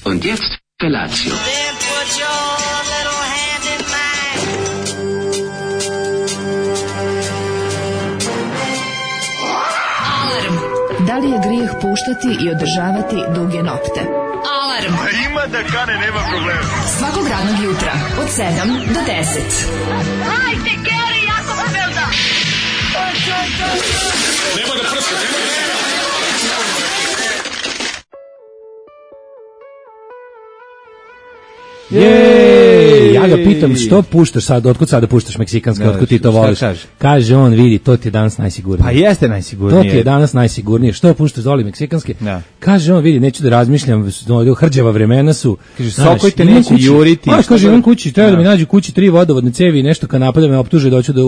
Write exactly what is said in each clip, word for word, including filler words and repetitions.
Und jetzt Felatio. Then put your little hand in mine. Alarm. Da li je grijeh puštati i održavati duge nokte? Alarm. A ima da kane, nema problema. Svakog radnog jutra od sedam do deset. Hajde, Geri, jako se velda. Nema da prska, nema da prska. Jej, ja ga pitam što puštaš sad, otkud sada puštaš meksikanski, otkud ti to voliš? Kaže? kaže on, vidi, to ti je danas najsigurnije. Pa jeste najsigurnije. To ti je danas najsigurnije. Što puštaš, voli meksikanski? Da. Kaže on, vidi, neću da razmišljam, no, hrđava vremena su. Kaže, sokojte neće juriti. Pa, kaže, imam kući, treba da mi nađu kući tri vodovodne cevi i nešto kanapa da me optuže da hoću da,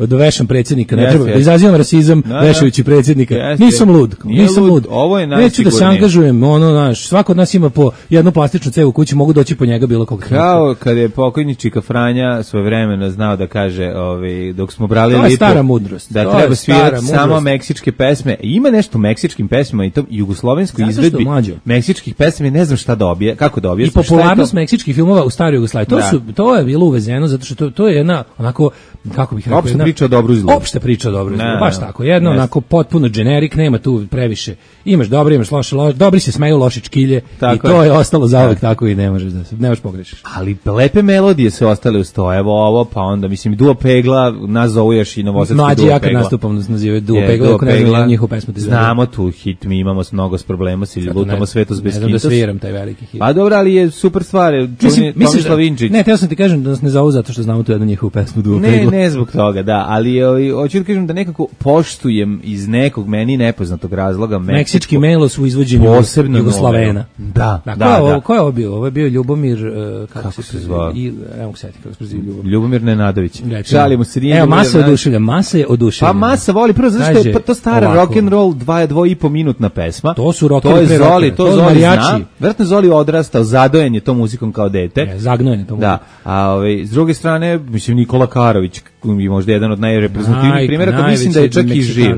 da vešam predsjednika. Ne yes, treba, yes. da izazivam rasizam da, vešajući predsjednika. Yes, nisam lud, nisam lud. lud. Ovo je neću da se angažujem, ono, znaš, svako od nas ima po jednu plastičnu cevu u kući, mogu doći po njega bilo kog. Kao kad je pokojni Čika Franja svojevremeno znao da kaže, ovaj, dok smo brali to je lipu, stara mudrost. da to treba svirati samo meksičke pesme. Ima nešto u meksičkim pesmama i to jugoslovenskoj izvedbi meksičkih pesama, ne znam šta dobije, kako dobije. I popularnost meksičkih filmova u staroj Jugoslaviji. To, su, to je bilo uvezeno zato što to, to je jedna onako, kako bih rekao, opšta priča o dobru i zlu. Opšta priča o dobru i zlu, baš tako. Jedno yes. onako potpuno generic, nema tu previše. Imaš dobro, imaš loše, loše. Dobri se smeju, loši čkilje tako i to je, je ostalo zauvek tako i ne možeš da se, ne možeš pogrešiš. Ali lepe melodije su ostale uz to. Evo ovo, pa onda mislim Duo Pegla, nas zovu još i novosadski Duo Pegla. Mlađi ja kad nastupam nas nazivaju Duo je, Pegla, ako ne znam njihovu pesmu. Znamo tu hit, mi imamo mnogo problema s lutamo svetos bez hitos. Ne znam da sviram taj veliki hit. Pa dobro, ali je super stvar. Čuni, Tomislav Vinčić. Ne, teo sam ti kažem da nas ne zovu zato što znamo tu jednu njihovu pesmu Duo Pegla. Ne, ne zbog toga, da, ali hoću da kažem da nekako poštujem iz nekog meni nepoznatog razloga meksički melos u izvođenju Jugoslavena. Da, da, da. Ovo, ko je ovo bio? Ovo je bio Ljubomir, uh, kako, kako se zvao? I evo se sjeti kako se preziva Ljubomir. Ljubomir Nenadović. Šalimo se, nije. Evo, Masa oduševlja, Masa je oduševlja. Pa Masa voli prvo zato što je to stara rock and roll dva dva i po minutna pesma. To su rock to je pre Zoli, to, to Zoli zna. Verovatno Zoli odrastao, zadojen je tom muzikom kao dete. Je, zagnojen je tom muzikom. Da. A ovaj s druge strane, mislim Nikola Karović je možda jedan od najreprezentativnijih primjera, koji mislim da je čak i živ.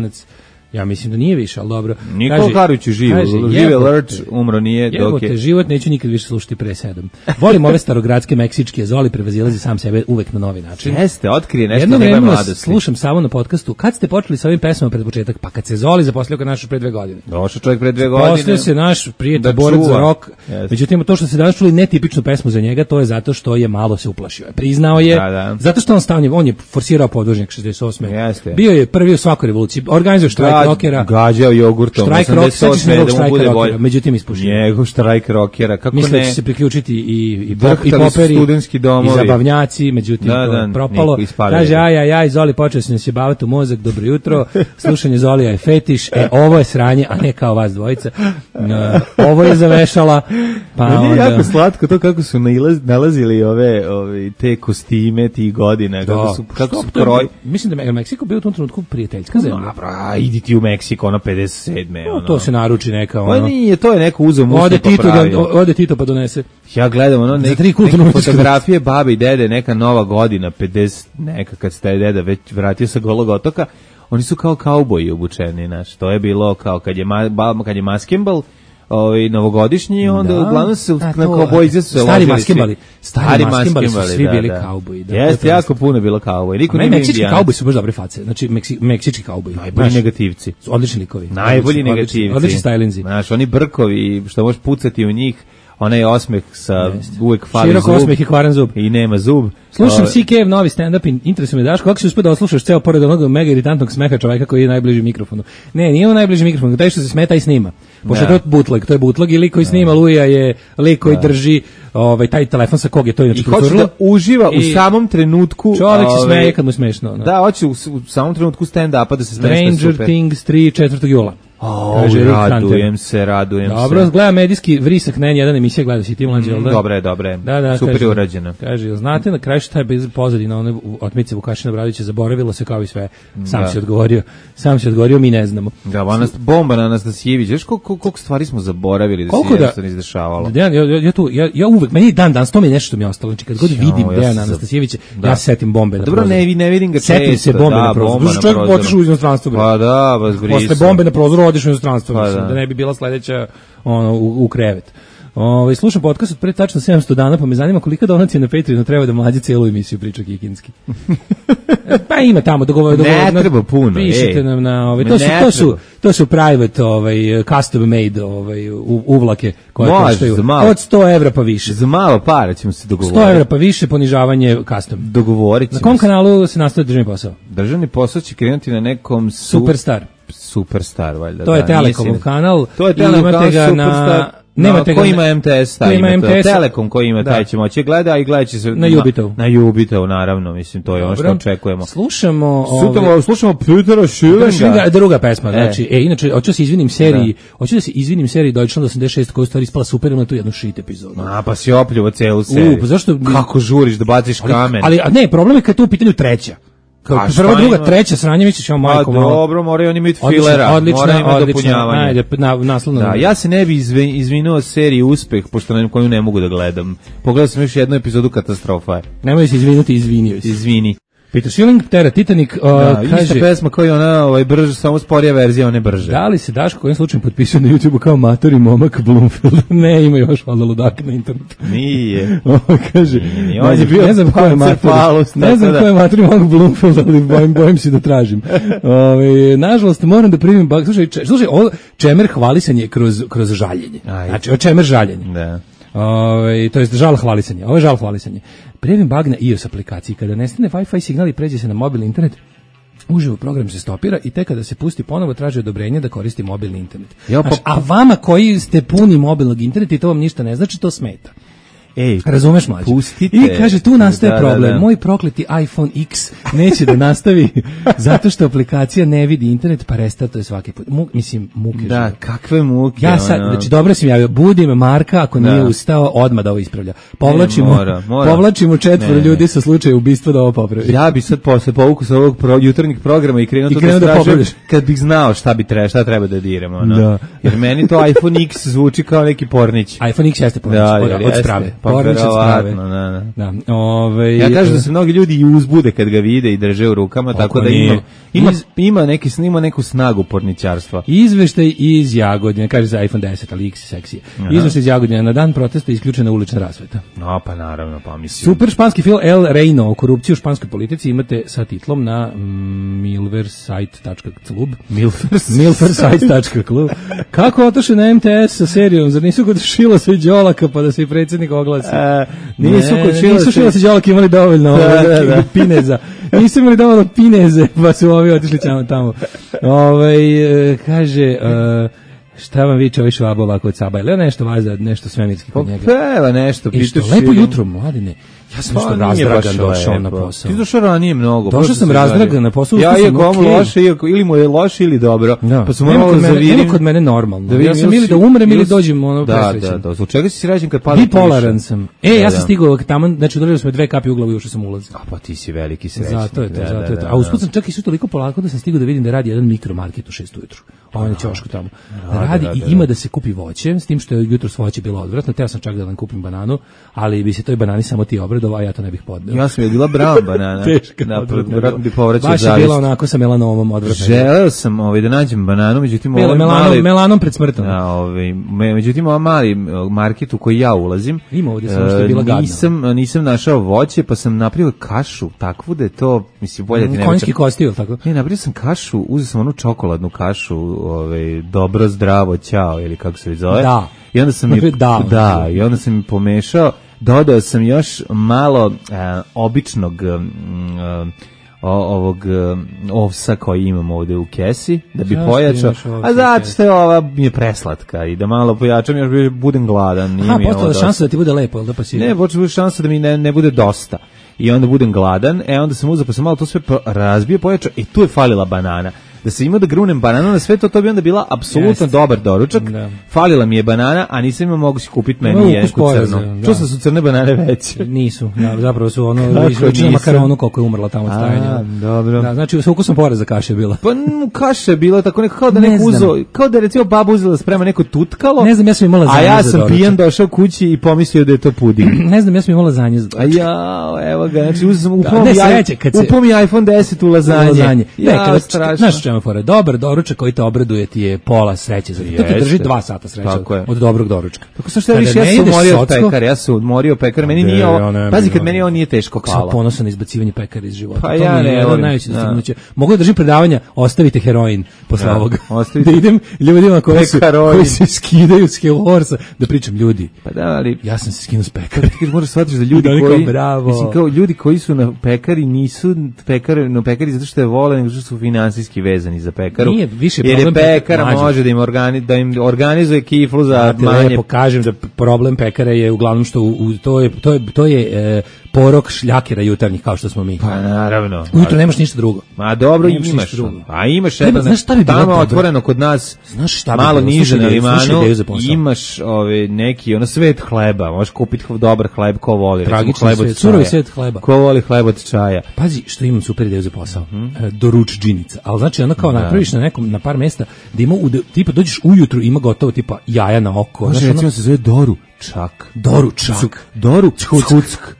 Ja mislim da nije više, ali dobro. Nikola Karović je živ, živ je Lrč, umro nije. Dok je život, neću nikad više slušati pre sedam. Volim ove starogradske meksičke, Zoli prevazilazi sam sebe uvek na novi način. Jeste, otkrije nešto Jedno njegove mladosti. Slušam samo na podcastu, kad ste počeli sa ovim pesmama pred početak, pa kad se Zoli zaposlio kod naš pre dve godine. Došao čovjek pre dve godine. Zaposlio se naš prijatelj borac za rock. Yes. Međutim, to što se danas čuli netipičnu pesmu za njega, to je zato što je malo se uplašio. Priznao je, da, da. Zato što on stavlja, on je forsirao podvožnjak šezdeset osme. Jeste. Bio je prvi u svakoj revoluciji, organizuje štrajk rockera. Gađao jogurtom, štrajk rockera, da mu bude bolje. Međutim, ispušio. Njegov štrajk rockera, kako Misle ne? Misle će se priključiti i, i, pop, i poperi, studentski domovi. I zabavnjaci, međutim, da, da, propalo. Kaže, aj, aj, aj, Zoli počeo se nas jebavati u mozak, dobro jutro, slušanje Zolija je fetiš, e, ovo je sranje, a ne kao vas dvojica. No, ovo je zavešala, pa no, onda... jako slatko to kako su nalaz, nalazili ove, ove te kostime tih godina, kako su, kako su kroj... Mislim da je Meksiko bio u tom trenutku prijateljska zemlja. No, bra, idi ti u Meksiko, ono pedeset sedme No, to se naruči neka ono. Pa nije, to je neko uzeo mušno ode pa Tito pravi. da, ode Tito pa donese. Ja gledam ono nek, neke fotografije babe i dede, neka nova godina, pedeset neka kad se taj deda već vratio sa Golog otoka, oni su kao kauboji obučeni, znaš. To je bilo kao kad je ma, kad je maskembal, ovaj novogodišnji, onda da, uglavnom se na kauboji se se stari maskembali, stari maskembali su svi da, bili da. Kauboji. Da, jeste, jako puno bilo kauboji. Niko nije meksički kauboji su baš dobre face. Znači Meksi, meksički kauboji. Najbolji negativci. Odlični likovi. Najbolji negativci. Odlični stylinzi. Znaš, oni brkovi što možeš pucati u njih. Onaj osmeh sa Jest. uvek fali širok zub. Širok osmeh i kvaran zub. I nema zub. Slušam C K-ev novi stand-up, interesuje me Daško, kako si uspio da oslušaš ceo pored onog mega iritantnog smeha čoveka koji je najbliži mikrofonu. Ne, nije on najbliži mikrofonu, taj što se smeta i snima. Pošto ja. to je bootleg, to je bootleg i lik koji snima Luja je lik koji ja. drži ovaj, taj telefon sa kog je to inače proturilo. I hoće da uživa i u samom trenutku. Čovjek se smeje kad mu smešno. No. Da, hoće u, u samom trenutku stand-upa da se smešno super. Stranger Things tri četvrtog jula. Oh, radujem se, radujem dobro, se. Dobro, gleda medijski vrisak na N jedan emisija, gleda si ti mlađe, mm, da? Dobre, dobre, da, da, super kaže, urađeno. Kaže, znate na kraju šta je bez pozadina one otmice Vukašina Bradovića, zaboravilo se kao i sve. Sam da. si odgovorio, sam si odgovorio, mi ne znamo. Da, ona bomba na Anastasijević, znaš koliko, koliko stvari smo zaboravili da koliko se jednostavno izdešavalo. Da, ja, ja, ja, tu, ja, ja uvek, meni dan dan, to mi je nešto što mi je ostalo, znači kad god vidim ja Dejana Anastasijevića, ja se setim bombe na dobro, prozoru. Dobro, ne, ne vidim ga često. Setim se bombe na prozoru. Zato čovjek otišao u inostranstvo. Pa da, vas brisu. Posle bombe na prozoru odiš u inostranstvo, da ne bi bila sledeća ono u, u krevet. Ovaj slušam podcast od pre tačno sedamsto dana, pa me zanima kolika donacija na Patreonu treba da mlađi celu emisiju priča kikinski. Pa ima tamo dogovor, dogovor. Ne treba puno. Pišite nam na ovaj to su to su to su private ovaj custom made ovaj uvlake koje koštaju od sto evra pa više. Za malo para ćemo se dogovoriti. sto evra pa više ponižavanje custom. Dogovoriti. Na kom kanalu se nastaje državni posao? Državni posao će krenuti na nekom su... Superstar. Superstar valjda. To je da, Telekomov kanal. To je Telekom imate ga na Nemate ko ima M T S, taj ima M T S, Telekom koji ima, da. Taj će moći gleda i gledat će se na Jubitovu. Na Jubitovu, naravno, mislim, to je ono što očekujemo. Slušamo... Slušamo, ove... slušamo Petera Schillinga. Druga pesma, znači, e, e inače, hoću da se izvinim seriji, da. hoću da se izvinim seriji Deutschland osamdeset šest koja je stvari ispala super, ima tu jednu shit epizodu. A, pa si opljuvo celu seriju. U, pa zašto... Kako žuriš da baciš ali, kamen? Ali, ali, ne, problem je kad je tu u pitanju treća. Kao prva, druga, treća sranje, misliš, ja majko malo. A dobro, moraju oni imati filera, moraju imati dopunjavanje. Ajde, na, naslovno. Da, ja se ne bi izvinuo seriji Uspeh, pošto na koju ne mogu da gledam. Pogledao sam još jednu epizodu, katastrofa. Nemoj se izvinuti, izvinio si. Izvini. Peter Schilling, Tera Titanic, uh, da, kaže... Ista pesma kao i ona, ovaj, brže, samo sporija verzija, one brže. Da li se Daško kojim slučajem potpisao na YouTubeu kao matori momak Bloomfield? Ne, ima još valjda ludaka na internetu. Nije. Ovo kaže, Nije, on je bio ne znam ko je matori, ne znam ko je matori momak Bloomfield, ali bojim, bojim se da tražim. Ove, nažalost, moram da primim bak. Slušaj, če, slušaj, ovo čemer hvalisanje kroz, kroz žaljenje. Aj. Znači, ovo čemer žaljenje. Da. Ove, to je žal hvalisanje. Ovo je žal hvalisanje. Previm bug na iOS aplikaciji. Kada nestane Wi-Fi signal i pređe se na mobilni internet, uživo program se stopira i tek kada se pusti ponovo traži odobrenje da koristi mobilni internet. Jo, pa... Znaš, a vama koji ste puni mobilnog interneta i to vam ništa ne znači, to smeta. Ej, razumeš mlađe? Pustite. I kaže, tu nastaje da, problem. Da, da. Moj prokleti iPhone X neće da nastavi zato što aplikacija ne vidi internet, pa restartuje svaki put. Mu, mislim, muke. Da, živo. Kakve muke. Ja sad, ono... znači, dobro sam javio, budim Marka, ako da. Nije ustao, odmah da ovo ispravlja. Povlačimo, ne, mora, mora. povlačimo četvoro ljudi sa slučaja ubistva da ovo popravi. Ja bi sad posle povuku sa ovog pro, jutarnjeg programa i krenuo to da, da stražem, kad bih znao šta bi treba, šta treba da diramo. No? Da. Jer meni to iPhone X zvuči kao neki pornić. iPhone X jeste pornić, da, od, od strave. Pornić od strave. Da, da. Da, ove, ja kažem da se mnogi ljudi i uzbude kad ga vide i drže u rukama, tako da ima, ima, iz, ima, neki, ima neku snagu porničarstva. Izveštaj iz Jagodine, kaže za iPhone deset, ali X je seksije. Izveštaj iz Jagodine, na dan protesta isključena ulična rasveta. No, pa naravno, pa mislim. Super španski film El Reino o korupciji u španskoj politici imate sa titlom na milversite tačka club. milversite tačka club. Kako otoše na M T S sa serijom? Zar nisu kod Šila se Đolaka pa da se i predsjednik oglasi? A, nisu ne, kod Šila nisu Šila se Đolaka imali dovoljno da, da, da. pineza. Nisu imali dovoljno pineze, pa su ovi otišli tamo. Ove, kaže... Uh, šta vam viče ovaj švabo ovako od Saba? Ili nešto vaza, nešto svemirski kod njega? Peva nešto, pitaš. Lepo jutro, mladine. Ja sam nešto razdragan došao na posao. Ti došao ranije mnogo. Došao sam razdragan na posao. Ja iako vam loše, iako, ili mu je loše ili dobro. Da. Pa sam malo zavirim. Nema kod mene normalno. Da ja sam ili da umrem ili dođem ono presrećen. Da, da, da. Zbog čega si srećen kad pada? Bipolaran sam. E, ja sam stigao tamo, znači udarili smo dve kapi u glavu i ušao sam u ulaz. A pa ti si veliki srećnik. Zato je to, zato je to. A usput sam čak i sve toliko polako da sam stigao da vidim da radi jedan mikromarket u šest ujutru. Ovaj na ćošku tamo. Da radi i ima da se kupi voće, s tim što je jutros voće bilo odvratno. Teo sam čak da vam kupim bananu, ali bi se toj banani samo ti obradovao, a ja to ne bih podneo. Ja sam je bila brown banana. Teška. Da, vjerojatno bi povraćao zavist. Baš je bila onako sa melanomom odvratno. Želeo sam ovaj, da nađem bananu, međutim Bila ovaj melanom, mali... melanom pred smrtom. Da, ovaj, međutim ovaj mali market u koji ja ulazim, ima ovdje samo što je bila gadna. Nisam, nisam našao voće, pa sam napravio kašu, takvu da je to, mislim, bolje ti ne... Konjski kosti, ili tako? Ne, napravio sam kašu, uzeo sam onu čokoladnu kašu, ovaj, dobro, zdravo, ćao, ili kako se zove. Da. I onda sam je, da, da, i onda sam je pomešao, dodao sam još malo a, običnog a, ovog ovsa koji imam ovde u kesi, da bi zašto pojačao, a zato što je ova mi je preslatka i da malo pojačam, još budem gladan. Nije a, postala šansa da ti bude lepo, da pa si... Ne, počela šansa da mi ne, ne bude dosta. I onda budem gladan, e onda sam uzeo, pa sam malo to sve razbio, pojačao, i tu je falila banana. Da se ima da grunem bananu na sve to, to bi onda bila apsolutno dobar doručak. Da. Falila mi je banana, a nisam imao mogu si kupiti meni jednu crnu. Čuo sam su crne banane veće. Nisu, da, zapravo su ono liči na makaronu koliko je umrla tamo od stajanja. Dobro. Da, znači sa ukusom poreza kaše je bila. Pa kaše je bila tako nekako kao da neko uzo, kao da recimo baba uzela da sprema neko tutkalo. Ne znam, ja sam imala zanje. A ja sam pijan došao kući i pomislio da je to puding. Ne znam, ja sam imala zanje za doručak. A ja, evo ga, znači uzeo sam upom i iPhone deset u lazanje. Ne, znaš semafora. Dobar doručak koji te obraduje ti je pola sreće. Zato to te drži dva sata sreće od, od dobrog doručka. Tako što šta više, ja sam umorio od pekara, ja sam umorio od pekara, meni nije ovo, pazi kad meni ovo nije teško palo. Sam ponosan na izbacivanje pekara iz života. Pa ja ne, jedan najveći dostignuće. Mogu da držim predavanja, ostavite heroin posle ovoga. Da idem ljudima koji su, koji se skidaju s Hell Horsa, da pričam ljudi. Pa da, ali ja sam se skinuo s pekara. Ti možeš shvatiti da ljudi koji, mislim kao ljudi koji su na pekari nisu pekari, no pekari zato što je vole, nego što su finansijski vezani za pekaru. Nije više jer problem je pekara pekar može da im, organi, da im organizuje kiflu za ja manje. Ja pokažem da problem pekara je uglavnom što u, u, to je, to je, to je e, porok šljakera jutarnjih kao što smo mi. Pa naravno. Ujutro nemaš ništa drugo. Ma dobro nemaš imaš. A imaš jedno, znaš šta bi bilo tamo otvoreno kod nas, znaš šta bi malo bilo? niže na limanu, imaš ove, neki ono svet hleba, možeš kupiti dobar hleb ko voli. Tragični svet, surovi svet hleba. Ko voli hleb od čaja. Pazi što imam super ideju za posao. Mm -hmm. Doručdžinica. Ali znači ono kao da. Napraviš na nekom, na par mesta da ima, u, tipa dođeš ujutru ima gotovo tipa jaja na oko. Znači recimo se zove doručak. Doručak. Doručak.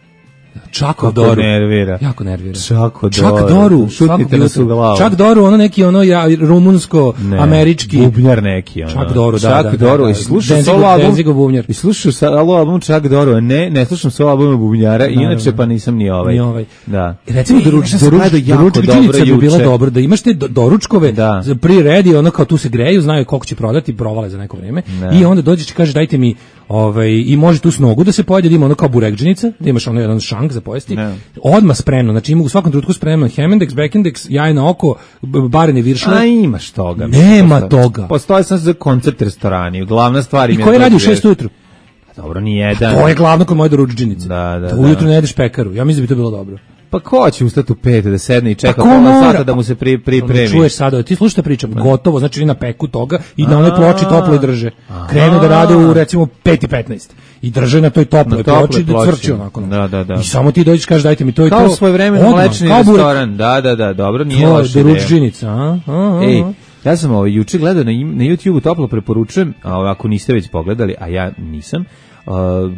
Čako Doru. Nervira. Jako nervira. Čako Doru. Čak Doru. Šutnite nas u glavu. Čak Doru, ono neki ono ja, rumunsko, ne, američki. Bubnjar neki. Ono. Čak Doru, da. Čak da, Doru. da, I slušam solo album. I slušam solo album Čak Doru. Ne, ne slušam solo album Bubnjara. Da, inače pa nisam ni ovaj. Ni ovaj. Da. Recimo doručak bi bilo dobro. Da imaš te doručkove pre-ready, ono kao tu se greju, znaju koliko će prodati, provale za neko vreme. I onda dođeš i kažeš dajte mi ovaj, i može tu s nogu da se pojede, da ima ono kao burekdžinica, da imaš ono jedan šank za pojesti. Ne. Odmah spremno, znači ima u svakom trenutku spremno Hemendex, Backendex, jaj na oko, barene viršle. A imaš toga. Nema postoje. Toga. Postoje sam za koncept restorani, glavna stvar im je... I koji radi u šest ujutru? Dobro, ni jedan. To je glavno kod moje doručdžinice. Da, da, da. Ujutru ne jedeš pekaru, ja mislim da bi to bilo dobro. Pa ko će ustati u pet da sedne i čeka pola sata da mu se pri, pripremi? Čuješ sada, ti slušaj šta pričam, gotovo, znači na peku toga i na onoj ploči toplo i drže. Krenu da rade u recimo pet i petnaest i drže na toj toploj ploči da cvrči onako. Da, da, da. I samo ti dođeš kažeš dajte mi to i to. Kao svoj vremena mlečni restoran. Da, da, da, dobro, nije loše. To je doručdžinica, a? Ej, ja sam ovaj juče gledao na, na YouTubeu, toplo preporučujem, a ako niste već pogledali, a ja nisam. Uh,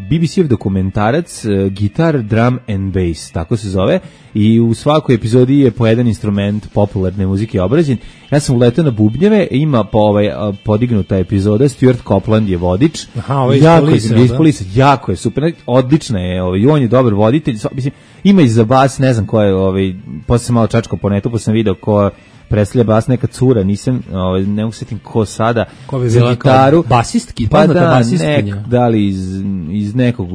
B B C-ev dokumentarac uh, Guitar, Drum and Bass, tako se zove, i u svakoj epizodi je po jedan instrument popularne muzike obrađen. Ja sam uletao na bubnjeve, ima po ovaj, uh, podignuta epizoda, Stuart Copeland je vodič. Aha, ovo je jako, polisa, je, polisa, jako je super, odlična je, ovaj, on je dobar voditelj, mislim, ima i za bas, ne znam ko je, ovaj, posle sam malo čačkao po netu, pa sam video ko predstavlja bas, neka cura, nisam, ovaj, ne mogu setim ko sada, ko bi bila gitaru, basistki, pa da, basistkinja. Nek, da li iz, iz nekog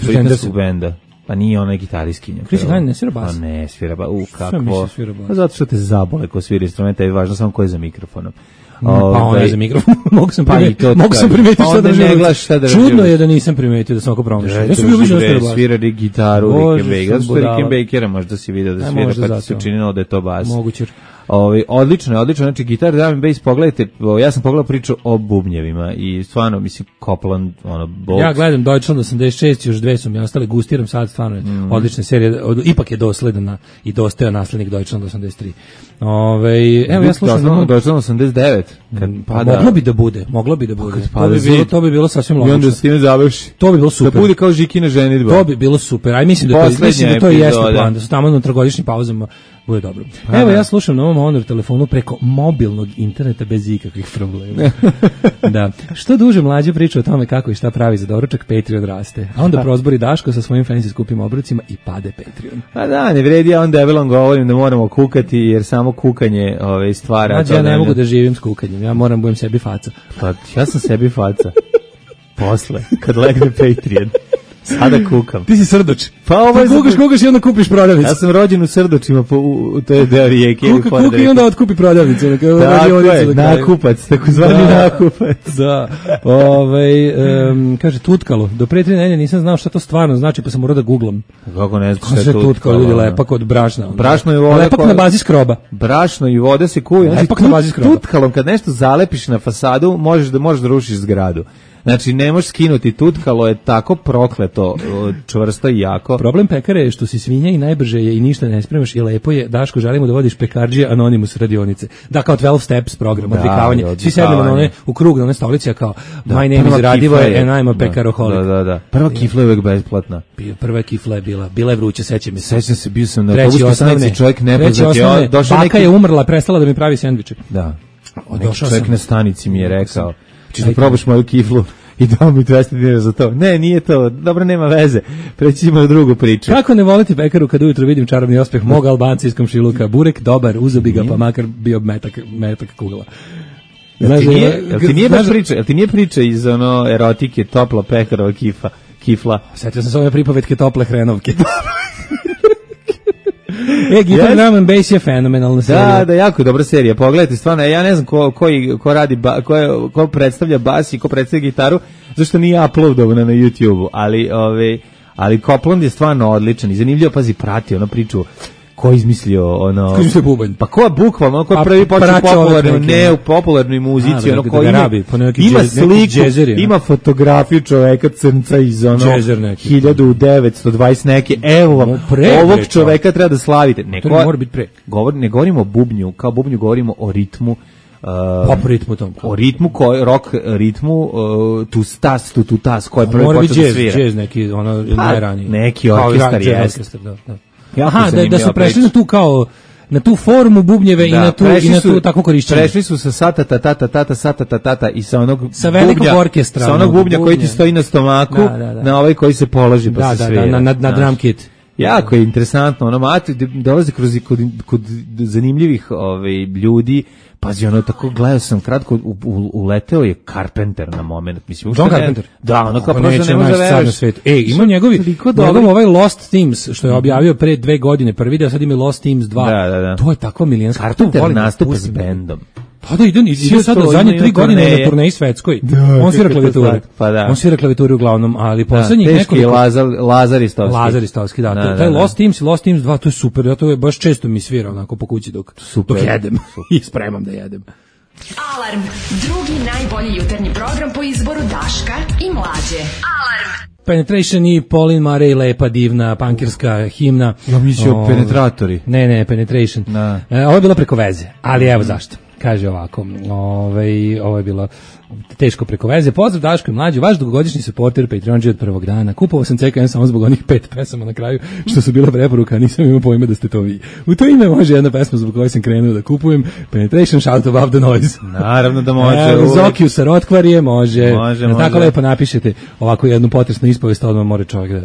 britanskog benda. Pa nije ona gitaristkinja. Chrissy Hine ne svira bas? Pa ne svira bas, u kako. Pa zato što te zabole ko svira instrumente, je važno samo ko je za mikrofonom. Pa on je za mikrofon, mogu sam primetiti, pa mogu sam primetiti šta da želim. Čudno je da nisam primetio da sam oko promašao. Ja sam bio više da bas. Svirali gitaru, Rickenbacker, zato što Rickenbackera možda si vidio da svira, pa ti se učinilo da je to bas. Moguće. Ovaj odlično, odlično, znači gitar, drum and bass, pogledajte, ja sam pogledao priču o bubnjevima i stvarno mislim Copeland, ono, Box. Ja gledam Deutschland osamdeset šest, još dve su mi ostale, gustiram sad, stvarno je mm. odlična serija, od, ipak je dosledan i dostojan naslednik Deutschland osamdeset tri. Ovaj, evo ja slušam Deutschland, Deutschland osamdeset devet, kad pada. Moglo bi da bude, moglo bi da bude. To bi bilo, to bi bilo sasvim logično. I onda s time završi. To bi bilo super. Da bude kao Žikina ženidba. To bi bilo super. Aj mislim da to, mislim da to jeste plan, da su tamo na trogodišnjim pauzama. Bude dobro. Pa, evo ja slušam na ovom Honor telefonu preko mobilnog interneta bez ikakvih problema. Da. Što duže mlađe priča o tome kako i šta pravi za doručak, Patreon raste. A onda prozbori Daško sa svojim fancy skupim obrucima i pade Patreon. Pa da, ne vredi, ja onda debelom govorim da moramo kukati jer samo kukanje ove, stvara. Mađe, ja ne mogu da živim s kukanjem, ja moram budem sebi faca. Pa ja sam sebi faca. Posle, kad legne Patreon. Sada kukam. Ti si Srdoč. Pa ovo je kukaš, kukaš i onda kupiš prodavnicu. Ja sam rođen u Srdočima, po, u, to je deo rijeke. Kuka, kuka i onda otkupi prodavnicu. Tako je, nakupac, takozvani da, nakupac. Da, ovaj, um, kaže tutkalo. Do pre tri nedelje nisam znao šta to stvarno znači, pa sam morao da googlam. Kako ne znaš šta je tutkalo? tutkalo ljudi, lepak od brašna. Brašno i voda. Lepak na bazi skroba. Brašno i voda se kuju. Lepak na bazi skroba. Tutkalom, kad nešto zalepiš na fasadu, možeš da, možeš da rušiš zgradu. Znači, ne možeš skinuti tutkalo, je tako prokleto, čvrsto i jako. Problem pekare je što si svinja i najbrže je i ništa ne spremaš i lepo je, Daško, želimo da vodiš pekarđije Anonimus radionice. Da, kao dvanaest steps program, Da, odvikavanje. odvikavanje. Svi sedemo na one, u krug, na one stolice, a kao, Da, my name prva is Radivo kifla je- and I'm a da, pekaroholik. Da, da, da. Prva kifla je uvek besplatna. Bio- Prva kifla je bila, bila je vruća, sećam se. Sećam se, bio sam na Treći autobuskoj osnovne, stanici, čovjek treći nepoznat je, osnovne, došao baka neki... je umrla, prestala da mi pravi sendviče. Da. O, Neki došao čovjek sam. na stanici mi je rekao, ćeš da Ajde. probaš moju kiflu i dao mi dvesta dinara za to. Ne, nije to, dobro, nema veze. Preći ćemo na drugu priču. Kako ne voliti pekaru kad ujutro vidim čarobni ospeh mog Albanca iz komšiluka? Burek dobar, uzobi ga, pa makar bio metak, metak kugla. Jel ti Znaš, nije, jel ti nije baš znaš- priča, jel ti nije priča iz ono erotike, topla pekarova kifa, kifla? Sjetio sam se ove pripovetke tople hrenovke. E, Guitar Yes. Drum and Bass je fenomenalna serija. Da, da, jako je dobra serija. Pogledajte, stvarno, ja ne znam ko, koji, ko radi, ba, ko, je, ko predstavlja bas i ko predstavlja gitaru, zašto nije uploadovana na YouTube-u, ali, ove, ali Copland je stvarno odličan i zanimljivo, pazi, prati ono priču, ko je izmislio ono... Ko je izmislio bubanj? Pa ko je bukvalno, ko je Pa, prvi počeo praća popularno, ove neke, ne ono. u popularnoj muzici, A, ono da ko ga ima, rabi, po neki ima džez- neki sliku, džezeri, ono. ima fotografiju čoveka crnca iz ono Džezer neki. hiljadu devetsto dvadeset neke, evo vam, No, pre, ovog bre, čoveka treba da slavite. Ne, To ko- mora biti pre. Govor, ne govorimo o bubnju, kao bubnju govorimo o ritmu. Uh, Pop ritmu tom. o ritmu, koji, rock ritmu, uh, tu stas, tu tu tas, koji je prvi Mora biti počeo da jazz, svira. jazz neki, ono, Pa, najraniji. neki Kao i orkestar ra- jazz jest. orkestar, da, da. Jako Aha, da, da zanimljiva su prešli priča. na tu kao, na tu formu bubnjeve i na tu, i prešli na su- tu takvo korišćenje. Prešli su sa sata ta ta ta ta ta sata ta ta ta i sa onog Sa velikog bubnja, orkestra, sa onog onog bubnja koji ti bubnja. stoji na stomaku, Da, da, da. na ovaj koji se položi pa Da, se da, svira. da, na, na, na znaš. drum kit. Jako je interesantno, ono, mati, dolazi kroz, kod, kod zanimljivih ovaj, ljudi, pazi, ono, tako gledao sam kratko, u, u, uleteo je Carpenter na moment, mislim. John uopšte ne- Carpenter? Da, ono, kao Kako prosto neće ne može da naći sad na veruješ. svetu. E, ima njegovi, Toliko njegov dobri. ovaj Lost Themes, što je objavio pre dve godine, prvi deo, sad ima Lost Themes dva. Da, da, da. To je takva milijanska. Carpenter to volim da nastupa pustim. s bendom. Pa da, ide, ide Sve sad to, zadnje ima tri i godine turneje. na turneji svetskoj. Da, On svira kako to klavijaturu. zna- pa da. On svira klavijaturu uglavnom, ali Da, poslednjih teški je nekoliko... Lazar, Lazar Istovski. Lazar Istovski, da. Da, to- da, taj da. Lost Teams i Lost Teams dva, to je super. Ja to je baš često mi svira onako po kući dok, Super. dok jedem i spremam da jedem. Alarm, drugi najbolji jutarnji program po izboru Daška i Mlađe. Alarm. Penetration i Pauline Murray, lepa, divna, pankirska himna. Ja mislio O, Penetratori. Ne, ne, Penetration. Da. E, ovo je bilo preko veze, ali evo zašto. Kaže ovako, ovaj, ovo je bilo teško preko veze. Pozdrav Daško i Mlađu, vaš dugogodišnji supporter Patreonđe od prvog dana. Kupovao sam C K M samo zbog onih pet pesama na kraju, što su bila preporuka, a nisam imao pojma da ste to vi. U to ime može jedna pesma zbog koje sam krenuo da kupujem. Penetration, Shout Above the Noise. Naravno da može. Evo, uvek. Zokiju sa Rotkvarije, može. Može, Na tako može. lepo napišete ovako jednu potresnu ispovest, odmah more čovjek da...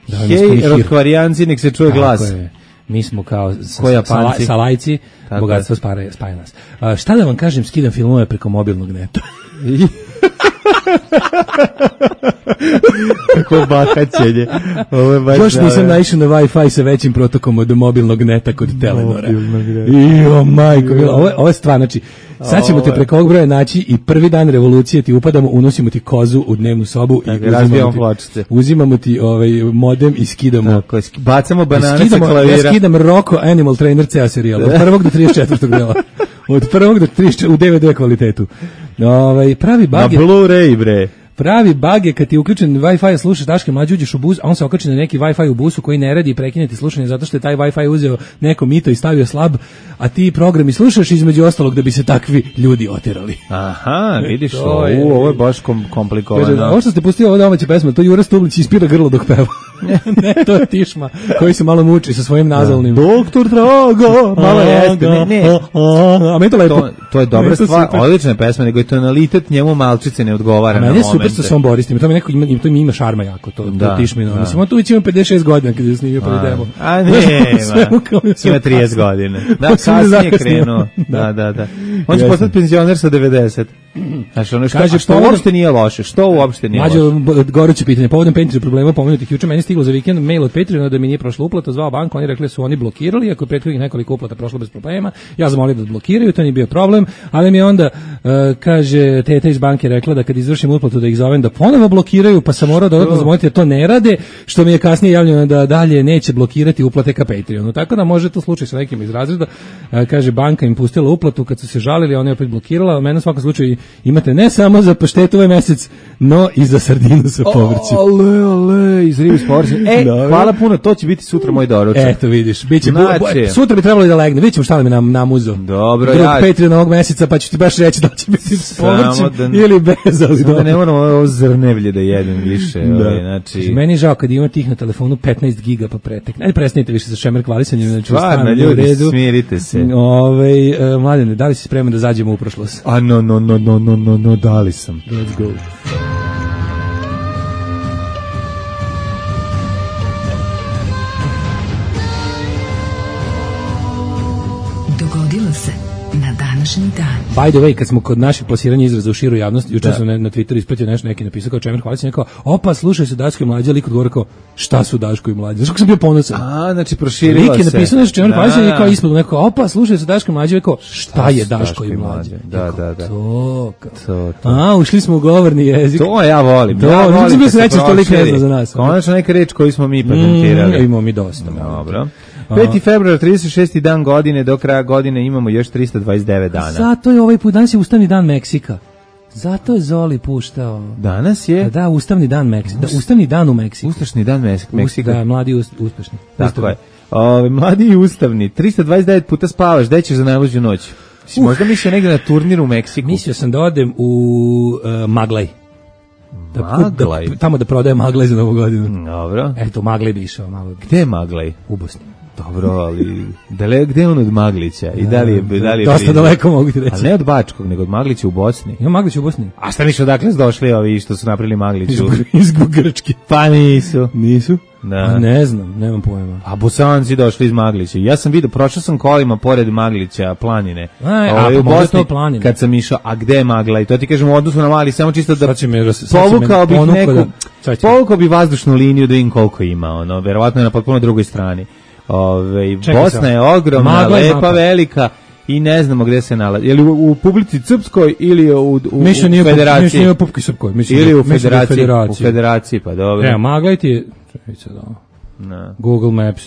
da vam Hej, ispuni hir. Rotkvarijanci, nek se čuje Tako glas. je. Mi smo kao sa, Ko sa, Japanci. sa lajci, Tako bogatstvo spaja, spaja nas. A, šta da vam kažem, skidam filmove preko mobilnog neta. Kako bahaćenje. Ovo je baš... Baš nisam da, naišao na Wi-Fi sa većim protokom od mobilnog neta kod Telenora. Mobilnog neta. Jo, majko, mila, ovo, je- ovo je stvar, znači, sad ćemo te preko ovog broja naći i prvi dan revolucije ti upadamo, unosimo ti kozu u dnevnu sobu Tako, i razbijamo uzimamo ti, pločice. uzimamo ti ovaj modem i skidamo. Tako je, sk- bacamo banane sa Skidamo, ja klavira. skidam Rocco Animal Trainer ceo serijal. Od prvog do trideset četvrtog dela. Od prvog do trideset četvrtog u D V D kvalitetu. Ovaj pravi Na bug je, Blu-ray, bre. pravi bug je kad ti je uključen Wi-Fi, slušaš Daške Mlađe, uđeš u bus, a on se okači na neki Wi-Fi u busu koji ne radi i prekine ti slušanje zato što je taj Wi-Fi uzeo neko mito i stavio slab, a ti programi slušaš između ostalog da bi se takvi ljudi oterali. Aha, vidiš, To ovo, je- ovo je baš kom, Kaže, komplikovano. ovo što ste pustili ovo domaće pesma, to Jura Stublić ispira grlo dok peva. Ne, to je Tišma, koji se malo muči sa svojim nazalnim. Doktor Drago, malo jeste, ne, ne. A meni to lepo. To, to je dobra Meni to stvar, super. odlična je pesma, nego je tonalitet njemu malčice ne odgovara A na meni je momente. super sa svom Boristim, to mi neko ima, to mi ima šarma jako, to, Da, to Tišmino. da. Mislim, on tu već ima pedeset šest godina kad je snimio prvi demo. A ne, Sve mu kao- ima trideset godina. Da, On se ne kasnije zakasnio. krenuo. Da, da, da. On će Jeste. postati penzioner sa devedeset. Znači, ono što, Kaže, a što povodom- uopšte nije loše, što uopšte nije Mlađe, loše. b- goruće pitanje, povodom Patreon problema pomenutih juče, meni je stiglo za vikend mail od Patreona da mi nije prošla uplata, zvao banku, oni rekli da su oni blokirali, ako je prethodnih nekoliko uplata prošlo bez problema, ja zamolio da odblokiraju, to nije bio problem, ali mi je onda, uh, kaže, teta iz banke rekla da kad izvršim uplatu da ih zovem da ponovo blokiraju, pa sam morao dodatno zamoliti da to ne rade, što mi je kasnije javljeno da dalje neće blokirati uplate ka Patreonu. Tako da može to slučaj sa nekim iz razreda, uh, kaže, banka im pustila uplatu kad su se žalili, ona je opet blokirala, a mene u svakom slučaju Imate ne samo za paštetu ovaj mesec, no i za sardinu sa povrćem. Ale, ale, iz ribu s povrćem. E, Dobre. hvala puno, to će biti sutra moj doručak. Eto vidiš, biće znači, bu, sutra bi trebalo da legne. Vidimo šta mi nam namuzo. Dobro, Drug ja. Patreon ovog meseca, pa ću ti baš reći da će biti s povrćem da, ili bez, ali da ne moramo ovo zrnevlje da jedem više. Da. Ovaj, znači... Meni je žao kad ima tih na telefonu petnaest giga pa pretekne. Ajde prestanite više sa šemer hvalisanjem, znači stvarno, ljudi, redu. Smirite se. Ovaj uh, Mladene, da li si spreman da zađemo u prošlost? A no, no, no, no, no, no, no, da li sam. Let's go. Dogodilo se na današnji dan. By the way, kad smo kod naših plasiranja izraza u širu javnosti, juče sam na, na Twitteru ispratio nešto, neki napisao kao Čemer hvalić, rekao, opa, slušaj se Daško i Mlađa, lik odgovor kao, šta su Daško i Mlađa? Znaš kako sam bio ponosan? A, znači proširila se. Lik je napisao nešto Čemer hvalić, i kao ispod, neko, opa, slušaj se Daško i Mlađa, rekao, šta je Daško i Mlađa? Da, da, da. To, to, to. A, ušli smo u govorni jezik. To ja volim. To, ja volim. Znači, bio srećan što lik ne zna za nas. Konačno neka reč koju smo mi patentirali. Mm, imamo mi dosta. Dobro. peti februar, trideset šesti dan godine, do kraja godine imamo još trista dvadeset devet dana. Zato je ovaj put, danas je ustavni dan Meksika. Zato je Zoli puštao. Danas je? Da, ustavni dan Meksika. Da, ustavni dan u Meksiku. Ustašni dan Meksika. Da, mladi us, uspešni. Tako je. Ove, mladi i ustavni. trista dvadeset devet puta spavaš, gde ćeš za najluđu noć? Uh. Možda mislio negdje na turnir u Meksiku. Mislio sam da odem u uh, Maglaj. Da, Maglaj? Da, tamo da prodaje Maglaj za novu godinu. Dobro. Eto, Maglaj bi išao malo. Gde je Maglaj? U Bosni. Dobro, ali dale, gde je on od Maglića? I da li je, da li je dosta daleko mogu ti reći. A ne od Bačkog, nego od Maglića u Bosni. Ima Maglić u Bosni. A šta miš odakle su došli ovi što su napravili Magliću? Iz, iz Grčke. Pa nisu. Nisu? Da. A ne znam, nemam pojma. A Bosanci došli iz Maglića. Ja sam vidio, prošao sam kolima pored Maglića, planine. Aj, a, a u Bosni, planine. Kad sam išao, a gde je Magla? I to ti kažem u odnosu na Mali, samo čisto da me, povukao bih neku, da, povukao bi vazdušnu liniju da im koliko ima, ono, verovatno je na potpuno drugoj strani. Ove, Bosna sam. je ogromna, Magla lepa, mapa. velika i ne znamo gde se nalazi. Je li u, u publici Srpskoj ili u, u, u mislim federaciji? Mislim nije u publici Srpskoj. Mislim ili u mislim federaciji, federaciji. U federaciji, pa dobro. Ne, Magla ti je... No. Google Maps.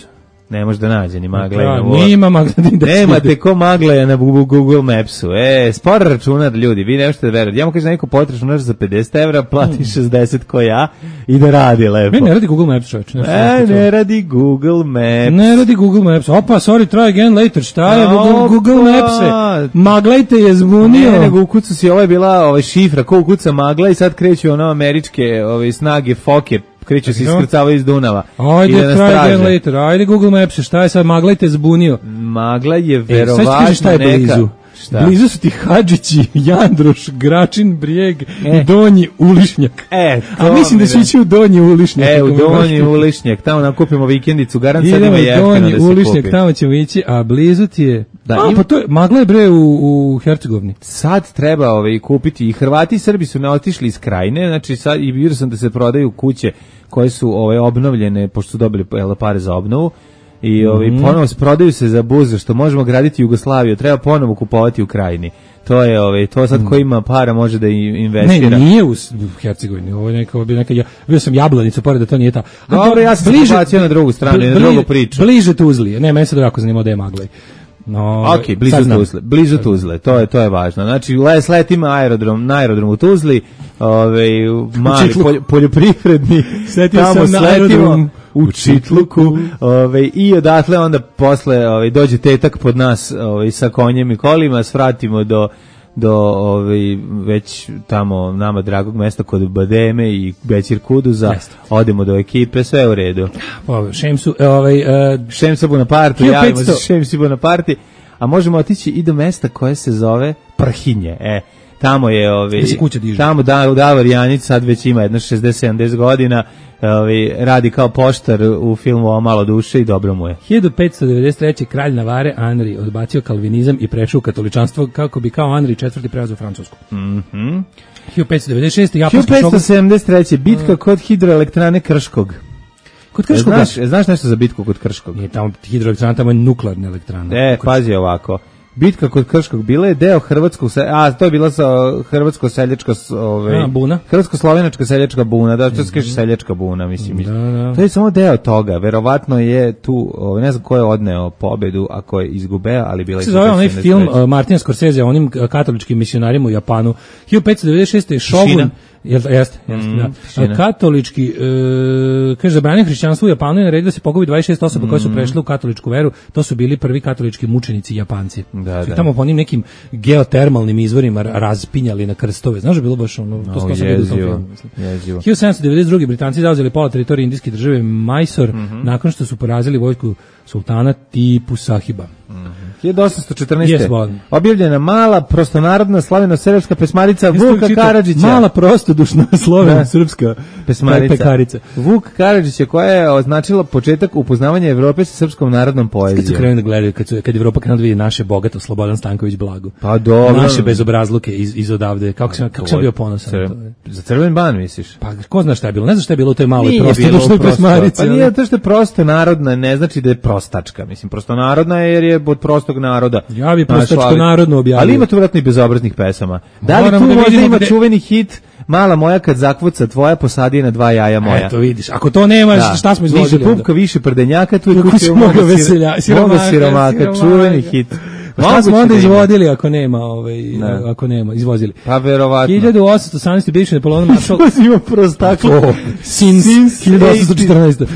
Ne može da nađe ni Magla. Ja, nima Magla. Nemate ko Magla je na Google Mapsu. E, spor računar, ljudi, vi ne možete da verujete. Ja mu kažem neko plati računar za pedeset evra, plati mm. šezdeset ko ja i da radi lepo. Ne, ne radi Google Maps, čovječ. Ne, e, ne radi Google Maps. Ne radi Google Maps. Opa, sorry, try again later. Šta je Google, Google Maps-e? Maglajte je zbunio. Ne, nego ukucu si, ovo je bila ovaj šifra, ko ukuca Magla i sad kreću ono američke ove snage, foke, kreću se iskrcavaju iz Dunava. Ajde, try again later. Ajde Google Maps, šta je sad, Magla te zbunio. Magla je verovatno e, šta je neka... blizu? Šta? Blizu su ti Hadžići, Jandroš, Gračin, Brijeg, e. Donji Ulišnjak. E, a mislim da će ići u Donji Ulišnjak. E, u Donji Ulišnjak, tamo nakupimo vikendicu, garant sad ima jeftino da se kupi. Ulišnjak, tamo ćemo ići, a blizu ti je... Da, a, im... pa to je, Magla je bre u, u Hercegovini. Sad treba ovaj, kupiti, i Hrvati i Srbi su ne otišli iz Krajine, znači sad i vidio sam da se prodaju kuće koje su ovaj, obnovljene, pošto su dobili pare za obnovu, i ovi mm. ponovo se prodaju se za buzu, što možemo graditi Jugoslaviju, treba ponovo kupovati u Krajini. To je ovaj to sad ko ima para može da investira. Ne, nije u Hercegovini, ovo je neka bi neka ja vidio sam Jablanica pored da to nije ta. A dobro, ja sam bliže na drugu stranu, bli, na drugu priču. Bliže Tuzli. Ne, meni se jako zanima da je Maglaj. No, ok, blizu Tuzle, blizu Tuzle, to je to je važno. Znači, les letimo aerodrom, na aerodromu u Tuzli, ovaj mali polj, poljoprivredni, tamo sletimo u Čitluku, ovaj i odatle onda posle ovaj dođe tetak pod nas, ovaj sa konjem i kolima, svratimo do do ovaj već tamo nama dragog mesta kod Bademe i Bećir Kuduza. Jeste. Odemo do ekipe, sve u redu. Pa Šemsu, ovaj uh, Šemsa Bonaparti, javimo se Šemsi Bonaparti, a možemo otići i do mesta koje se zove Prhinje. E, tamo je ovaj tamo da Davor Janić sad već ima jedno šezdeset sedamdeset godina, ovaj radi kao poštar u filmu O malo duše i dobro mu je. hiljadu petsto devedeset treće kralj Navare Anri odbacio kalvinizam i prešao u katoličanstvo kako bi kao Anri četvrti preuzeo Francusku. Mhm. hiljadu petsto devedeset šeste japanski hiljadu petsto sedamdeset treće bitka kod hidroelektrane Krškog. Kod Krškog, znaš, znaš nešto za bitku kod Krškog? Nije tamo hidroelektrana, tamo je nuklearna elektrana. E, pazi ovako. bitka kod Krškog bila je deo hrvatskog, a to je bila sa hrvatsko-seljačka ovaj, buna. Hrvatsko-slovenačka seljačka buna, da, to se kaže seljačka buna, mislim. Da, da. To je samo deo toga, verovatno je tu, ovaj, ne znam ko je odneo pobedu, a ko je izgubeo, ali bila je... Se zove onaj film uh, Martina Scorsese o onim uh, katoličkim misionarima u Japanu. hiljadu petsto devedeset šeste. Shogun... Jeste, jeste, jeste, mm, da. Katolički, e, kaže, zabranio hrišćanstvo u Japanu i naredio da se pogubi dvadeset šest osoba mm. koje su prešle u katoličku veru. To su bili prvi katolički mučenici Japanci. Da, da. Tamo po onim nekim geotermalnim izvorima razpinjali na krstove. Znaš da je bilo baš ono, to no, sam vidio u tom filmu. hiljadu sedamsto devedeset druge. Britanci zauzeli pola teritorije indijske države Mysore, mm-hmm. nakon što su porazili vojsku sultana Tipu Sahiba. Mm-hmm. hiljadu osamsto četrnaeste. Yes, objavljena mala prostonarodna slaveno-srpska pesmarica Vuka Karadžića. Mala prostodušna slaveno-srpska pesmarica. Pekarica. Vuk Karadžić je koja je označila početak upoznavanja Evrope sa srpskom narodnom poezijom. Kad su krenuli da gledaju, kad, su, kad Evropa krenula da vidi naše bogato, Slobodan Stanković blago. Pa dobro. Naše bezobrazluke iz, iz odavde. Kako sam, kako sam bio ponosan. Cr... Za Crven ban, misliš? Pa ko zna šta je bilo? Ne znam šta je bilo u toj maloj prostodušnoj pesmarici. Pa nije to što je prosto narodna, ne znači da je prostačka. Mislim, prosto narodna je jer je od prostog naroda. Ja bi prostačko narodno objavio. Ali ima tu vratno i bezobraznih pesama. Da li tu da možda ima gde... čuveni hit Mala moja kad zakvuca tvoja posadi na dva jaja moja. Eto vidiš, ako to nema, da. Šta smo izvozili? Više pupka, više prdenjaka, tu je kuće moga veselja, siromaka, siromaka, čuveni hit. Šta smo onda izvodili ako nema, ovaj, ako nema, izvozili. Pa verovatno. hiljadu osamsto osamnaesti bivši Napoleon Marshall. Ima prostaklo. Since hiljadu osamsto četrnaeste.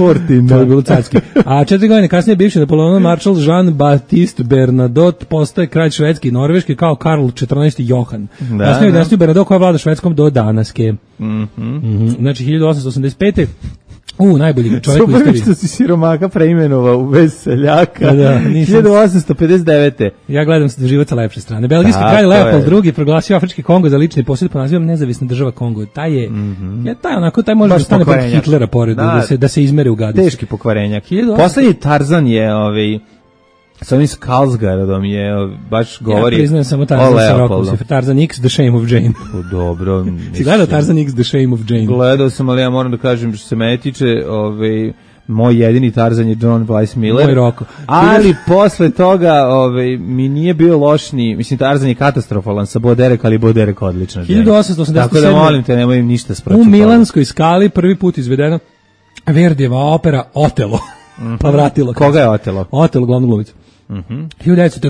To je bilo carski. A četiri godine kasnije bivši Napoleon Marshall Jean-Baptiste Bernadotte postaje kralj Švedske i Norveške kao Karl četrnaesti Johan. Kasnije dinastiju Bernadotte koja vlada Švedskom do danaske. Znači hiljadu osamsto osamdeset pete. U, najbolji čovjek u istoriji. Što si siromaka preimenovao u veseljaka. Da, hiljadu osamsto pedeset devete. Ja gledam se život sa lepše strane. Belgijski kralj Leopold drugi proglasio Afrički Kongo za lični posjed pod nazivom Nezavisna država Kongo. Taj je, mm-hmm. je taj onako, taj može da stane pod Hitlera pored, da, da, se, da se izmere u gadicu. Teški pokvarenjak. Poslednji Tarzan je ovaj... sa ovim Skarsgårdom je baš govori. Ja priznajem samo Tarzan sa Rockos, Tarzan X, The Shame of Jane. O, dobro. Si gledao Tarzan X, The Shame of Jane? Gledao sam, ali ja moram da kažem što se mene tiče, ovaj, moj jedini Tarzan je John Weiss Miller. Moj Roko. Ali posle toga ovaj, mi nije bio lošni, mislim Tarzan je katastrofalan sa Boderek, ali Boderek odlična. hiljadu osamsto osamdeset sedme. Tako da molim te, nemoj im ništa spročiti. U Milanskoj skali prvi put izvedena Verdijeva opera Otelo. Mm-hmm. Pa vratilo. Koga je Otelo? Otelo, glavnu glumicu. Mhm.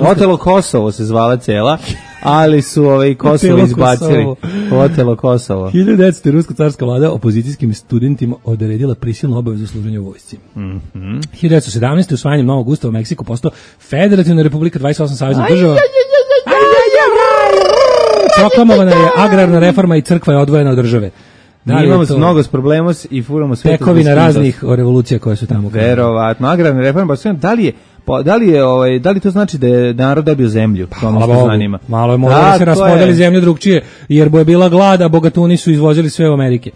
Otelo Kosovo se zvala cela, ali su ovaj Kosovo izbacili. Otelo Kosovo. hiljadu devetsto ruska carska vlada opozicijskim studentima odredila prisilnu obavezu služenja u vojsci. Mhm. hiljadu devetsto sedamnaeste. usvajanjem novog ustava Meksiko postao federativna republika dvadeset osam saveznih država. Proklamovana je agrarna reforma i crkva je odvojena od države. Da, imamo mnogo s problema i furamo sve tekovina raznih revolucija koje su tamo. Verovatno, agrarna reforma, da li je Pa da li je ovaj da li to znači da je narod dobio zemlju? To me zanima. Malo je možda da se raspodeli zemlju drugčije, jer bo je bila glada, bogatuni su izvozili sve u Amerike.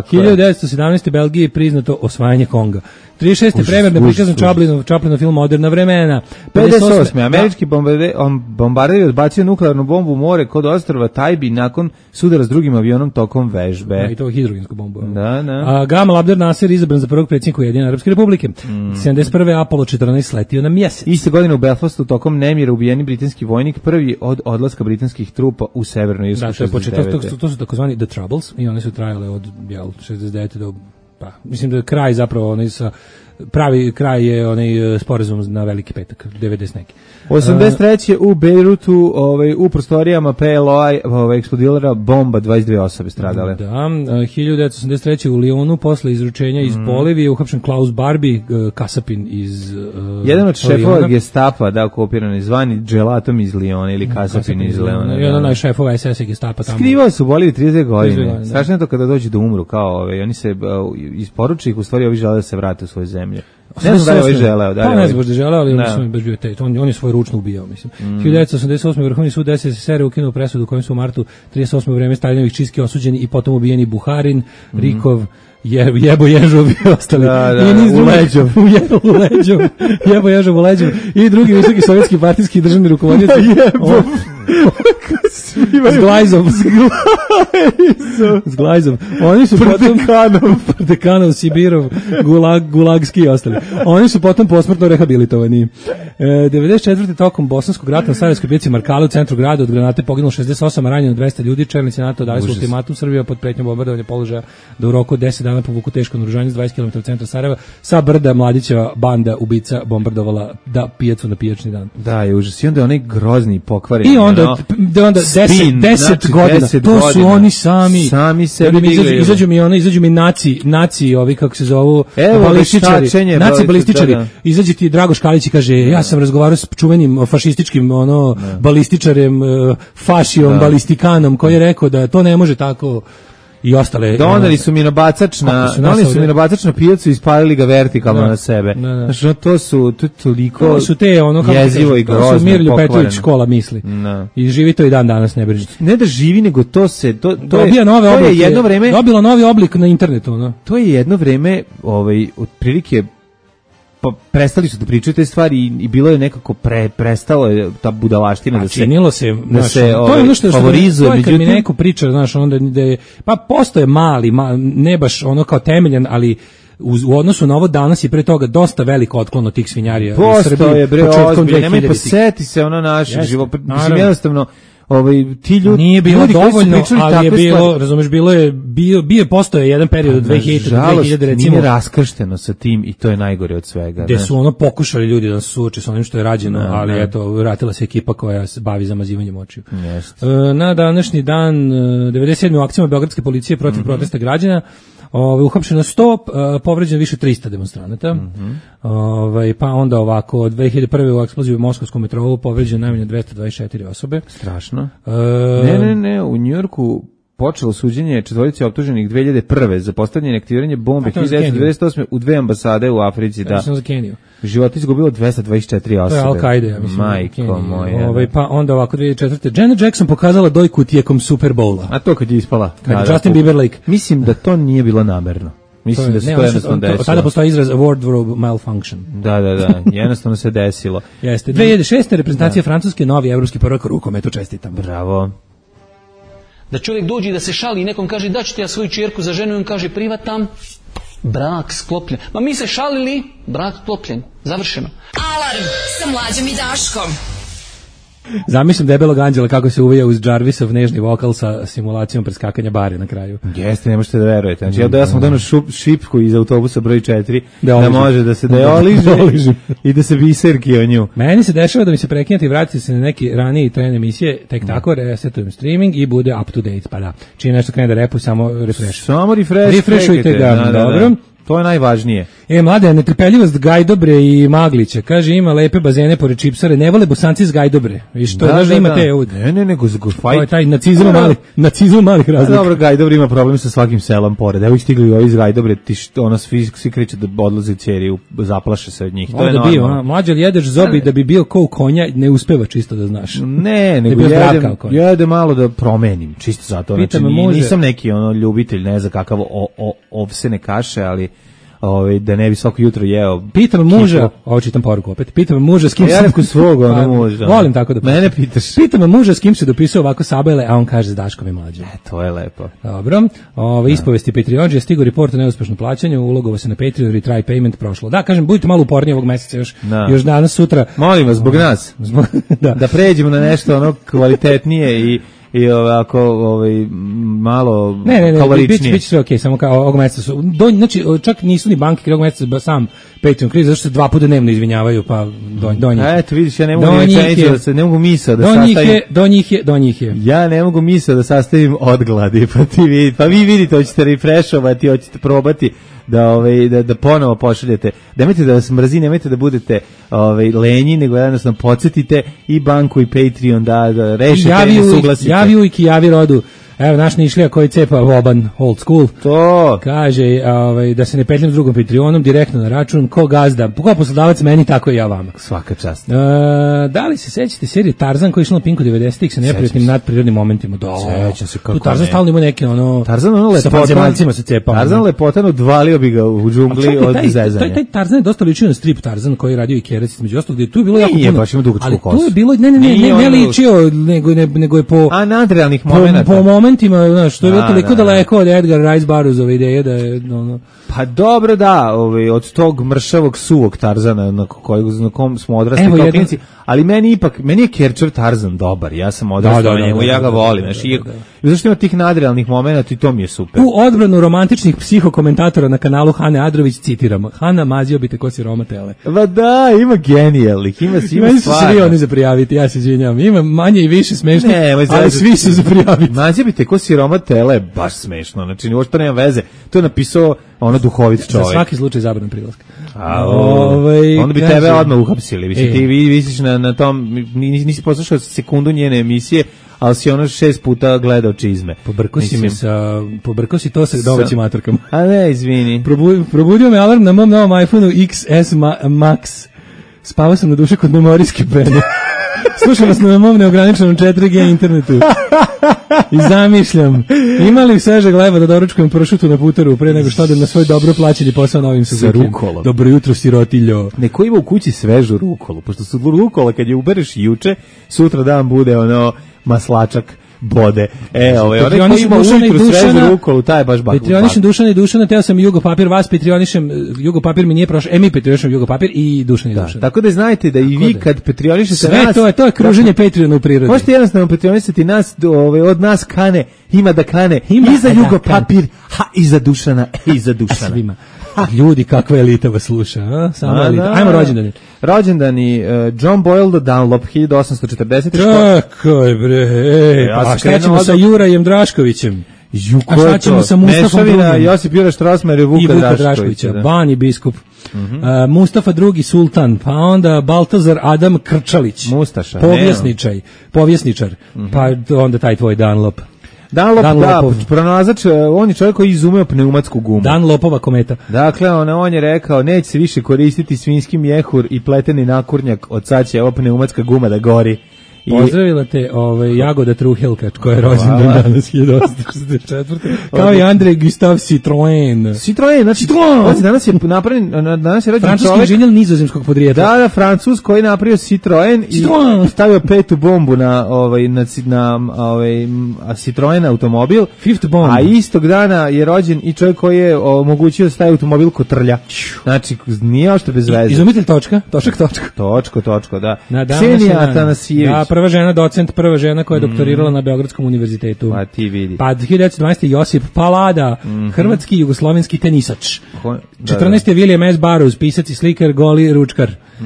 hiljadu devetsto sedamnaeste. Belgiji priznato osvajanje Konga. trideset šeste. premijer prikazan Chaplinov Chaplinov film Moderna vremena. pedeset osme. američki bombarder bombarder odbacio nuklearnu bombu u more kod ostrva Tajbi nakon sudara s drugim avionom tokom vežbe. Ja, i to hidrogensku bombu. Da, da. A Gamal Abdel Nasser izabran za prvog predsjednika Ujedinjene Arapske Republike. Mm. sedamdeset prve. Apollo četrnaest sletio na mjesec. Iste godine u Belfastu tokom nemira ubijeni britanski vojnik, prvi od odlaska britanskih trupa u Severnu Irsku. Da, to je početak, to, to su takozvani The Troubles i one su trajale od jel, šezdeset devete do pa mislim da je kraj zapravo onaj sa pravi kraj je onaj sporazum na Veliki petak devedeset neki. osamdeset treće. u Bejrutu, ovaj u prostorijama P L O-a ovaj eksplodirala bomba, dvadeset dve osobe stradale. Da, hiljadu devetsto osamdeset treće. u Lionu posle izručenja iz mm. Bolivije uhapšen Klaus Barbie, kasapin iz uh, jedan od šefova Gestapa, da, okupirani zvani dželatom iz Liona ili kasapin iz Liona. Jedan od šefova S S Gestapa tamo. Skrivao su u Boliviji trideset godine. Strašno je to kada dođu da umru kao ovaj oni se uh, isporuče ih, u stvari ovi žele da se vrate u svoju zemlju. Ne znam da je ovaj želeo. Pa ne znam baš da želeo, ali on je baš bio taj. On, on je svoj ručno ubijao, mislim. Mm. hiljadu devetsto osamdeset osme. Vrhovni sud S S S R ukinuo presudu kojom su u martu trideset osme u vreme Stalinovih čistki osuđeni i potom ubijeni Buharin, mm. Rikov, Je, jebo ježov i ostali. Da, da, I niz u drugih- leđov. u je- u leđov. Jebo ježov u leđov. I drugi visoki sovjetski partijski državni rukovodioci. Jebo. S glajzom. S glajzom. Oni su potom... Prdekanov, Sibirov, gulag, gulagski i ostali. Oni su potom posmrtno rehabilitovani. E, devedeset četvrte tokom Bosanskog rata na Sarajevskoj pijaci Markale u centru grada od granate poginulo šezdeset osam, a ranjeno dvesta ljudi. Čelnici NATO dali su ultimatum Srbija pod pretnjom bombardovanja položaja da u roku od deset dana povuku teško naoružanje s dvadeset kilometara od centra Sarajeva. Sa brda Mladićeva banda ubica bombardovala da pijacu na pijačni dan. Da, je užas. I onda je onaj grozni pokvareni. I onda, ono, da onda deset, spin, deset znači godina, deset to su godina. oni sami. Sami sebi Da mi izađu, digli, izađu mi ono, izađu mi naci, naci ovi kako se zovu, Evo, balističari, veštačenje, naci balisti- balističari. da, da. Izađe ti Drago Škalić i kaže, ja sam razgovarao s čuvenim fašističkim ono balističarem, eh, fašijom, Da. balistikanom, koji je rekao da to ne može tako i ostale. Doneli ono, su minobacač na, Kako su nas doneli su ovdje- minobacač na pijacu i ispalili ga vertikalno Da. na sebe. Da, da. Znači, ono, to su, to je toliko to su te ono kako ti jezivo kažem, i to grozno, su Mirlju Petrović pokvareno. škola misli. Da. I živi to i dan danas, ne brinite. Ne da živi, nego to se, to, to je, Dobija nove to je oblike. jedno vreme, Dobilo novi oblik na internetu, no. to je jedno vreme, ovaj, otprilike, pa prestali su da pričaju te stvari i, i bilo je nekako pre, prestalo je ta budalaština da A se činilo se, da znaš, se, to je ovaj, ono što, što favorizuje, to je kad mi međutim- neko priča, znaš, onda da je, pa postoje mali, ma, ne baš ono kao temeljan, ali uz, u odnosu na ovo danas je pre toga dosta veliko otklon od tih svinjarija u Postoje Srbiji bre, početkom ozbiljno, nemoj pa dvehiljaditih. seti se ono naše Jeste, život, mislim naravno. jednostavno, ovaj, ti ljudi, Nije bilo ljudi koji su dovoljno, pričali ali je takve bilo, stvari- razumeš, bilo je, bio, bio postoje jedan period od dve hiljade do Nažalost, dve hiljade recimo, nije raskršteno sa tim i to je najgore od svega. gde znaš. su ono pokušali ljudi da se suoče sa onim što je rađeno, Ne, ali ne. eto, vratila se ekipa koja se bavi zamazivanjem očiju. Jeste. E, Na današnji dan, e, devedeset sedme u akcijama beogradske policije protiv Mhm. protesta građana, ovaj uhapšeno sto, e, povređeno više trista demonstranata. Mhm. Ovaj pa onda ovako od dve hiljade prve u eksploziji u moskovskom metrou povređeno najmanje dvesta dvadeset četiri osobe. Strašno. E, Ne, ne, ne, u Njujorku počelo suđenje četvorici optuženih dve hiljade prve za postavljanje i aktiviranje bombe A to je za hiljadu devetsto devedeset osme u dve ambasade u Africi, da. Ja sam za Keniju. Život izgubilo dvesta dvadeset četiri To je osobe. Al-Qaida, ja mislim. Majko Kenija. moja. Ovaj da. pa onda ovako dve hiljade četvrte Janet Jackson pokazala dojku tijekom Super Bowla. A to kad je ispala? Kad je Da, da, Justin to- Bieber like. Mislim da to nije bilo namerno. Mislim da se ne, to ono što- jednostavno to- Tada desilo. postoji izraz wardrobe malfunction. Da, da, da, jednostavno se desilo. Jeste. dve hiljade šeste reprezentacija Francuske, novi evropski prvak u rukometu, čestitam. Bravo. Da čovjek dođe i da se šali i nekom kaže da ću ti ja svoju čerku za ženu i on kaže privatam, brak sklopljen. Ma mi se šalili, brak sklopljen, završeno. Alarm sa Mlađom i Daškom. Zamišljam debelog anđela kako se uvija uz Jarvisov nežni vokal sa simulacijom preskakanja bare na kraju. Jeste, ne možete da verujete. Znači, ja da ja sam dano šup, šipku iz autobusa broj četiri, Da da, oliže. može da se da je Da oliže oliže. i da se biserki o nju. Meni se dešava da mi se prekinete i vratite se na neki raniji tren emisije, tek tako resetujem streaming i bude up to date, pa da. Čim nešto krene da repu, samo refresh. Samo refresh. Refreshujte čekajte, ga, da, da, dobro. da. To je najvažnije. E, mlade, netrpeljivost Gajdobre i Maglića. Kaže, ima lepe bazene pored Čipsare, ne vole Bosanci iz Gajdobre. Viš, to znaš da ima te... ovdje. Ne, ne, nego zgo To je fajt. taj nacizam mali, nacizam malih A razlika. dobro, Gajdobri ima problem sa svakim selom pored. Evo ih stigli ovi iz Gajdobre, ti što, ono, svi, svi kriče da odlaze ćeri, u- zaplaše se od njih. To je Onda bio, a, normalno. mlađe jedeš zobi da bi bio ko u konja, ne uspeva čisto da znaš. Ne, nego bio zdrav kao jedem, konj. jedem malo da promenim, čisto zato. Pita Znači, me ni- muže- nisam neki ono ljubitelj, ne znam kakav o, o, ovsene kaše, ali ovaj, da ne bi svako jutro jeo. Pitam muža, Kipo. ovo čitam poruku opet, pitam muža s kim A ja se... neku svog, ono, Pa, muža. Volim tako da... Mene pitaš. Pitam muža s kim se dopisao ovako sabele, a on kaže s Daškom i Mlađom. E, to je lepo. Dobro, ove ispovesti Patreonđe, stigo report o neuspešnom plaćanju, ulogovo se na Patreon, retry payment prošlo. Da, kažem, budite malo uporniji ovog meseca još, Da. još danas, sutra. Molim vas, zbog nas, Zbog- da. da pređemo na nešto ono kvalitetnije i i ovako ovaj malo Ne, ne, ne, kaloričnije. biće biće sve okej, samo kao ovog meseca su. Do, znači, čak nisu ni banke ovog meseca ba sam Patreon kriz, zato što se dva puta dnevno izvinjavaju, pa do, do njih. A eto, vidiš, ja ne mogu Do ni njih rečenicu je- da se ne mogu misao da do njih sastavim. je, do njih je, do njih je. Ja ne mogu misao da sastavim od gladi, pa ti vidi, pa vi vidite, hoćete refreshovati, hoćete probati da ovaj da da ponovo pošaljete. Nemojte da vas mrzi, nemojte da budete ovaj lenji, nego jednostavno podsjetite i banku i Patreon da, da rešite Javi uvijek, nesuglasite. javi uvijek i javi rodu. Evo, naš Nišlija koji cepa Voban, old school. To. Kaže, ovaj, da se ne petljam s drugom Patreonom, direktno na račun, ko gazda, ko poslodavac meni, tako i ja vama. Svaka čast. E, da li se sećate serije Tarzan koji je išla na Pinku devedesetih sa neprijatnim nadprirodnim momentima? Da, sećam se kako tu Tarzan ne. stalno ima neke ono... Tarzan ono sa lepotan, vanzemaljcima se cepao. Tarzan lepotan odvalio bi ga u džungli od taj, zezanja. taj, taj Tarzan je dosta ličio na strip Tarzan koji je radio i Kerac, među ostalog, gdje tu je bilo jako Nije, puno. baš ima dugačku ali kosu. tu je bilo, ne, ne, ne, ne, ne ličio, nego, ne, nego je po... A nadrealnih po, momenata. po momentima, znaš, to je bilo A, toliko da, da. daleko od Edgar Rice Burroughsove ideje da je, ono... Pa dobro da, ovaj, od tog mršavog suvog Tarzana na, kojeg, na kom smo odrasli Evo kao jedan- klinci, ali meni ipak, meni je Kerčev Tarzan dobar, ja sam odrastao Da, da, na da, njemu, da, ja da, ga da, volim, da, znaš, da, i da. i zašto ima tih nadrealnih momenata i to mi je super. U odbranu romantičnih psihokomentatora na kanalu Hane Adrović citiramo: Hana, mazio bi te ko siroma tele. Va da, ima genijalnih, ima, ima Meni su stvarno. svi oni za prijaviti, ja se izvinjavam. Ima manje i više smešno, Ne, moj ali zezati. svi su za prijaviti. Nađe bi te ko siroma tele, baš smešno, znači uopšte nema veze, to je napisao ono duhovit Za čovjek. svaki slučaj zabran prilaska. A, Ovaj, onda bi kaže- tebe odmah uhapsili. Mislim, E. ti vi visiš na, na tom, nisi, nisi poslušao sekundu njene emisije, ali si ono šest puta gledao čizme. Pobrkao si me Mislim, sa, pobrkao si to sa domaćim matorkama. A ne, izvini. Probu, probudio me alarm na mom novom iPhoneu X S Ma, Max. Spavao sam na duše kod memorijske pene. Slušam vas na mom neograničenom četiri G internetu. I zamišljam, ima li svežeg leba da doručkujem pršutu na putaru pre nego što odem na svoj dobro plaćeni posao na ovim Suzuki. rukolom. Dobro jutro, sirotiljo. Neko ima u kući svežu rukolu, pošto su rukola kad je ubereš juče, sutra dan bude ono maslačak bode. E, ovaj, onaj ko Petrionišem ima Dušana i ujutru svežu Dušana- rukolu, taj je baš bak. Petrionišem Dušana i Dušana, teo sam Jugo papir, vas Petrionišem, Jugo papir mi nije prošao, e mi Petrionišem Jugo papir i Dušan i Da, Dušan. tako da znajte da i vi da. kad petrionišete Sve nas... to je, to je kruženje Patreona u prirodi. Možete jednostavno petrionisati nas, do, ove, od nas kane, ima da kane, Ima i za da Jugo kane. papir, ha, i za Dušana, i za Dušana. Svima. Ljudi, kakva elita vas sluša, a? Samo A, elita. da. Ajmo rođendani. Rođendani, uh, John Boyle Dunlop, hiljadu osamsto četrdeset. Čekaj bre, ej, Ja pa sam šta krenuo ćemo od- sa Jurajem Draškovićem? Ju, A šta ćemo sa Mustafom Mešavina, drugim? Josip Jura Štrosmajer i I Vuka Vuka Draškovića. Draškovića, Da. Bani biskup, uh, Mustafa drugi sultan, pa onda Baltazar Adam Krčalić, Mustaša, povjesničaj, povjesničar, pa onda taj tvoj Dunlop, Dunlop, Dunlopov. da, pronalazač, uh, on je čovjek koji je izumeo pneumatsku gumu. Dunlopova kometa. Dakle, on, on je rekao, neće se više koristiti svinjski mjehur i pleteni nakurnjak, od sad će ova pneumatska guma da gori. I Pozdravila te ovaj, Jagoda Truhelka, koja je rođendan Hvala. danas hiljadu osamsto šezdeset četvrte kao i Andrej Gustav Citroen. Citroen, znači, Citroen! znači, danas je napravljen, danas je rođen Francuski čovjek, inženjer nizozemskog podrijetla. da, da, Francuz koji je napravio Citroen i Citroen! stavio petu bombu na ovaj na ci- na ovaj m, a Citroen automobil. Fifth bomb. A istog dana je rođen i čovjek koji je omogućio da staje automobil kotrlja. Znači, nije ošto bez veze. Izumitelj točka, točak točka. Točko, točko, da. Na današnji Ksenija dan. Atanasijević. Da, prva žena docent, prva žena koja je doktorirala na Beogradskom univerzitetu. Pa ti vidi. Pa hiljadu devetsto dvanaeste. Josip Palada, hrvatski jugoslovenski tenisač. Ko- da, četrnaeste. William S. Burroughs, pisac i slikar, goli ručkar. E,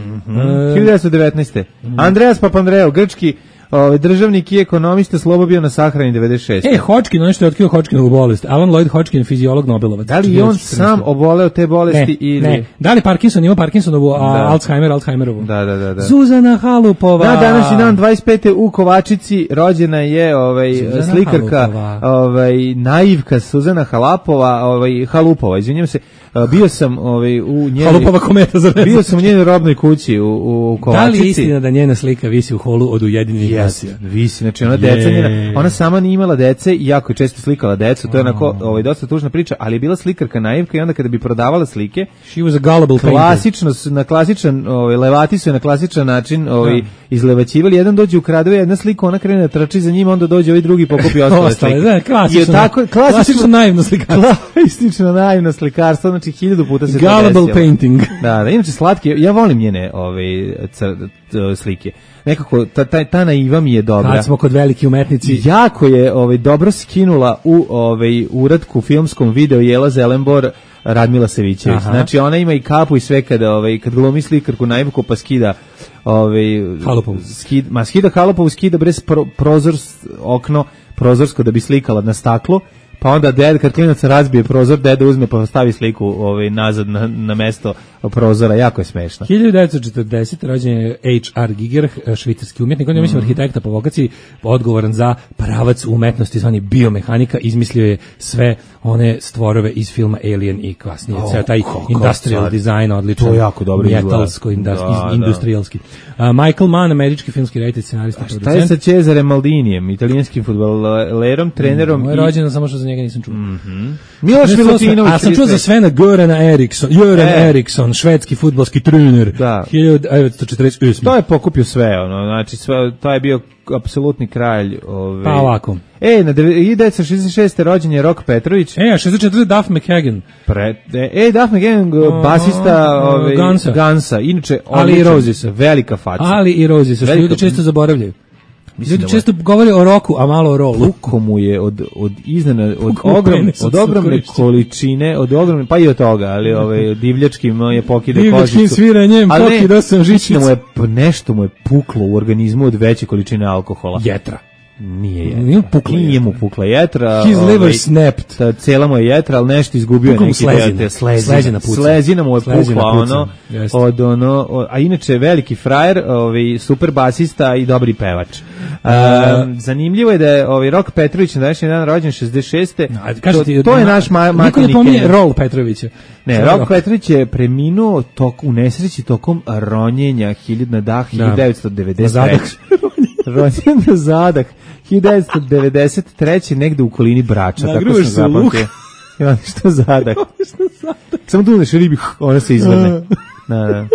hiljadu devetsto devetnaeste. Andreas Papandreou, grčki ovaj, državnik i ekonomista, slobo bio na sahrani devedeset šeste. E, Hodgkin, ono što je otkrio Hodgkinovu bolest. Alan Lloyd Hodgkin, fiziolog Nobelovac. Da li je on hiljadu četrnaeste. sam oboleo te bolesti Ne, ili... ne. Da li Parkinson ima Parkinsonovu, a Da. Alzheimer, Alzheimerovu? Da, da, da, da. Zuzana Halupova. Na današnji dan dvadeset pete u Kovačici rođena je ovaj Suzana slikarka, Halupova. ovaj naivka Suzana Halapova, ovaj Halupova, izvinjavam se. Bio sam ovaj u njenoj Halupova kometa za Bio sam u njenoj robnoj kući u u Kovačici. Da li je istina da njena slika visi u holu od Ujedinjenih nacija? Jesi, visi, znači ona deca Je. njena, ona sama nije imala dece i jako je često slikala decu, to je onako ovaj, dosta tužna priča, ali je bila slikarka naivka i onda kada bi prodavala slike, She was a gullible painter. klasično, su- na klasičan, ovaj, levati su je na klasičan način ovaj, izlevaćivali, jedan dođe ukrade jedna slika, ona krene da trči za njim, onda dođe ovaj drugi pokupi ostale Ostale, slike. da, klasično, I tako, klasično, klasično naivno slikarstvo. klasično naivno slikarstvo, znači hiljadu puta se to Gullible desilo. painting. Da, da, inače slatke, ja volim njene ove, cr, c- slike. Nekako, ta, ta, ta naiva mi je dobra. Kad smo kod veliki umetnici. Jako je ovaj, dobro skinula u ovaj, uratku filmskom video Jela Zelenbor Radmila Savićević. Aha. Znači, ona ima i kapu i sve kada, ovaj, kad glumi slikarku naivku pa skida ovaj, Halopovu. skid, ma skida Halopovu, skida brez pro, prozor, okno prozorsko da bi slikala na staklo, pa onda ded, kad klinac razbije prozor, deda uzme pa stavi sliku ovaj, nazad na, na mesto prozora, jako je smešno. hiljadu devetsto četrdesete rođen je H R Giger, švicarski umjetnik, on je mislim arhitekta po vokaciji, odgovoran za pravac umetnosti, zvani biomehanika, izmislio je sve one stvorove iz filma Alien i kasnije, oh, taj industrial stvar. Design, odličan, to je jako dobro metalsko, industri- da, industrijalski. Da. Uh, Michael Mann, američki filmski reditelj, scenarista, producent. Šta je sa Cesare Maldinijem, italijanskim fudbalerom, trenerom? On je rođen, samo što za njega nisam čuo. Mm-hmm. Miloš Milutinović. A sam čuo za Svena Gorana Eriksson, Göran e. Eriksson, švedski fudbalski trener, da. hiljadu devetsto četrdeset osme. To je pokupio sve, ono, znači sve, to je bio apsolutni kralj. Ove... Pa ovako. E, na hiljadu devetsto šezdeset šeste rođen je Rok Petrović. E, a šezdeset četvrte Duff McKagan. Pre, e, Duff McKagan, basista uh, ove, Gansa. Gansa. Inače, Ali i Rosesa. Velika faca. Ali i Rosesa, što ljudi često zaboravljaju. Ljudi da često govore o roku, a malo o rolu. Puko mu je od, od iznena, od, ogrom, od ogromne količine, od ogromne, pa i od toga, ali ovaj, divljačkim je pokide kožicu. Divljačkim sviranjem pokidao sam žičicu. Mu je, nešto mu je puklo u organizmu od veće količine alkohola. Jetra. Nije jetra. Nije, pukla Nije mu pukla jetra. His liver ovaj, snapped. Ta, cela mu je jetra, ali nešto izgubio je neki slezina. deo. Slezina. Slezina, slezina mu je slezina pukla, ono, od ono, od, a inače veliki frajer, ovaj, super basista i dobri pevač. Uh, um, zanimljivo je da je ovaj Rok Petrović na današnji dan rođen šezdeset šeste. No, to, ti, to je na, naš ma, niko ne pominje Rol Petrovića. Ne, Rok, Rok Petrović je preminuo tok, u nesreći tokom ronjenja hiljadu na dah hiljadu devetsto devedeset treće. Rođen na zadah hiljadu devetsto devedeset treće negde u okolini Brača. Tako sam zapamtio. Ja, što zadah? Samo tu uneš ribi, ona se izvrne. Da, da.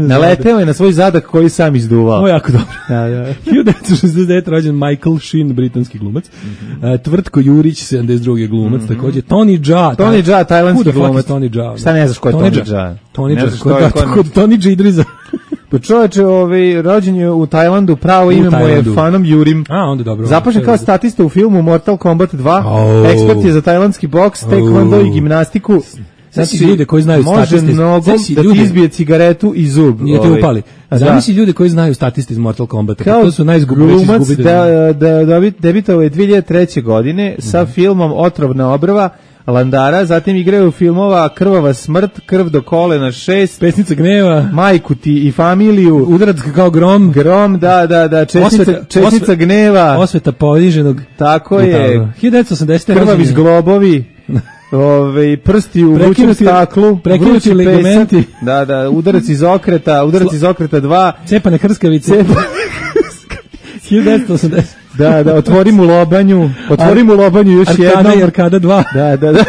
Naleteo je na svoj zadak koji sam izduvao. Ovo je jako dobro. Da, da. hiljadu devetsto šezdeset devete rođen Michael Sheen, britanski glumac. Mm-hmm. Uh, Tvrtko Jurić, sedamdeset drugi glumac, mm-hmm. takođe. Tony Jaa. Tony Jaa, tajlandski glumac. Tony Jaa. Šta ne znaš ko je Tony Jaa? Tony Jaa, kod Tony Jaa Idriza. Pa čovječe, ovaj, rođen je u Tajlandu, pravo ime mu je Fanom Jurim. A, onda dobro. Započne kao statista u filmu Mortal Kombat dva. Oh. Ekspert je za tajlandski boks, taekwondo oh. i gimnastiku. Znači, ljude koji znaju statiste. Može nogom da ti izbije cigaretu i zub. Nije te upali. Zamisli ljude koji znaju statiste iz Mortal Kombata. Kao to su najizgubljeći izgubitelji. Da, da, da, debitao je dve hiljade treće. godine sa mm-hmm. filmom Otrovna obrva Landara, zatim igraju filmova Krvava smrt, Krv do kolena šest, Pesnica gneva, Majku ti i familiju, Udarac kao grom, grom, da, da, da, Česnica, osveta, česnica osve, gneva, Osveta poniženog, tako je, hiljadu devetsto osamdesete. Krvavi zglobovi, ove, prsti u vrućem staklu, prekinuti ligamenti, da, da, udarac iz okreta, udarac iz okreta dva, cepane hrskavice, cepane hiljadu devetsto osamdesete. Da, da, otvorim u lobanju, otvorim u lobanju još Arkada jednom. Arkada i Arkada dva. Da, da, da.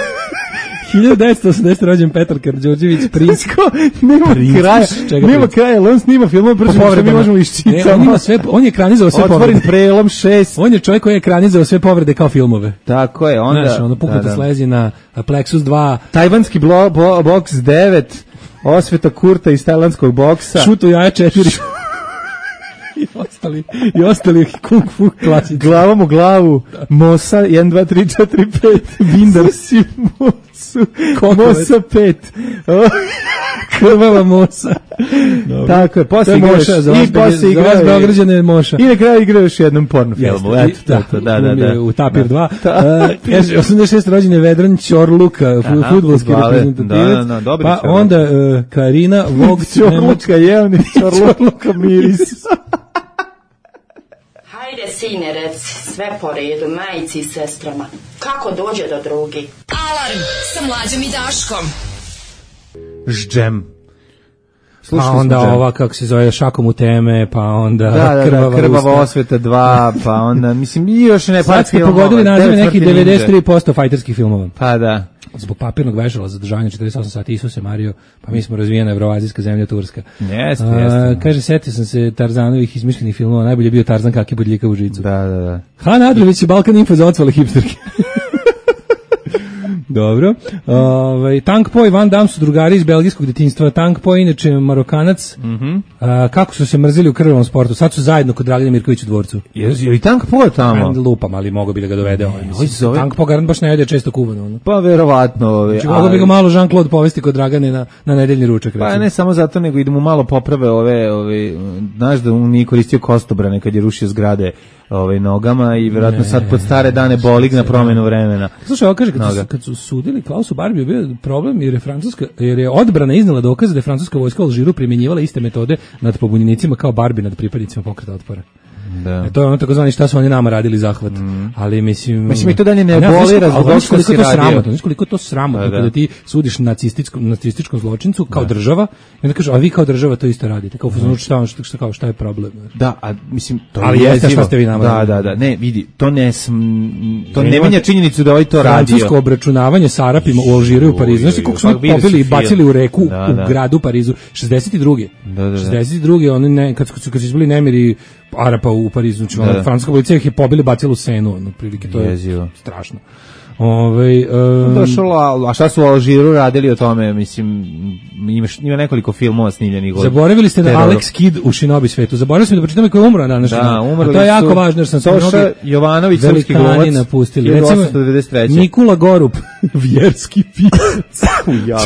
hiljadu devetsto osamdesete. rođen Petar Karađorđević, princ. Nema kraja, nema kraja, on snima film, brzo što mi možemo iščitati. On ima sve, on je ekranizovao sve povrede. Otvorim prelom šest. On je čovjek koji je ekranizovao sve povrede kao filmove. Tako je, onda. Znaš, ono puknuta da, da. slezina, Plexus dva. Tajvanski blo, bo, boks devet, osveta Kurta iz tajlandskog boksa. Šut u jaja četiri. I ostali, i ostali kung fu klasici. Glavom u glavu, Mosa, jedan, dva, tri, četiri, pet, Bindar si Mosu, Mosa pet. Krvava Mosa. Dobro. Tako je, posle igraš, i posle igraš, za vas Beograđane Moša. I na kraju igraš još jednom porno filmu. Eto, da, to, da, da, da. U Tapir dva. Uh, osamdeset šeste. rođen je Vedran Ćorluka, fudbalski reprezentativac. Da, da, da, pa onda uh, Karina Vogt. Ćorluka, jevni, Ćorluka miris. Hajde, sine, reci, sve po redu, majici i sestrama. Kako dođe do drugi? Alarm sa Mlađom i Daškom. Ždžem. Pa onda ova, kako se zove, Šakom u teme, pa onda da, da, Krvava, da, krvava osveta dva, pa onda, mislim, i još ne par filmova. Sad ste pogodili nazive nekih devedeset tri posto fajterskih filmova. Pa da. Zbog papirnog vežala zadržanja četrdeset osam sati, Isuse Mario, pa mi smo razvijena evroazijska zemlja Turska. Jeste, jeste. Kaže, setio sam se Tarzanovih izmišljenih filmova, najbolje je bio Tarzan kaki bodljika u žicu. Da, da, da. Han Adrović je Balkan Info za ocvale hipsterke. Dobro. Ovaj Tank Po i Van Damme su drugari iz belgijskog detinjstva. Tank Po inače Marokanac. Mhm. Mm kako su se mrzili u krvavom sportu. Sad su zajedno kod Dragana Mirkovića u dvorcu. Je je i Tank Po tamo. Ajde lupam, ali mogu bi da ga dovede ovaj. Mislim. Tank Po garant baš ne jede često kuvano, ono. Pa verovatno, ovaj. Znači, mogu bi ga malo Jean-Claude povesti kod Dragane na na nedeljni ručak, recimo. Pa ne samo zato, nego idemo malo poprave ove, ove, znaš da on nije koristio kostobrane kad je rušio zgrade ovaj, nogama i vjerojatno sad pod stare dane bolig na promjenu vremena. Slušaj, ovo kaže, kad su, kad su sudili Klausu Barbiju, bio problem jer je Francuska, jer je odbrana iznala dokaze da je francuska vojska u Alžiru primjenjivala iste metode nad pobunjenicima kao Barbie nad pripadnicima pokreta otpora. Da. E, to je ono tako zvani šta su oni nama radili zahvat. Mm. Ali mislim... Mislim i to dalje ne boli razlog što si radio. Znaš koliko je to sramotno da, da. Kada ti sudiš nacističkom, nacističkom zločincu kao da. Država i onda kažu, a vi kao država to isto radite. Kao mm. šta, šta, šta, kao, šta je problem? Da, a mislim... To ali jeste šta ste vi nama da, radili. Da, da, ne, vidi, to ne, to ne menja činjenicu da ovaj to radio. Francusko obračunavanje sa Arapima u Alžiru i u Parizu. Znaš koliko smo pobili i bacili u reku da, u da. gradu Parizu. šezdeset druge Da, da, da. šezdeset druge oni ne, kad, kad, kad su izbili nemiri Arapa u Parizu, znači da. Francuska policija ih je pobili, bacili u Senu, ono, prilike, to je Jezio. Strašno. Ove, um, Došlo, a šta su u Alžiru radili o tome, mislim, imaš, ima nekoliko filmova snimljenih. Zaboravili ste da Alex Kidd u Shinobi svetu, zaboravili smo da pročitamo koji je umro danas. Da, umrli to je jako važno, jer sam Soša mnogi Jovanović, srpski glumac, napustili. Recimo, Nikola Gorup, vjerski pisac.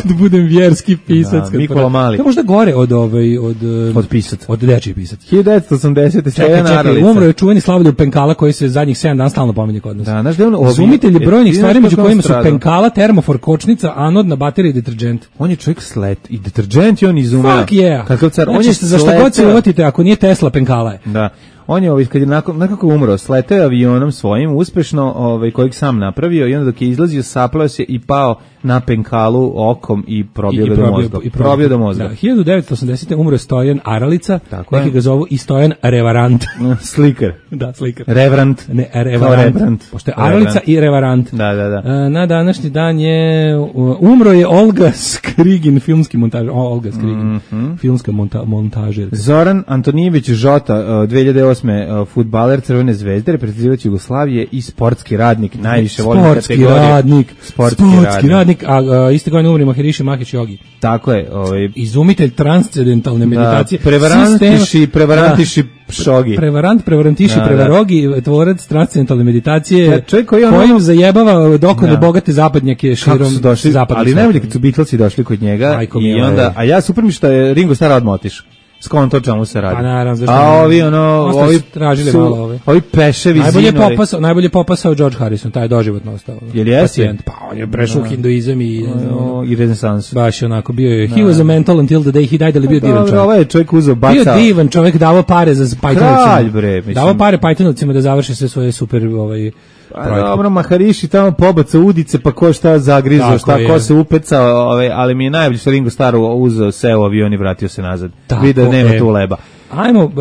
Da budem vjerski pisac. Da, Nikola Mali. To je možda gore od, ovaj, od, od pisac. Od dečiji pisac. hiljadu devetsto osamdesete. Čekaj, čekaj, umro je čuveni Slavoljub Penkala koji se zadnjih sedam dana stalno pominje kod nas. Da, znaš da je on izumitelj brojnih stvari među kojima su penkala, termofor, kočnica, anodna baterija i deterđent. On je čovjek slet i deterđent je on izumeo. Fuck yeah. Kakav car, znači, on je za šta god se uvatite, ako nije Tesla, penkala je. Da. On je ovaj kad je nakon nekako umro, sleteo avionom svojim uspešno, ovaj kojeg sam napravio i onda dok je izlazio sapleo se i pao na penkalu okom i probio ga do mozga. I probio do mozga. Da, hiljadu devetsto osamdesete umro Stojan Aralica, neki ga zovu i Stojan Revarant. Slikar. Da, slikar. Reverant. Ne, Revarant. Pošto je Aralica i Revarant. Da, da, da. Na današnji dan je umro je Olga Skrigin, filmski montažer. Olga Skrigin, mm -hmm. filmska monta, montažerka. Zoran Antonijević Žota, dve hiljade osme fudbaler Crvene zvezde, reprezentativac Jugoslavije i sportski radnik, najviše volim kategorije. Radnik, sportski, sportski radnik. A, a iste godine umri Maharishi Mahesh Yogi. Tako je, ovaj izumitelj transcendentalne meditacije. Da, prevarantiši, prevarantiši Šogi. Prevarant, prevarantiši, da, prevarogi, da. Tvorac transcendentalne meditacije, da, čovjek koji ono kojim zajebava dokone da. Bogate zapadnjake širom zapadnog. Ali najbolje kad su Beatlesi došli kod njega i onda, a ja super mi što je Ringo Starr odmah otišao. Skonto čemu se radi. Pa naravno, zašto? A ovi ono, ovi tražili su, malo ovi. Ovi peševi najbolje zinori. Popasao, najbolje popasao George Harrison, taj je doživotno ostao. Jel jeste? Pacijent, pa on je prešao u hinduizam i no, i renesansu. Baš onako bio je. He was a mental until the day he died, ali bio pa, divan čovjek. Ovaj je čovjek uzeo bacao. Bio divan čovjek, davao pare za Pythonovcima. Kralj bre, mislim. Davao pare Pythonovcima da završe sve svoje super ovaj A dobro, Maharishi tamo pobaca udice, pa ko šta zagrizao, šta je. Ko se upecao, ove, ali mi je najbolje što Ringo Starr uzeo seo avion i vratio se nazad. Vidio nema je. Tu leba. Ajmo, uh,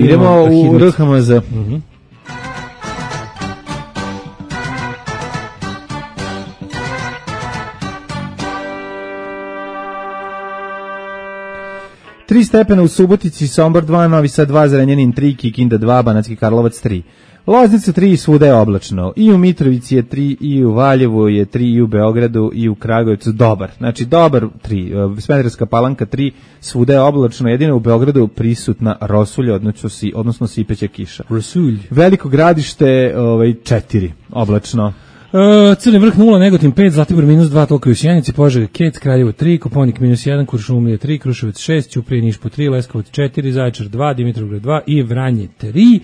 idemo u R H M Z. Mhm. Tri stepena u Subotici, Sombor dva, Novi Sad dva, Zrenjanin tri, Kikinda dva, Banatski Karlovac tri. Loznica tri, svuda je oblačno. I u Mitrovici je tri, i u Valjevu je tri, i u Beogradu, i u Kragujevcu. Dobar. Znači, dobar tri. Smederevska Palanka tri, svuda je oblačno. Jedino u Beogradu prisutna rosulja, odnosno, si, odnosno sipeća kiša. Rosulj. Veliko Gradište, ovaj, četiri, oblačno. Uh, Crni vrh nula, Negotin pet, Zlatibor minus dva, Tolko i u Sjenici, Požega, Kec, Kraljevo tri, Koponik minus jedan, Kuršumlija tri, Kruševac šest, Ćuprije, Niš po tri, Leskovac četiri, Zaječar dva, Dimitrovgrad dva i Vranje tri.